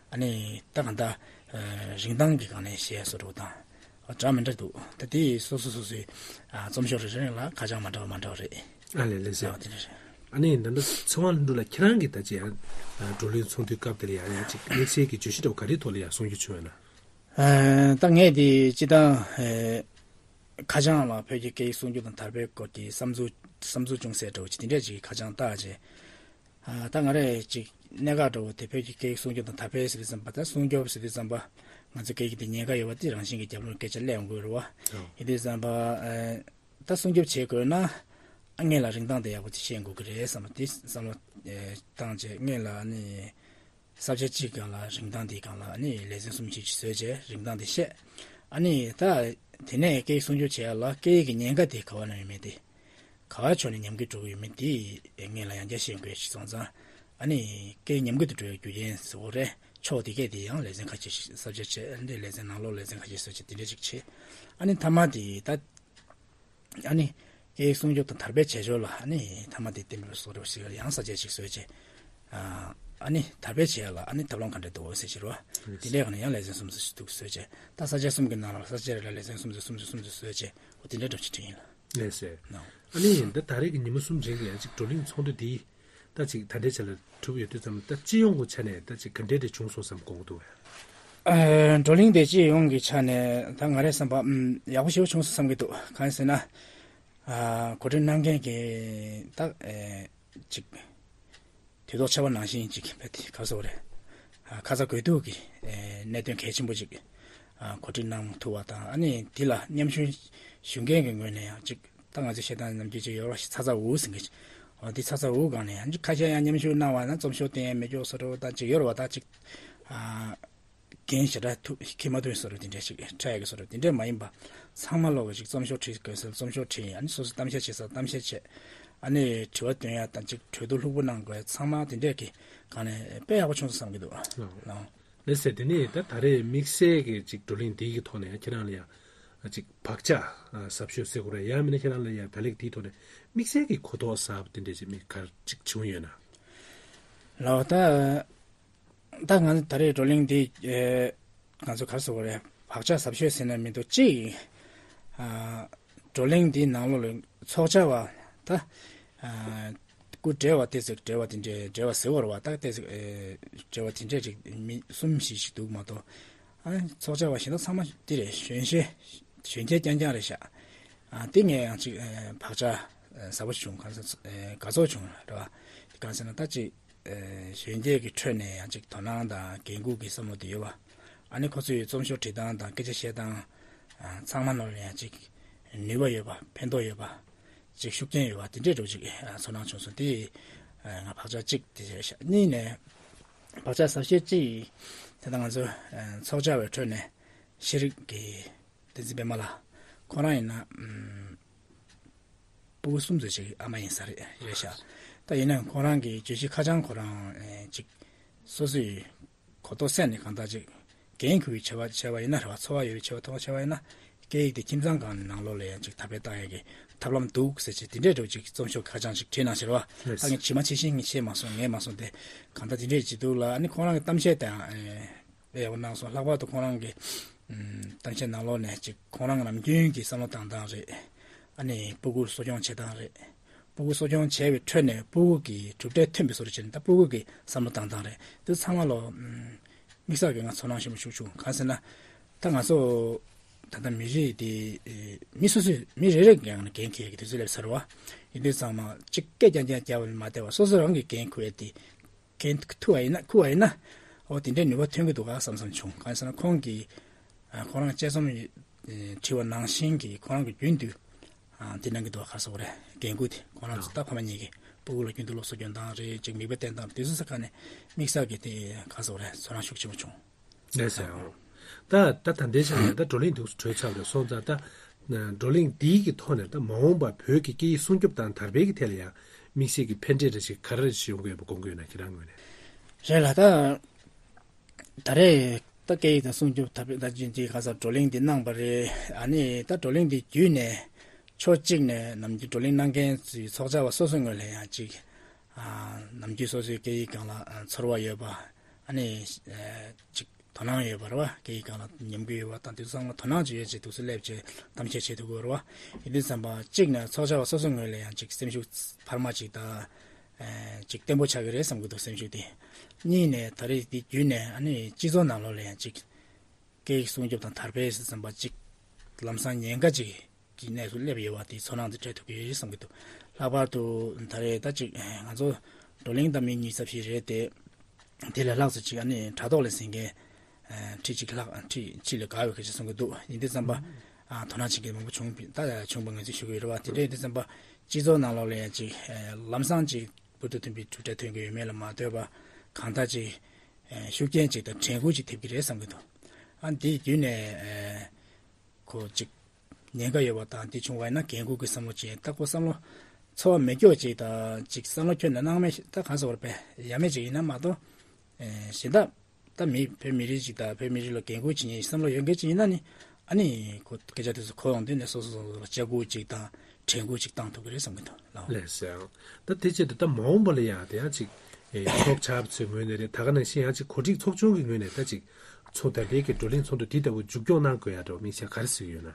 ཨ་ནི་ད་གང་ལྟར་ཨེ་རིན་ཐང་གི་སྒང་ནས་བཤད་སྲོལ་འདྲ་བོ་དང་འདྲ་མི་འདྲ་འདུག་ད་དེ་སོ་སོ་སོ་སོའི་ཨ་རྩོམ་ཤོག་རེ་རེ་ལ་ཁ་བྱང་མ་འདྲ་བ་མ་འདྲ་བ་རེད། ཨ་ལས་ལས་ཟེར་བ་དེ་འདྲ་རེད། ཨ་ནི་ད་ལྟ་ཚེ་དབང་ལྷུན་གྲུབ་ལགས་ཁྱེད་རང་གིས་ད་ཅི་ཡང་བགྲོ་གླེང་ཚོགས་འདུའི་སྐབས་དེ་ལ་ཡང་ཡང་ཅིག་དམིགས་བསལ་གྱི་བརྗོད་གཞི་འདྲ་བོ་ག་རེའི་ཐོག་ལ་ཡང་གསུང་རྒྱུ་བྱུང་ཡོད་ན། ཨ་ད་ངས་དེ་སྤྱིར་བཏང་ཨེ་ཁ་བྱང་ལ་བོད་ཀྱི་སྐད་ཡིག་སྲུང་སྐྱོབ་དང་དར་སྤེལ་སྐོར་གྱི་བསམ་ཚུལ་བསམ་ཚུལ་ཅུང་ཟད་འདྲ་བོ་ཅིག་དེ་འདྲས་ཅིག་ཁ་བྱང་བཏགས་རྗེས། ཨ་ད་ང་རས་ཅིག་གནད་འགག་འདྲ་བོ་དེ་བོད་ཀྱི་སྐད་ཡིག་སྲུང་སྐྱོབ་དང་དར་སྤེལ་ཟེར་དུས་ཙམ་པ། ད་སྲུང་སྐྱོབ་ཟེར་དུས་ཙམ་པ་ང་ཚོ་སྐད་ཡིག་དེ་ཉེན་ཁ་ཡོད་པ་དེ་རང་བཞིན་གྱི་རྒྱབ་ལོགས་སྐད་ཆ་སླེབས་ཡོང་གི་རེད་བ། ཨོ། ཡིན་དུས་ཙམ་པ་ཨ་ད་སྲུང་སྐྱོབ་བྱེད་དགོས་ན་ཨ་སྔོན་ལ་རིན་ཐང་དེ་ཡག་པོ་ཅིག་ཤེས་དགོས་ཀྱི་རེད་བསམ་པ་དེ་བསམ་བློ་ཨེ་བཏང་རྗེས་སྔོན་ལ་ཨ་ནི་ས་བཅད་གཅིག་སྒང་ལ་རིན་ཐང་དེའི་སྒང་ལ་ཨ་ནི་ལེ་ཚན་གསུམ་བཞི་ཅིག་བཟོས་རྗེས་རིན་ཐང་དེ་བཤད། ཨ་ནི་ད་དེ་ནས་སྐད་ཡིག་སྲུང་སྐྱོབ་བྱེད་ཡ་ལ་སྐད་ཡིག་གི་ཉེན་ཁ་དེ་ག་བ་ན་ཡོད་མེད་དེ། ག་བ་ཕྱོགས་ནས་ཉམས་རྒུད་འགྲོ་གི་ཡོད་མེད་དེ་སྔོན་ལ་ཡང་བསྐྱར་ཤེས་དགོས་ཞིག་སོང་ཙང་ ཨ་ནི་སྐད་ཉམས་རྒུད་དུ་འགྲོ་བའི་རྒྱུ་རྐྱེན་བཟོ་རེད། ཕྱོགས་དེ་གས་དེ་ཡང་ལེ་ཚན་ཁ་ཤས་ཤིག་ས་བཅད་བྱས། ཨ་ནི་ལེ་ཚན་ནང་ལོགས་ལེ་ཚན་ཁ་ཤས་བཟོ་བྱས་དེ་འདྲ་ཅིག་བྱས། ཨ་ནི་མཐའ་མ་དེ་ད་ཨ་ནི་སྐད་ཡིག་སྲུང་སྐྱོབ་དང་དར་སྤེལ་བྱེད་ཕྱོགས་ལ་ཨ་ནི་མཐའ་མ་དེ་བསྟན་པའི་སྲོག་རོ་ཞིག་ཡང་ས་བཅད་ཅིག་བཟོས་བྱས། ཨ་ནི་དར་སྤེལ་བྱེད་ཡ་ལ་ཨ་ནི་ཐབས་ལམ་ག་འདྲ་འདུག་ཟེར་ཕྱིར་བ། དེ་འདྲའི་སྒང་ནས་ཡང་ལེ་ཚན་གསུམ་ཙམ་ཞིག་འདུག་བཟོས་བྱས། ད་ས་བཅད་གསུམ་གྱི་ནང་ལ་ས་བཅད་རེ་ལ་ལེ་ཚན་གསུམ་ཙམ་གསུམ་ཙམ་གསུམ་ཙམ་བཟོས་བྱས། འོ་དེ་འདྲ་འདྲ་ཞིག་བྲིས་ཡིན་ལ། ལགས་སེ། ནོ། ཨ་ནི་འདི་ད་རེས་ཀྱི་ཉི་མ་གསུམ་རིང་གི་ཡང་ཅིག་བགྲོ་གླེང་ཚོགས་འདུ་འདི་ད་ཅིག་ད་ལྟའི་ཆ་ལ་གྲུབ་ཡོད་དུས་ཙམ་ད་སྤྱི་ཡོངས་ཀྱི་ཆ་ནས་ད་ཅིག་ག་འདྲས་དེ་བྱུང་སོང་བསམ་དགོངས་འདུག་གས། ཨ། བགྲོ་གླེང་དེ་སྤྱི་ཡོངས་ཀྱི་ཆ་ནས་ད་ང་རའི་བསམ་པ་ཨམ་ཡག་པོ་ཞེ་པོ་བྱུང་སོང་བསམ་གྱི་འདུག་གང་ཡིན་ཟེར་ན། ཨ། གོ་སྒྲིག་གནང་མཁན་གྱི་ད་ཨེ་ཅིག་དུས་ཐོག་ཆད་པ་ནང་བཞིན་ཅིག་བས་དེ་ག་རེ་ཟེར་དགོས་རེད། ཨ། ཁ་ཚ་དགོས་གཏུགས་ཀྱི་ཨེ་གནད་དོན་གལ་ཆེན་པོ་ཅིག་ཨ་གོ་སྒྲིག་གནང་ཐུབ་པ་དང་། ཨ་ནི་དེ་ལ་མཉམ་ཞུགས་ཞུ་མཁན་གྱི་ངོས་ནས་ཡང་ཅིག་ད་ང་ཚོས་བཤད་སྟངས་ནམ་རྒྱུན་ཅིག་ཡོད་རེད་པ། ཚ་ཚ་འུར་འུར་ཟེར་མཁན་ཅིག་འོ་དེ་ཚ་ཚ་འུར་འུར་སྒང་ནས་ཡང་ཁ་ཤས་ཡང་མཉམ་ཞུགས་གནང་བ་ན་རྩོམ་ཤོག་བསྟན་ཡ་མེད་ཀྱོག་བཟོ་འདྲ་ད་ཅིག་ཡོད་རེད་པ། ད་ཅིག་ཨ་འགན་ཞེ་དྲག་ཐུགས་འཁྱེར་མ་ཐུབ་བཟོ་འདྲ་དེ་འདྲ་ཞིག་འཕྲད་ཡ་གི་བཟོ་འདྲ་དེ་འདྲ་མ་ཡིན་པ། ཚང་མ་ལོག་གི་ཅིག་རྩོམ་ཤོག་བྲིས་དགོས་ཟེར་རྩོམ་ཤོག་བྲིས། ཨ་ནི་སོ་སོ་གཏམ་བཤད་བྱེད་ས་གཏམ་བཤད་བྱས། ཨ་ནི་དྲི་བ་འདོན་ཡ་དང་ཅིག་གྲོས་བསྡུར་ལྷུག་པོ་གནང་དགོས། ཚང་མ་དེ་འདྲས་ཀྱི་སྒང་ནས་དཔེ་ཡག་པོ་བྱུང་སོང་བསམ་གྱི་འདུག་ལགས། ལགས་སེ། དེ་ནས་ད་ད་རེས་དམིགས་བསལ་གྱི་ཅིག་བགྲོ་གླེང་འདི་གི་ཐོག་ནས་ཁྱེད་རང་ལ་ཡང་ཅིག་བག་ཆགས་ཟབ་ཤོས་ཟེར་དགོས་རེད། ཡང་མིན་ན་ཁྱེད་རང་ལ་ཡང་ད་ལན་འདིའི་ཐོག་ནས་དམིགས་བསལ་གྱི་གོ་རྟོགས་ཟབ་དེ་འདྲས་ཅིག་མི་ག་རེ་ཅིག་བྱུང་ཡོད་ན། ལགས། ད་ད་ང་ཚོ་ད་རེས་བགྲོ་གླེང་འདི་ཨེ་ང་ཚོ་ག་རེ་ཟེར་དགོས་རེད། བག་ཆགས་ཟབ་ཤོས་ཟེར་ན་མི་འདུག་གཅིག་ཨ་བགྲོ་གླེང་འདིའི་ནང་ལོགས་ལ་ཚོགས་བཅར་བ་ད་ཨ་སྐུ་བགྲེས་པ་ཏོག་ཙམ། བགྲེས་པ་དེ་འདྲས་བགྲེས་པ་ཟེར་དགོས་རེད་པ། ད་ཏོག་ཙམ་ཨེ་བགྲེས་པ་དེ་འདྲས་ཅིག་མི་གསུམ་བཞི་ཞིག་འདུག་མ་གཏོགས། ཨ་ཚོགས་བཅར་བ་གཞན་དག་ཚང་མ་འདི་རེད། གཞོན་ཤེས་གཞོན་སྐྱེས་རྐྱང་རྐྱང་རེད་ཤག་ཨ་དེ་ངས་ཡང་ཅིག་ཨེ་བག་ཆགས་ཨེ་ཟབ་པོ་བྱུང་། ག་ཚོད་ཨེ་དགའ་ཚོར་བྱུང་རེད་པ། གང་ཟེར་ན་ད་ཅིག་ཨེ་གཞོན་སྐྱེས་ཀྱི་ཁྲོད་ནས་ཡང་ཅིག་དོ་སྣང་དང་འགན་འཁུར་གྱི་བསམ་བློ་དེ་ཡོད་པ། ཨ་ནི་ཁོ་ཚོའི་རྩོམ་ཤོག་བྲིས་སྟངས་དང་སྐད་ཆ་བཤད་སྟངས་ཨ་ཚང་མ་ནང་ལ་ཡང་ཅིག་ནུས་པ་ཡོད་པ། ཕན་ཐོགས་ཡོད་པ། ཅིག་ཤུགས་རྐྱེན་ཡོད་པ་དེ་འདྲས་འདྲ་བོ་ཅིག་ཨ་ཚོར་སྣང་བྱུང་སོང་། དེ་ཨ་ང་བག་ཆགས་གཅིག་དེ་བྱས་ཤག་གཉིས་ནས་བག་ཆགས་ཟབ་ཤོས་གཅིག་དེ་ད་ང་ཚོ་ཨ་ཚོགས་བཅར་བའི་ཁྲོད་ནས་ཤེས་རིག་གི་བསྟན་འཛིན་པད་མ་ལགས། ཁོ་རང་ཡིན་ན་ཨམ་སྤུ་གུ་གསུམ་ཙམ་ཅིག་ཨ་མ་ཡིན་ས་རེད། རེད་ཤག་ད་ཡིན་ནའང་ཁོ་རང་གི་བརྗོད་གཞི་ཁ་བྱང་ཁོ་རང་ཨེ་ཅིག་སོ་སོའི་གོ་རྟོགས་སེམས་ནས་གང་ལྟར་ཅིག་འགན་འཁུར་བའི་བྱ་བ་བྱས་པ་ཡིན་ན་རེད་པ། ཚོར་བ་ཡོད་པའི་བྱ་བ་ཐོག་བྱས་པ་ཡིན་ན། སྐད་ཡིག་དེ་ཁྱིམ་ཚང་སྒང་ནང་ལོགས་ལ་ཡང་ཅིག་དར་སྤེལ་བཏང་ཡག་གི་ཐབས་ལམ་འདུག་ཟེར་བྱས་དེ་འདྲས་འདྲ་བོ་ཅིག་རྩོམ་ཤོག་ཁ་བྱང་ཅིག་བྲིས་གནང་ཕྱིར་བ། ད་ངས་ཇི་མ་ཇི་བཞིན་ངས་ཤེས་མ་སོང་། ངས་མ་སོང་སྟེ། གང་ལྟར་དེ་འདྲས་ཅིག་འདུག་ལ། ཨ་ནི་ཁོང་རང་གི་གཏམ་བཤད་དང་ཨེ་དཔེ་ཡག་པོ་གནང་སོང་། ལྷག་པར་དུ་ཁོང་རང་གི་ཨམ་གཏམ་བཤད་ནང་ལོགས་ནས་ཅིག་ཁོང་རང་ནམ་རྒྱུན་གྱི་བསམ་བློ་བཏང་སྟངས་རེད། ཨ་ནི་སྤུ་གུ་གསོ་སྐྱོང་བྱེད་སྟངས་རེད། སྤུ་གུ་གསོ་སྐྱོང་བྱས་པའི་ཁྲོད་ནས་སྤུ་གུ་གི་གྲུབ་འབྲས་ཐོན་པའི་བཟོ་འདྲ་བྱས་ནས། ད་སྤུ་གུ་གི་བསམ་བློ་བཏང་སྟངས་རེད། དེ་ཚང་མ་ལོ་ཨམ་དམིགས་བསལ་གྱི་ང་ཚོར་སྣང་ཞེ་པོ་ཞིག་བྱུང་། གང་ཟེར་ན། ད་ང་ཚོ་ད་ལྟ་མི་རིགས་དེ་ཨེ་མི་སོ་སོས་མི་རེ་རེ་གི་ངང་ནས་འགན་འཁྱེར་གྱི་དུས་ཚོད་སླེབས་ཚར་བ། ཡིན་དུས་ཚང་མ་གཅིག་སྐད་རྐྱང་རྐྱང་རྒྱབ་པ་ལ་མ་བལྟས་པ་སོ་སོ་རང་གི་འགན་འཁུར་ཡས་དེ། འགན་འཁུར་བ་ཡིན་ན། འཁུར་བ་ཡིན་ན། འོ་དེ་འདྲའི་ནུས་པ་ཐོན་གྱི་འདུག་ག་བསམ་བསམ་བྱུང་། གང་ཟེར་ན་ཁོང་གིས་ཨ་ཁོ་རང་དཔྱད་རྩོམ་ཨེ་བྲིས་པ་ནང་བཞིན་གྱི་ཁོ་རང་གི་རྒྱུན་དུ་ཨ་དེ་གནང་གི་འདུག་ག་ག་རེ་ཟེར་དགོས་རེད། འགན་འཁུར་དེ་ཁོ་རང་ཚོ་ད་ཕ་མ་གཉིས་ཀྱིས་སྤུ་གུ་ལ་རྒྱུན་དུ་སློབ་གསོ་སྐྱོན་སྟངས་རེད། ཅིག་མིག་དཔེ་བསྟན་སྟངས་དེ་ཚོ་ས་ཁ་ནས་དམིགས་བསལ་གྱི་དེ་ག་རེ་ཟེར་དགོས་རེད། ཚོར་སྣང་ཤུགས་ཆེན་པོ་བྱུང་། ལགས་སོ། ད་ད་ད་ལྟའི་ཆ་ནས་ད་བགྲོ་གླེང་འདུག་གྲོལ་ཚར་བ་རེད། སོང་ཙང་ད་བགྲོ་གླེང་འདིའི་གི་ཐོག་ནས་ད་མ་འོངས་པ་བོད་ཀྱི་སྐད་ཡིག་སྲུང་སྐྱོབ་དང་དར་སྤེལ་གྱི་ཐད་ལ་ཡང་དམིགས་བསལ་གྱི་ཕན་འབྲས་འདྲ་ཞིག་ག་རེ་ཞིག་ཡོང་གི་ཡོད་པ་དགོངས་ཀྱི་ཡོད་ན། ཁྱེད་རང་ངོས་ནས། རེད་ལ། ད་ད་རེས་ད་སྐད་ཡིག་དང་སྲུང་སྐྱོབ་དར་སྤེལ་ད་ཅིག་འདི་ག་ས་བགྲོ་གླེང་འདི་གནང་པ་རེད། ཨ་ནི་ད་བགྲོ་གླེང་འདི་བརྒྱུད་ནས་ཕྱོགས་གཅིག་ནས་ནམ་རྒྱུན་བགྲོ་གླེང་གནང་མཁན་ཚོའི་ཚོགས་བཅར་བ་སོ་སོའི་ངོས་ལ་ཡང་ཅིག་ཨ་ནམ་རྒྱུན་སོ་སོའི་སྐད་ཡིག་སྒང་ལ་ཨ་ཚོར་བ་ཡོད་པ། ཨ་ནི་ཨ་ཅིག་དོ་སྣང་ཡོད་པ་རེད་བ། སྐད་ཡིག་སྒང་ལ་ཉམས་རྒུད་ཡོད་པ་དང་དེ་ཚོ་ཚང་མ་དོ་སྣང་ཅིག་ཡོད་ཅིག་འདུག་སེ་སླེབས་བྱས་གཏམ་བཤད་བྱེད་ཐུབ་ཀྱི་ཡོད་རེད་བ། ཡིན་དུས་ཙམ་པ་གཅིག་ནས་ཚོགས་བཅར་བ་སོ་སོའི་ངོས་ལ་ཡང་ཅིག་སེམས་ཤུགས་འཕར་མ་ཅིག་དང་། ཨ་ཅིག་བརྟན་པོ་ཆགས་ཀྱི་རེད་བསམ་གྱི་འདུག་སེམས་ཤུགས་དེ། གཉིས་ནས་ད་རེས་འདི་བརྒྱུད་ནས་ཨ་ནི་སྤྱི་ཚོགས་ནང་ལོགས་ལ་ཡང་ཅིག་སྐད་ཡིག་སྲུང་སྐྱོབ་དང་དར་སྤེལ་ཟེར་ཙམ་པ་ཅིག་ལམ་སང་ཉེན་ཁ་ཅིག་གི་གནས་སུ་སླེབས་ཡོད་པ་དེའི་ཚོར་སྣང་དེ་སྤྲད་ཐུབ་ཀྱི་ཡོད་བསམ་གྱི་འདུག་ལྷག་པར་དུ་ད་རེས་ད་ཅིག་ང་ཚོ་བགྲོ་གླེང་ད་མི་ཉིས་རྩ་བཞི་རེད་དེ། དེ་ལས་ལྷག་ཙམ་ཅིག་ཨ་ནི་དྲ་ཐོག་ལ་གཟིགས་མཁན་ཁྲི་གཅིག་ལྷག་ཁྲི་གཅིག་ལས་བརྒལ་བའི་སྐད་ཆ་གསུང་གི་འདུག་ཡིན་དུས་ཙམ་པ་ཨ་དོ་སྣང་བྱེད་མཁན་མང་པོ་བྱུང་བ་ད་བྱུང་བ་ངས་ཅིག་ཞུ་གི་ཡོད་རེད་བ། དེ་འདྲ་ཡིན་དུས་ཙམ་པ་སྤྱི་ཚོགས་ནང་ལོགས་ལ་ཡང་ཅིག་ལམ་སང་ཅིག་འབུར་དུ་ཐོན་པའི་གྲུབ་འབྲས་ཐོན་གྱི་ཡོད་མེད་ལ་མ་ལྟོས་པ་གང་ལྟར་ཅིག་ཤུགས་རྐྱེན་ཅིག་དང་དྲན་སྐུལ་ཅིག་ཐེབས་ཀྱི་རེད་བསམ་གྱི་འདུག་ཨ་འདིའི་བརྒྱུད་ནས་ཁོ་ཅིག་ཉེན་ཁ་ཡོད་པ་དང་དེ་བྱུང་བ་ཡིན་ན་འགན་འཁུར་གྱི་བསམ་བློ་ཅན་ལྟ་སྐོར་བསམ་བློ་ ཚོར་བ་མེད་སྐྱོ་ཅིག་དང་ཅིག་བསམ་བློ་ཁྱོན་ནས་སྣང་མེད་ད་གང་ཟེར་བར་པས་ཡ་མེད་ཅིག་ཡིན་ན་མ་གཏོགས། ཨེ་གཞན་དག་ད་མི་བོད་མི་རིགས་ཅིག་དང་བོད་མི་རིགས་ལ་འགན་ཁུར་བྱེད་མཁན་བསམ་བློ་ཡོད་མཁན་ཅིག་ཡིན་ན་ནི་ཨ་ནི་ཁོ་སྐད་ཆ་དེ་ཚོ་གོ་ཡོང་དུས་ནས་སོ་སོ་སོ་སོ་ལ་ལྕག་སྐུལ་ཅིག་དང་དྲན་སྐུལ་ཅིག་བཏང་ཐུབ་ཀྱི་རེད་བསམ་གྱི་འདུག་ལགས། ལགས་སོ། ད་དེ་བྱས་ཏེ་ད་མ་འོངས་པ་ལ་ཡང་དེ་ཡང་ཅིག་ཨེ་ཚོགས་བཅར་བ་ཚོའི་ངོས་ནས་རེད། ད་ག་ནང་བཞིན་ཡང་ཅིག་གོ་སྒྲིག་ཚོགས་ཆུང་གི་ངོས་ནས་ད་ཅིག་ཚོགས་ད་ལྟའི་གི་བགྲོ་གླེང་ཚོགས་འདུ་འདི་ལྟ་བུ་མཇུག་སྐྱོང་གནང་དགོས་ཡ་འདྲ་བོ་དམིགས་བསལ་ག་རེ་གཟིགས་ཡོད་ན།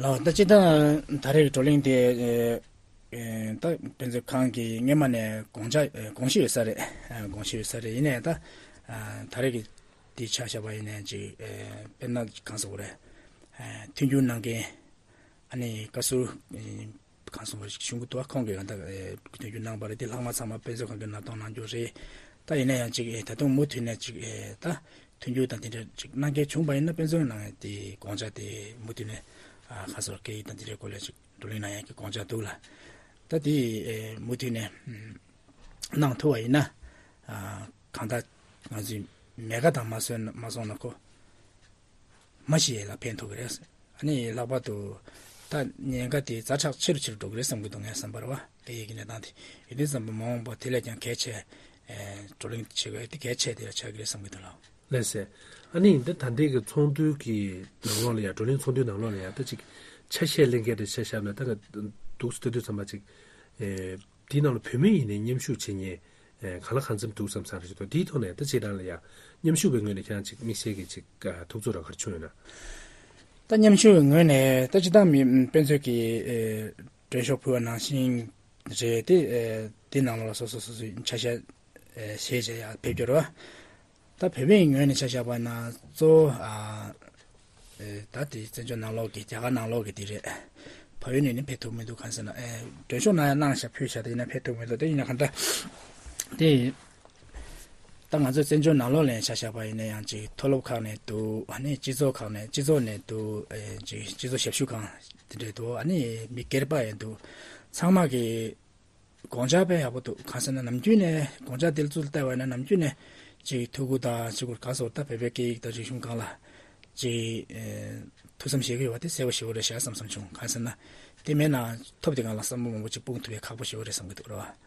ལགས། ད་སྤྱིར་བཏང་ད་རེས་ཀྱི་བགྲོ་གླེང་དེ་ཨེ་ད་དཔེ་མཛོད་ཁང་གིས་སྔོན་མ་ནས་དགོངས་འཆར་ཨེ་དགོངས་གཞི་ཡོད་ས་རེད། ཨེ་དགོངས་གཞི་ཡོད་ས་རེད། ཡིན་ནའི་ད་ཨ་ད་རེས་ཀྱི་འདི་ཆ་བཞག་པ་ཡིན་ནའི་ཅིག་ཨེ་དཔེར་ན་གང་ཟེར་དགོས་རེད། ཨེ་མཐུན་འགྱུར་གནང་མཁན་ཨ་ནི་བཀའ་ཟུར་ཨེ་གང་སོང་བ་ཞིག་གཞུང་གི་དུ་བ་ཁོང་གིས་ཡང་ད་ཨེ་མཐུན་འགྱུར་གནང་པ་རེད། དེ་ལྷག་མ་ཚང་མ་དཔེ་མཛོད་ཁང་གིས་མནའ་གཏོང་གནང་རྒྱུ་རེད། ད་ཡིན་ན་ཡང་ཅིག་ཨེ་ད་དུང་མུ་མཐུད་ནས་ཅིག་ཨེ་ད་མཐུན་འགྱུར་དང་དེ་འདྲ་ཅིག་གནང་མཁན་བྱུང་པ་ཡིན་ན་དཔེ་མཛོད་ནང་དེ་དགོངས་འཆར་དེ་མུ་མཐུད་ནས་ཨ་ཁ་སོར་སྐད་ཡིག་དང་དེ་འདྲའི་སྐོར་ལ་ཅིག་བགྲོ་གླེང་གནང་ཡག་གི་དགོངས་འཆར་འདུག་ལ། ད་དེ་ཨེ་མུ་མཐུད་ནས་ཨམ་གནང་ཐུབ་པ་ཡིན་ན་ཨ་གང་ལྟར་ང་ཚོའི་མེད་དགའ་དང་མ་སོན་མ་སོང་ན་ཁོ་མ་ཤི་ཡས་ལ་ཕན་ཐོགས་ཀྱི་རེད། ཨ་ནི་ལྷག་པར་དུ་ད་ཉེན་ཁ་དེ་ཛ་དྲག་ཆེ་རུ་ཆེ་རུ་འགྲོ་གི་རེད་བསམ་གྱི་འདུག་ངའི་བསམ་པར་བ། སྐད་ཡིག་གི་གནས་སྟངས་དེ་ཡིན་དུས་ཙམ་པ་མ་འོངས་པ་དེ་ལས་ཀྱང་གལ་ཆེ་ཨེ་བགྲོ་གླེང་བྱེད་དགོས་དེ་གལ་ཆེ་དེ་ཆགས་ཀྱི་རེད་བསམ་གྱི་འདུག་ལགས། ལགས་སེ། ཨ་ནི་འདི་ད་ལྟའི་གི་ཚོགས་འདུ་གི་ནང་ལོགས་ལ་ཡང་བགྲོ་གླེང་ཚོགས་འདུའི་ནང་ལོགས་ལ་ཡང་ད་ཅིག་ཆ་ཤས་ལེན་མཁན་དེ་ཆ་བཞག་ན་ད་འདུག་སེ་ལྟ་དུས་ཙམ་པ་ཅིག་ཨེ་དེའི་ནང་ལ་བོད་མི་ཡིན་ནའི་མཉམ་ཞུགས་བྱེད་མཁན་ཨེ་གང་ལ་གང་འཚམ་འདུག་བསམ་བསམ་རེ་ཞིག་འདུག་དེའི་ཐོག་ནས་ད་ཅིག་རང་ལ་ཡང་མཉམ་ཞུགས་པའི་ངོས་ནས་ཁྱེད་རང་ཅིག་དམིགས་བསལ་གྱི་ཅིག་ཐུགས་ཚོར་ར་ག་རེ་བྱུང་ཡོད་ན། ད་མཉམ་ཞུགས་ངོས་ནས་ད་སྤྱིར་བཏང་མི་དཔེ་མཛོད་ཀྱི་ཨེ་མགྲོན་ཤོག་ཕུལ་བ་ནང་བཞིན་རེད་དེ། ཨེ་དེ་ནང་ལོགས་ལ་སོ་སོ་སོ་སོའི་ཆ་ཤས་ཨེ་བཞེས་བྱས་ཡར་ཕེབས་རྒྱུ་རེད་བ། ད་བོད་པའི་ངོས་ནས་ཆ་བཞག་པ་ན་གཙོ་བོ་ཨ་ཨེ་ད་དེ་བཙན་བྱོལ་ནང་ལོགས་ཀྱི་རྒྱ་གར་ནང་ལོགས་ཀྱི་དེ་རེད། ཕ་ཡུལ་ནས་ནི་ཕེབས་ཐུབ་མི་འདུག་གང་ཟེར་ན་ཨེ་མགྲོན་ཤོག་ནང་ཡང་གནང་བཞག་ཕུལ་བཞག་དེ་ཡིན་ན་ཕེབས་ཐུབ་མི་འདུག་དེ་ཡིན་ན་གང་ལྟར་དེ། ད་ང་ཚོ་བཙན་བྱོལ་ནང་ལོགས་ལ་ཡང་ཆ་བཞག་པ་ཡིན་ན་ཡང་ཅིག་མཐོ་སློབ་ཁག་ནས་འདུག་ཨ་ནི་སྤྱི་ཚོགས་ཁག་ནས་སྤྱི་ཚོགས་ནས་འདུག་ཨེ་ཅིག་སྤྱི་ཚོགས་ཞབས་ཞུ་ཁང་དེ་འདྲས་འདུག་ཨ་ནི་མི་སྒེར་པ་ཡང་འདུག་ཚང་མ་གི་དགོངས་འཆར་དཔེ་ཡག་པོ་འདུག་གང་ཟེར་ན་ནམ་རྒྱུན་ནས་དགོངས་འཆར་དེ་ཚོ་ལ་བལྟས་པ་ཡིན་ན་ནམ་རྒྱུན་ནས་ཅིག་ཐུགས་ཁུར་དང་ཅིག་གུར་ག་སོགས་ད་བོད་པའི་སྐད་ཡིག་དང་རིག་གཞུང་སྒང་ལ་ཅིག་ཨེ་ཐུགས་བསམ་བཞེས་ཀྱི་ཡོད་པ་དེ་གསལ་པོ་ཞེ་པོ་རེད་ཤག་བསམ་བསམ་བྱུང་། གང་ཟེར་ན་དེ་མེད་ན་ཐོབ་དེ་སྒང་ལ་བསམ་བློ་མང་པོ་ཅིག་སྤུངས་ཐུབ་པའི་ཁག་པོ་ཞེ་པོ་རེད་བསམ་གྱི་འདུག་རེད་བ།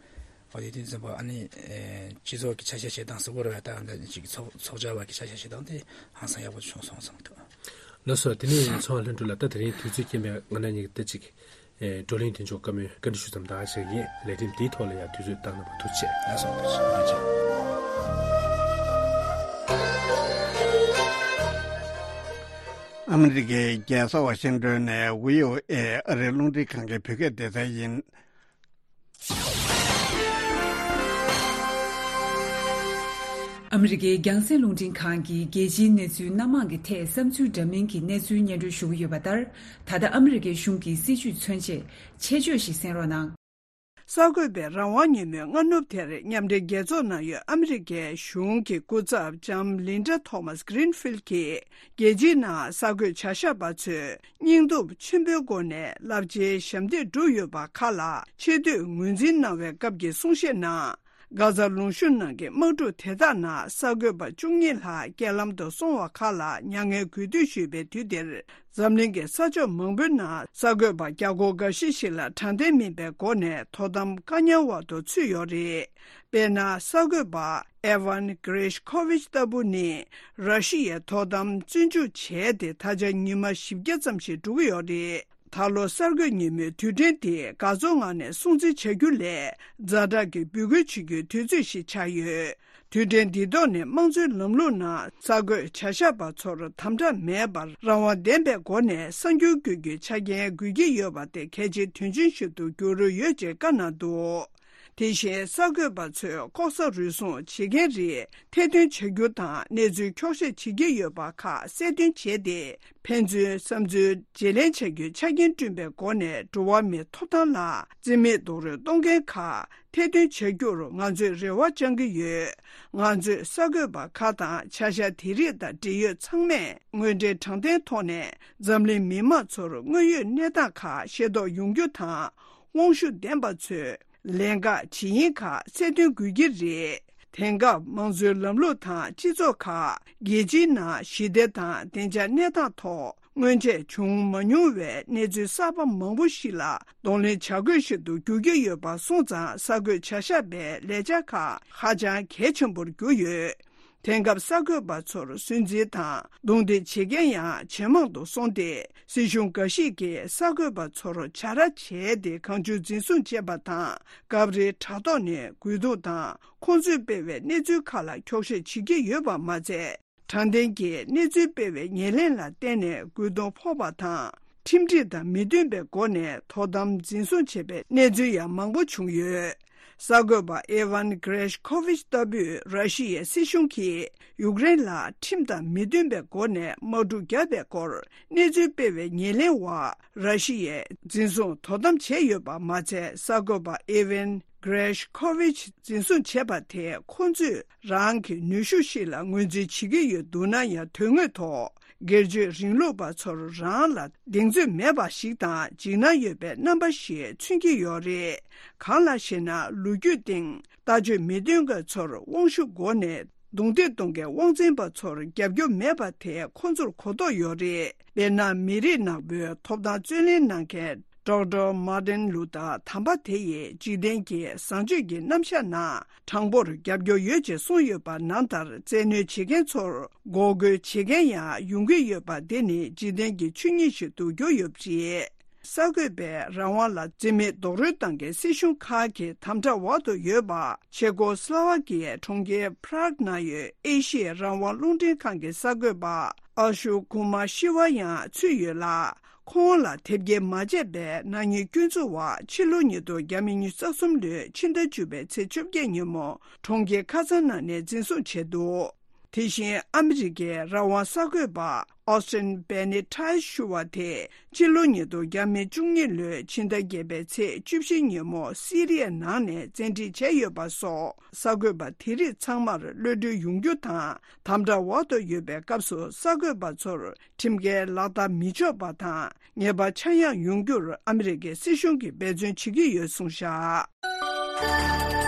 འོ་དེ་དུས་ཙམ་པ་ཨ་ནི་ཨེ་སྤྱི་ཚོགས་ཀྱི་ཆ་ཤས་བྱེད་སྟངས་གཟུགས་པོ་རེད་བ། ད་ཨ་འདྲ་ཅིག་ཚོགས་ཚོགས་བཅར་བ་གི་ཆ་ཤས་བྱེད་སྟངས་དེ་ཧང་སང་ཡག་པོ་བྱུང་སོང་བསམ་གྱི་འདུག་ལགས་སོ། དེ་ནས་ཚོང་ལྷུན་གྲུབ་ལགས་ད་དེ་རིང་དུས་ཚོད་རྐྱེན་པས་ང་རང་གཉིས་ཀྱིས་ད་ཅིག་ཨེ་བགྲོ་གླེང་དེ་མཇུག་བཀའ་མོལ་བཀའ་འདྲི་ཞུ་ཙམ་དག་བྱེད་ཀྱི་ཡིན། ལས་རིམ་འདིའི་ཐོག་ལ་ཡང་དུས་ཚོད་བཏང་གནང་བར་ཐུགས་རྗེ་ཆེ། ལགས་སོ། ཐུགས་རྗེ་ཆེ། ཨ་མི་རི་ཀའི་རྒྱལ་ས་ཝ་ཤིང་ཏོན་ནས་བྷི་ཨོ་ཨེ་ཨ་རིའི་རླུང་འཕྲིན་ཁང་གི་བོད་སྐད་སྡེ་ཚན་ཡིན། ཨ་མི་རི་ཀའི་རྒྱང་སྲིང་རླུང་འཕྲིན་ཁང་གིས་རྒྱལ་སྤྱིའི་གནས་ཚུལ་སྣ་མང་གི་ཐད་བསམ་ཚུལ་འདྲ་མིན་གྱི་གནས་ཚུལ་སྙན་སྒྲོན་ཞུ་གི་ཡོད་པ་ལྟར། ད་ལྟ་ཨ་མི་རི་ཀའི་གཞུང་གི་སྲིད་བྱུས་མཚོན་ཆེད་ཆེད་བརྗོད་ཞིག་གསན་རོགས་གནང་། གསར་འགོད་པས་རང་དབང་ཉིན་མོའི་སྔ་ནུབ་དེར་མཉམ་འབྲེལ་རྒྱལ་ཚོགས་ནང་ཡོད་ཨ་མི་རི་ཀའི་གཞུང་གི་སྐུ་ཚབ་ལྕམ་ལིན་ཌ་ཐོ་མཱས་གྷི་རིན་ཕིལ་གྱིས། རྒྱལ་སྤྱིའི་ནང་གསར་འགོད་བྱ་བཞག་པ་ཚོས་སྙིང་སྟོབས་ཆེན་པོའི་སྒོ་ནས་རླབས་ཆེའི་ཞབས་འདེགས་བསྒྲུབས་ཡོད་པ་ཁག་ལ་ཆེ་བསྟོད་ངོས་འཛིན་གནང་བའི་སྐབས་ཀྱི་གསུང་བཤད་ནང་། གྷ་ཛ་ལུང་གཤོང་ནང་གི་དམག་འཁྲུག་དེ་དག་ནང་གསར་འགོད་པ་བཅུ་གཉིས་ལྷག་རྐྱེན་ལམ་དུ་སོང་བ་ཁག་ལ་མྱ་ངན་གུས་འདུད་ཞུས་པའི་དུས་དེར། འཛམ་གླིང་གི་ས་ཕྱོགས་མང་པོའི་ནང་གསར་འགོད་པ་བརྒྱ་སྐོར་འགའ་ཤས་ཤིག་ལ་དྲང་བདེན་མིན་པའི་སྒོ་ནས་དོ་དམ་བཀག་ཉར་འོག་ཏུ་ཚུད་ཡོད་རེད། དཔེར་ན། གསར་འགོད་པ་ཨེ་ཝན་གྷི་རེ་ཤི་ཁོ་ཝི་ཆི་ལྟ་བུ་ནི་ར་ཤི་ཡའི་དོ་དམ་བཙོན་འཇུག་བྱས་ཏེ་ད་ཆ་ཉི་མ་བཞི་བརྒྱ་ཙམ་ཞིག་འགྲོ་གི་ཡོད་རེད། ད་ལོ་གསར་འགོད་ཉིན་མོའི་དུས་དྲན་དེ་དགའ་ཚོར་ངང་ནས་སྲུང་བརྩི་བྱ་རྒྱུ་ལས་ཛ་དྲག་གི་འབོད་སྐུལ་བྱེད་རྒྱུའི་དུས་ཚོད་ཞིག་ཆགས་ཡོད། དུས་དྲན་འདིའི་ཐོག་ནས་དམངས་གཙོའི་ལམ་ལུགས་ནང་གསར་འགོད་བྱ་བཞག་པ་ཚོར་དམ་དྲག་མེད་པར་རང་དབང་ལྡན་པའི་སྒོ་ནས་གསར་འགྱུར་འགོད་རྒྱུའི་ཆ་རྐྱེན་དགོས་ཀྱི་ཡོད་པ་དེ་གལ་ཆེའི་དོན་ཆེན་ཞིག་ཏུ་གྱུར་ཡོད་ཅེས་བཀའ་གནང་འདུག་དེ་བཞིན་གསར་འགོད་པ་ཚོས་ལྐོག་ཟ་རུལ་སུངས་བྱེད་མཁན་རིགས་ཐེར་འདོན་བྱ་རྒྱུ་དང་གནས་ཚུལ་འཁྱོག་བཤད་བྱེད་ཀྱི་ཡོད་པ་ཁག་གསལ་སྟོན་བྱས་ཏེ། ཕན་ཚུན་བསམ་ཚུལ་བརྗེ་ལེན་བྱ་རྒྱུའི་ཆ་རྐྱེན་བསྐྲུན་པའི་སྒོ་ནས་འགྲོ་བ་མིའི་ཐོབ་ཐང་ལ་བརྩི་མེད་རྡོག་རོལ་གཏོང་མཁན་ཁག་ཐེར་འདོན་བྱ་རྒྱུར་ང་ཚོས་རེ་བ་བཅང་གི་ཡོད། ང་ཚོས་གསར་འགོད་པ་ཁག་དང་བྱ་གཞག་དེ་རིགས་དང་འབྲེལ་ཡོད་ཚང་མས་དངོས་འབྲེལ་དྲང་བདེན་ཐོག་ནས་འཛམ་གླིང་མི་དམངས་ཚོར་དངོས་ཡོད་གནས་སྟངས་ཁག་ཤེས་རྟོགས་ཡོང་རྒྱུ་དང་། དབང་ཤུགས་ལྡན་པ་ཚོས་ལན་འགག་ཇི་ཡིན་ཁག་གསལ་སྟོན་དགོས་ཀྱི་རེད། དེང་སྐབས་དམངས་གཙོའི་ལམ་ལུགས་དང་སྤྱི་ཚོགས་ཁག་རྒྱལ་སྤྱིའི་ནང་ཞི་བདེ་དང་བདེ་འཇགས་གནས་སྟངས་ཐོག་ སྔོན་ཆད་བྱུང་མ་མྱོང་བའི་གནས་ཚུལ་གསར་པ་མང་པོ་ཞིག་ལ་གདོང་ལེན་བྱ་དགོས་ཤིག་ཏུ་འགྱུར་གྱི་ཡོད་པ་སོང་ཙང་། གསར་འགོད་བྱ་བཞག་པའི་ལས་འཆར་ཁག་ཧ་ཅང་གལ་ཆེན་པོར་གྱུར་ཡོད། དེང་སྐབས་གསར་འགོད་པ་ཚོར་སུན་འབྱིན་དང་རྡུང་རྡེག་བྱེད་མཁན་ཡང་ཇེ་མང་དུ་སོང་སྟེ། སྲིད་གཞུང་འགའ་ཞིག་གིས་གསར་འགོད་པ་ཚོར་བྱ་ར་བྱས་ཏེ་གང་བྱུང་འཛིན་བཟུང་བྱེད་པ་དང་། སྐབས་རེ་དྲ་ཐོག་ནས་རྒོལ་རྡུང་དང་ཁོང་ཚོས་སྤེལ་བའི་གནས་ཚུལ་ཁག་ལ་འཁྱོག་བཤད་བྱེད་ཀྱི་ཡོད་པ་མ་ཚད། དྲང་བདེན་གྱི་གནས་ཚུལ་སྤེལ་བའི་ཉེར་ལེན་ལ་བརྟེན་ནས་རྒོལ་རྡུང་ཕོག་པ་དང་། ཁྲིམས་སྒྲིག་དང་མི་མཐུན་པའི་སྒོ་ནས་དོ་དམ་འཛིན་བཟུང་བྱས་པའི་གནས་ཚུལ་ཡང་མང་པོ་བྱུང་ཡོད། གསར་འགོད་པ་ཨེ་ཝན་གྷི་རེ་ཤི་ཁོ་ཝི་ཆི་ལྟ་བུས་ར་ཤི་ཡའི་སྲིད་གཞུང་གིས་ཡུཀ་རེན་ལ་ཁྲིམས་དང་མི་མཐུན་པའི་སྒོ་ནས་དམག་འཁྲུག་བརྒྱབ་པའི་སྐོར་གནས་ཚུལ་སྤེལ་བའི་ཉེར་ལེན་འོག་ར་ཤི་ཡས་འཛིན་བཟུང་དོ་དམ་བྱས་ཡོད་པ་མ་ཚད། གསར་འགོད་པ་ཨེ་ཝན་གྷི་རེ་ཤི་ཁོ་ཝི་ཆི་འཛིན་བཟུང་བྱས་པ་དེས་ཁོང་ཚོས་རང་གི་ནུས་ཤུགས་ཤིག་ལ་ངོས་འཛིན་བྱེད་ཀྱི་ཡོད་འདུག་ན་ཡང་། དོན་དངོས་ཐོག་སྒེར་གཅོད་རིང་ལུགས་པ་ཚོར་རང་ལ་གདེང་ཚོད་མེད་པ་ཞིག་དང་འཇིགས་སྣང་ཡོད་པའི་རྣམ་པ་ཞིག་མཚོན་གྱི་ཡོད་རེད། གང་ལགས་ཤེ་ན། ལོ་རྒྱུས་སྟེང་ལྟ་སྤྱོད་མི་མཐུན་པ་ཚོར་དབང་ཤུགས་སྒོ་ནས་རྡུང་རྡེག་གཏོང་མཁན་དབང་འཛིན་པ་ཚོར་རྒྱབ་སྐྱོར་མེད་པ་དེ་ཁོང་ཚོར་གོ་རྟོགས་ཡོད་རེད། དཔེར་ན། མི་རིགས་ནག་པོའི་ཐོབ་ཐང་རྩོད་ལེན་གནང་མཁན་ཌོག་ཊར་མར་ཊིན་ལུ་ཐར་དམ་པ་དེ་ཡིས་འཇིག་རྟེན་གྱི་བཟང་སྤྱོད་ཀྱི་རྣམ་གཞག་ནང་དྲང་པོར་རྒྱབ་སྐྱོར་ཡོད་ཅེས་གསུངས་ཡོད་པ་ནང་ལྟར། བཙན་གནོན་བྱེད་མཁན་ཚོར་འགོག་རྒོལ་བྱེད་མཁན་ཡང་ཡོང་གི་ཡོད་པ་འདི་ནི་འཇིག་རྟེན་གྱི་ཆོས་ཉིད་ཞིག་ཏུ་གྱུར་ཡོད་པ་རེད། གསར་འགོད་པས་རང་དབང་ལ་བརྩི་མེད་རྡོག་རོལ་བཏང་མཁན་སྲིད་གཞུང་ཁག་གི་དམ་དྲག་འོག་ཏུ་ཡོད་པ། ཆེ་ཀོ་སི་ལོ་ཝ་ཀི་ཡའི་གྲོང་ཁྱེར་པ་རག་ནང་ཡོད་ཨེ་ཤི་ཡའི་རང་དབང་རླུང་འཕྲིན་ཁང་གི་གསར་འགོད་པ་ཨ་ཤུ་ཀུ་མ་ཤི་ཝ་ཡང་ཚུད་ཡོད་ལ། ཁོང་ལ་དེབ་སྐྱེལ་མ་བྱས་པའི་ནག་ཉེས་སྐྱོན་འཛུགས་འོག་ཕྱི་ལོ་ཉིས་སྟོང་ཉི་ཤུ་རྩ་གསུམ་ལོའི་ཕྱི་ཟླ་བཅུ་པའི་ཚེས་བཅོ་བརྒྱད་ཉིན་མོ་གྲོང་ཁྱེར་ཁ་སང་ནང་ནས་འཛིན་བཟུང་བྱས་འདུག་དེ་བཞིན་ཨ་མི་རི་ཀའི་རང་དབང་གསར་འགོད་པ་ཨོ་སི་ཊིན་བེ་ནི་ཏྲེས་ཞུ་བ་དེས་ཕྱི་ལོ་ཉིས་སྟོང་བཅུ་གཉིས་ལོའི་ཕྱི་ཟླ་བརྒྱད་པའི་ཚེས་བཅུ་བཞི་ཉིན་མོ་སི་རི་ཡའི་ནང་ནས་བཙན་ཁྲིད་བྱས་ཡོད་པ་སོགས། གསར་འགོད་པ་དེ་རིགས་ཚང་མར་གློད་གྲོལ་ཡོང་རྒྱུ་དང་། དམ་དྲག་འོག་ཏུ་ཡོད་པའི་སྐབས་སུ་གསར་འགོད་པ་ཚོར་ཁྲིམས་འགལ་ལག་བསྟར་མི་ཆོག་པ་དང་། ཉེས་པ་ཆག་ཡང་ཡོང་རྒྱུར་ཨ་མི་རི་ཀའི་སྲིད་གཞུང་གིས་འབད་བརྩོན་བྱེད་ཀྱི་ཡོད་གསུངས་བཞག་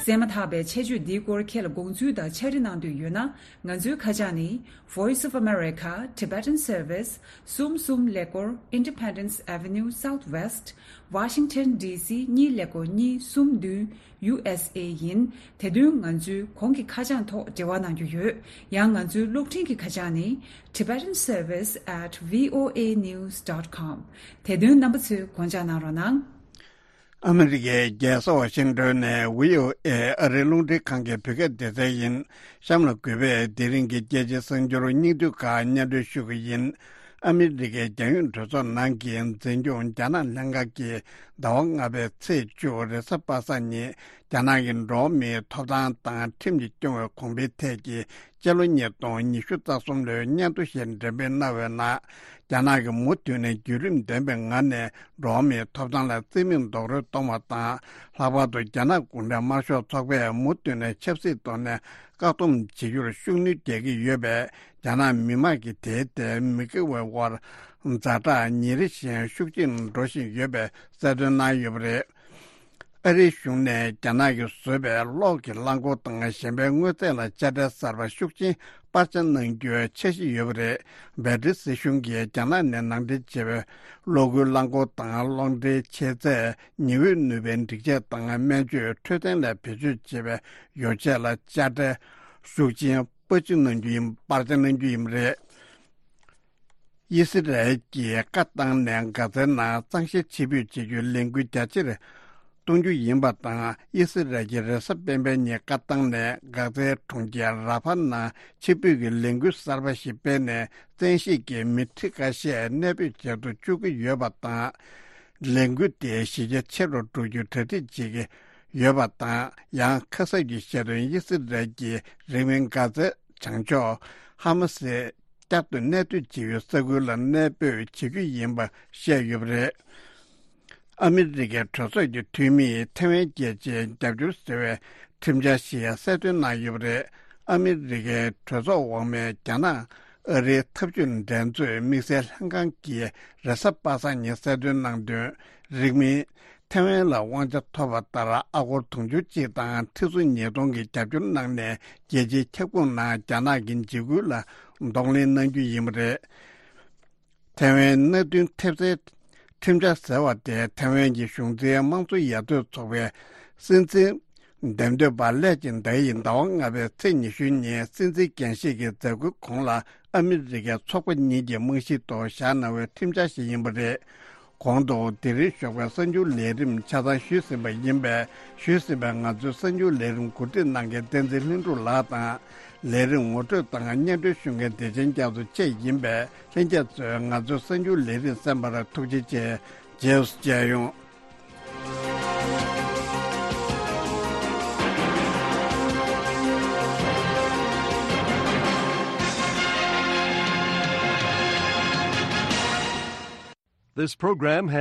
གསན་མ་ཐག་པའི་ཆེད་བརྗོད་འདིའི་སྐོར་ཁྱེད་ལ་དགོངས་ཚུལ་དང་ཕྱག་བྲིས་གནང་འདོད་ཡོད་ན། ང་ཚོའི་ཁ་བྱང་ནི། Voice of America, Tibetan Service, གསུམ་གསུམ་ཀླད་ཀོར་Independence Avenue Southwest, Washington D C གཉིས་ཀླད་ཀོར་གཉིས་གསུམ་བདུན། ཡུ་ཨེས་ཨེ་ཡིན། དེ་དོན་ང་ཚོའི་གོང་གི་ཁ་བྱང་ཐོག་འབྲེལ་བ་གནང་རྒྱུ་ཡོད། ཡང་ང་ཚོའི་གློག་འཕྲིན་གྱི་ཁ་བྱང་ནི། Tibetan Service at V O A news dot com། དེ་དོན་རྣམ་པ་ཚོས་དགོངས་འཇགས་གནང་རོགས་གནང་། ཨ་མི་རི་ཀའི་རྒྱལ་ས་ཝ་ཤིང་ཏོན་ནས་བྷི་ཨོ་ཨེ་ཨ་རིའི་རླུང་འཕྲིན་ཁང་གི་བོད་སྐད་སྡེ་ཚན་ཡིན། གཤམ་ལ་གུས་པས་དེ་རིང་གི་རྒྱལ་སྤྱིའི་གསར་འགྱུར་སྙིང་བསྡུས་ཁག་སྙན་སྒྲོན་ཞུ་གི་ཡིན། ཨ་མི་རི་ཀའི་རྒྱལ་ཡོངས་གྲོས་ཚོགས་ནང་གི་འཛིན་སྐྱོང་རྒྱ་ནག་ལྷན་ཁང་གིས་ཟླ་བ་ལྔ་པའི་ཚེས་བཅུ་རེས་གཟའ་པ་སངས་ཉིན་རྒྱ་ནག་གི་འགྲོ་བ་མིའི་ཐོབ་ཐང་དང་ཁྲིམས་ཀྱིས་སྐྱོང་བའི་གོང་འཕེལ་ཐད་ཀྱི་སྤྱི་ལོ་ཉིས་སྟོང་ཉི་ཤུ་རྩ་གསུམ་ལོའི་སྙན་ཐོ་ཞིག་འགྲེམས་སྤེལ་གནང་བའི་ནང་། རྒྱ་ནག་གིས་མུ་མཐུད་ནས་བརྒྱུད་རིམ་ལྡན་པའི་ངང་ནས་འགྲོ་བ་མིའི་ཐོབ་ཐང་ལ་བརྩི་མེད་རྡོག་རོལ་གཏོང་བ་དང་། ལྷག་པར་དུ་རྒྱ་ནག་གུང་ཁྲན་དམར་ཤོག་ཚོགས་པས་མུ་མཐུད་ནས་ཆབ་སྲིད་ཐོག་ནས་བཀག་སྡོམ་བྱེད་རྒྱུར་ཤུགས་སྣོན་རྒྱག་གི་ཡོད་པས། རྒྱ་ནག་མི་དམངས་ཀྱི་དེའི་ཐད་མི་དགེ་བའི་དབར་ཛ་དྲག་ཉིན་རེ་བཞིན་ཤུགས་ཆེར་འགྲོ་བཞིན་ཡོད་པའི་གསལ་སྟོན་གནང་ཡོད་པ་རེད། ཨ་རིའི་གཞུང་ནས་རྒྱ་ནག་གིས་བཟོས་པའི་གློག་གི་རླངས་འཁོར་དང་གཞན་པའི་དངོས་རྫས་ལ་དཔྱ་ཁྲལ་གསར་པ་ཤུགས་ཆེན་སྤར་ཆ་གནང་རྒྱུའི་འཆར་གཞི་ཡོད་པ་རེད། བྷེལ་ཏི་སྲིད་གཞུང་གིས་རྒྱ་ནག་ནས་ནང་འདྲེན་བྱས་པའི་གློག་སྒུལ་རླངས་འཁོར་དང་གློག་འདྲེན་ཆེ་ཚད། ཉི་འོད་ནུས་པའི་སྒྲིག་ཆས་དང་སྨན་བཅོས་འཕྲོད་བསྟེན་ལ་བེད་སྤྱོད་བྱེད་པའི་ཡོ་བྱད་ལ་དཔྱ་ཁྲལ་ཤུགས་ཆེན་སྤར་ཆ་གནང་རྒྱུ་ཡིན། སྤར་ཆ་གནང་རྒྱུ་ཡིན་པ་རེད། དབྱི་སི་རལ་གྱིས་ཀ་ཏང་ནས་གྷ་ཛའི་ནང་གཙང་བཤེར་ཆེད་འབོད་བྱེད་རྒྱུའི་ལས་འགུལ་རྒྱ་ཆེར་གཏོང་རྒྱུ་ཡིན་པ་དང་། དབྱི་སི་རལ་གྱིས་རེས་གཟའ་སྤེན་པའི་ཉིན་ཀ་ཏང་ནས་གྷ་ཛའི་གྲོང་ཁྱེར་ར་ཧྥ་ནང་ཆེད་འབོད་ཀྱི་ལས་འགུལ་གསར་པ་ཞིག་སྤེལ་ནས། བཙན་ཤེད་ཀྱིས་མི་ཁྲི་ཁ་ཤས་གནས་སྤོས་བྱེད་དུ་བཅུག་གི་ཡོད་པ་དང་། ལས་འགུལ་དེ་གཞི་རྒྱ་ཆེ་རུ་འགྲོ་རྒྱུའི་གྲ་སྒྲིག་བྱེད་ཀྱི་ཡོད་པ་དང་། ཡང་ཁ་གསབ་ཀྱི་ཆེད་དུ་དབྱི་སི་རལ་གྱི་རིང་མིན་གྷ་ཛའི་བྱང་ཕྱོགས་ཧ་མ་སི་བསྐྱར་དུ་གནས་སྡོད་བྱེད་ཡུལ་ས་ཁུལ་ལ་གནས་སྤོས་བྱེད་རྒྱུ་ཡིན་པ་བཤད་ཡོད་པ་རེད། ཨ་མི་རི་ཀའི་གྲོས་ཚོགས་ཀྱི་འཐུས་མིས་ཐེ་ཝན་རྒྱལ་སྤྱིའི་རྒྱབ་སྐྱོར་ཟེར་བའི་ཁྲིམས་འཆར་ཞིག་གསལ་སྟོན་གནང་ཡོད་པ་རེད། ཨ་མི་རི་ཀའི་གྲོས་ཚོགས་འོག་མའི་རྒྱ་ནག་ཨ་རིའི་འཐབ་ཇུས་འགྲན་རྩོད་དམིགས་བསལ་ལྷན་ཁང་གིས་རེས་གཟའ་པ་སངས་ཉིན་གསལ་སྟོན་གནང་དོན། རིང་མིན་ ཐེ་ཝན་ལ་དབང་ཆ་ཐོབ་པ་ལྟར་ཨ་སྒོར་དུང་ཕྱུར་གཅིག་དང་ཁྲི་ཚོ་ཉིས་སྟོང་གི་རྒྱབ་སྐྱོར་གནང་ནས་རྒྱལ་སྤྱིའི་ཁྱབ་ཁོངས་ནང་རྒྱ་ནག་གི་འཇིགས་སྐུལ་ལ་གདོང་ལེན་གནང་རྒྱུ་ཡིན་པ་རེད། ཐེ་ཝན་མནའ་མཐུན་ཐེབས་རྩའི་ཁྲིམས་འཆར་ཟེར་བ་དེ་ཐེ་ཝན་གྱི་གཞུང་འཛིན་དམངས་གཙོ་ཡར་ཐོན་ཚོགས་པའི་སྲིད་འཛིན་འདེམས་ཐོན་པ་སླད་ཅིང་ཏེ་ཡིས་ཟླ་བ་ལྔ་པའི་ཚེས་ཉི་ཤུ་ཉིན་སྲིད་འཛིན་འགན་བཞེས་ཀྱི་མཛད་སྒོའི་གོང་ལ་ཨ་མི་རི་ཀའི་ཚོགས་པ་གཉིས་ཀྱི་རྨང་གཞིའི་ཐོག་བཞག་གནང་བའི་ཁྲིམས་འཆར་ཞིག་ཡིན་པ་རེད། གོང་དུ་དེ་རིང་ཞོགས་པའི་གསར་འགྱུར་ལས་རིམ་ཆ་ཚང་ཞུས་ཟིན་པ་ཡིན་པས། ཞུས་ཟིན་པའི་ང་ཚོའི་གསར་འགྱུར་ལས་རིམ་གོ་སྒྲིག་གནང་མཁན་བསྟན་འཛིན་ལྷུན་གྲུབ་ལགས་དང་། ལས་རིམ་ངོ་སྤྲོད་དང་སྙན་སྒྲོན་ཞུ་མཁན་བདེ་ཆེན་རྒྱ་མཚོ་བཅས་ཡིན་པས། ལྷན་རྒྱས་ཚོས་ང་ཚོའི་གསར་འགྱུར་ལས་རིམ་གསན་པར་ཐུགས་རྗེ་ཆེ། རྗེས་སུ་མཇལ་ཡོང་། This program has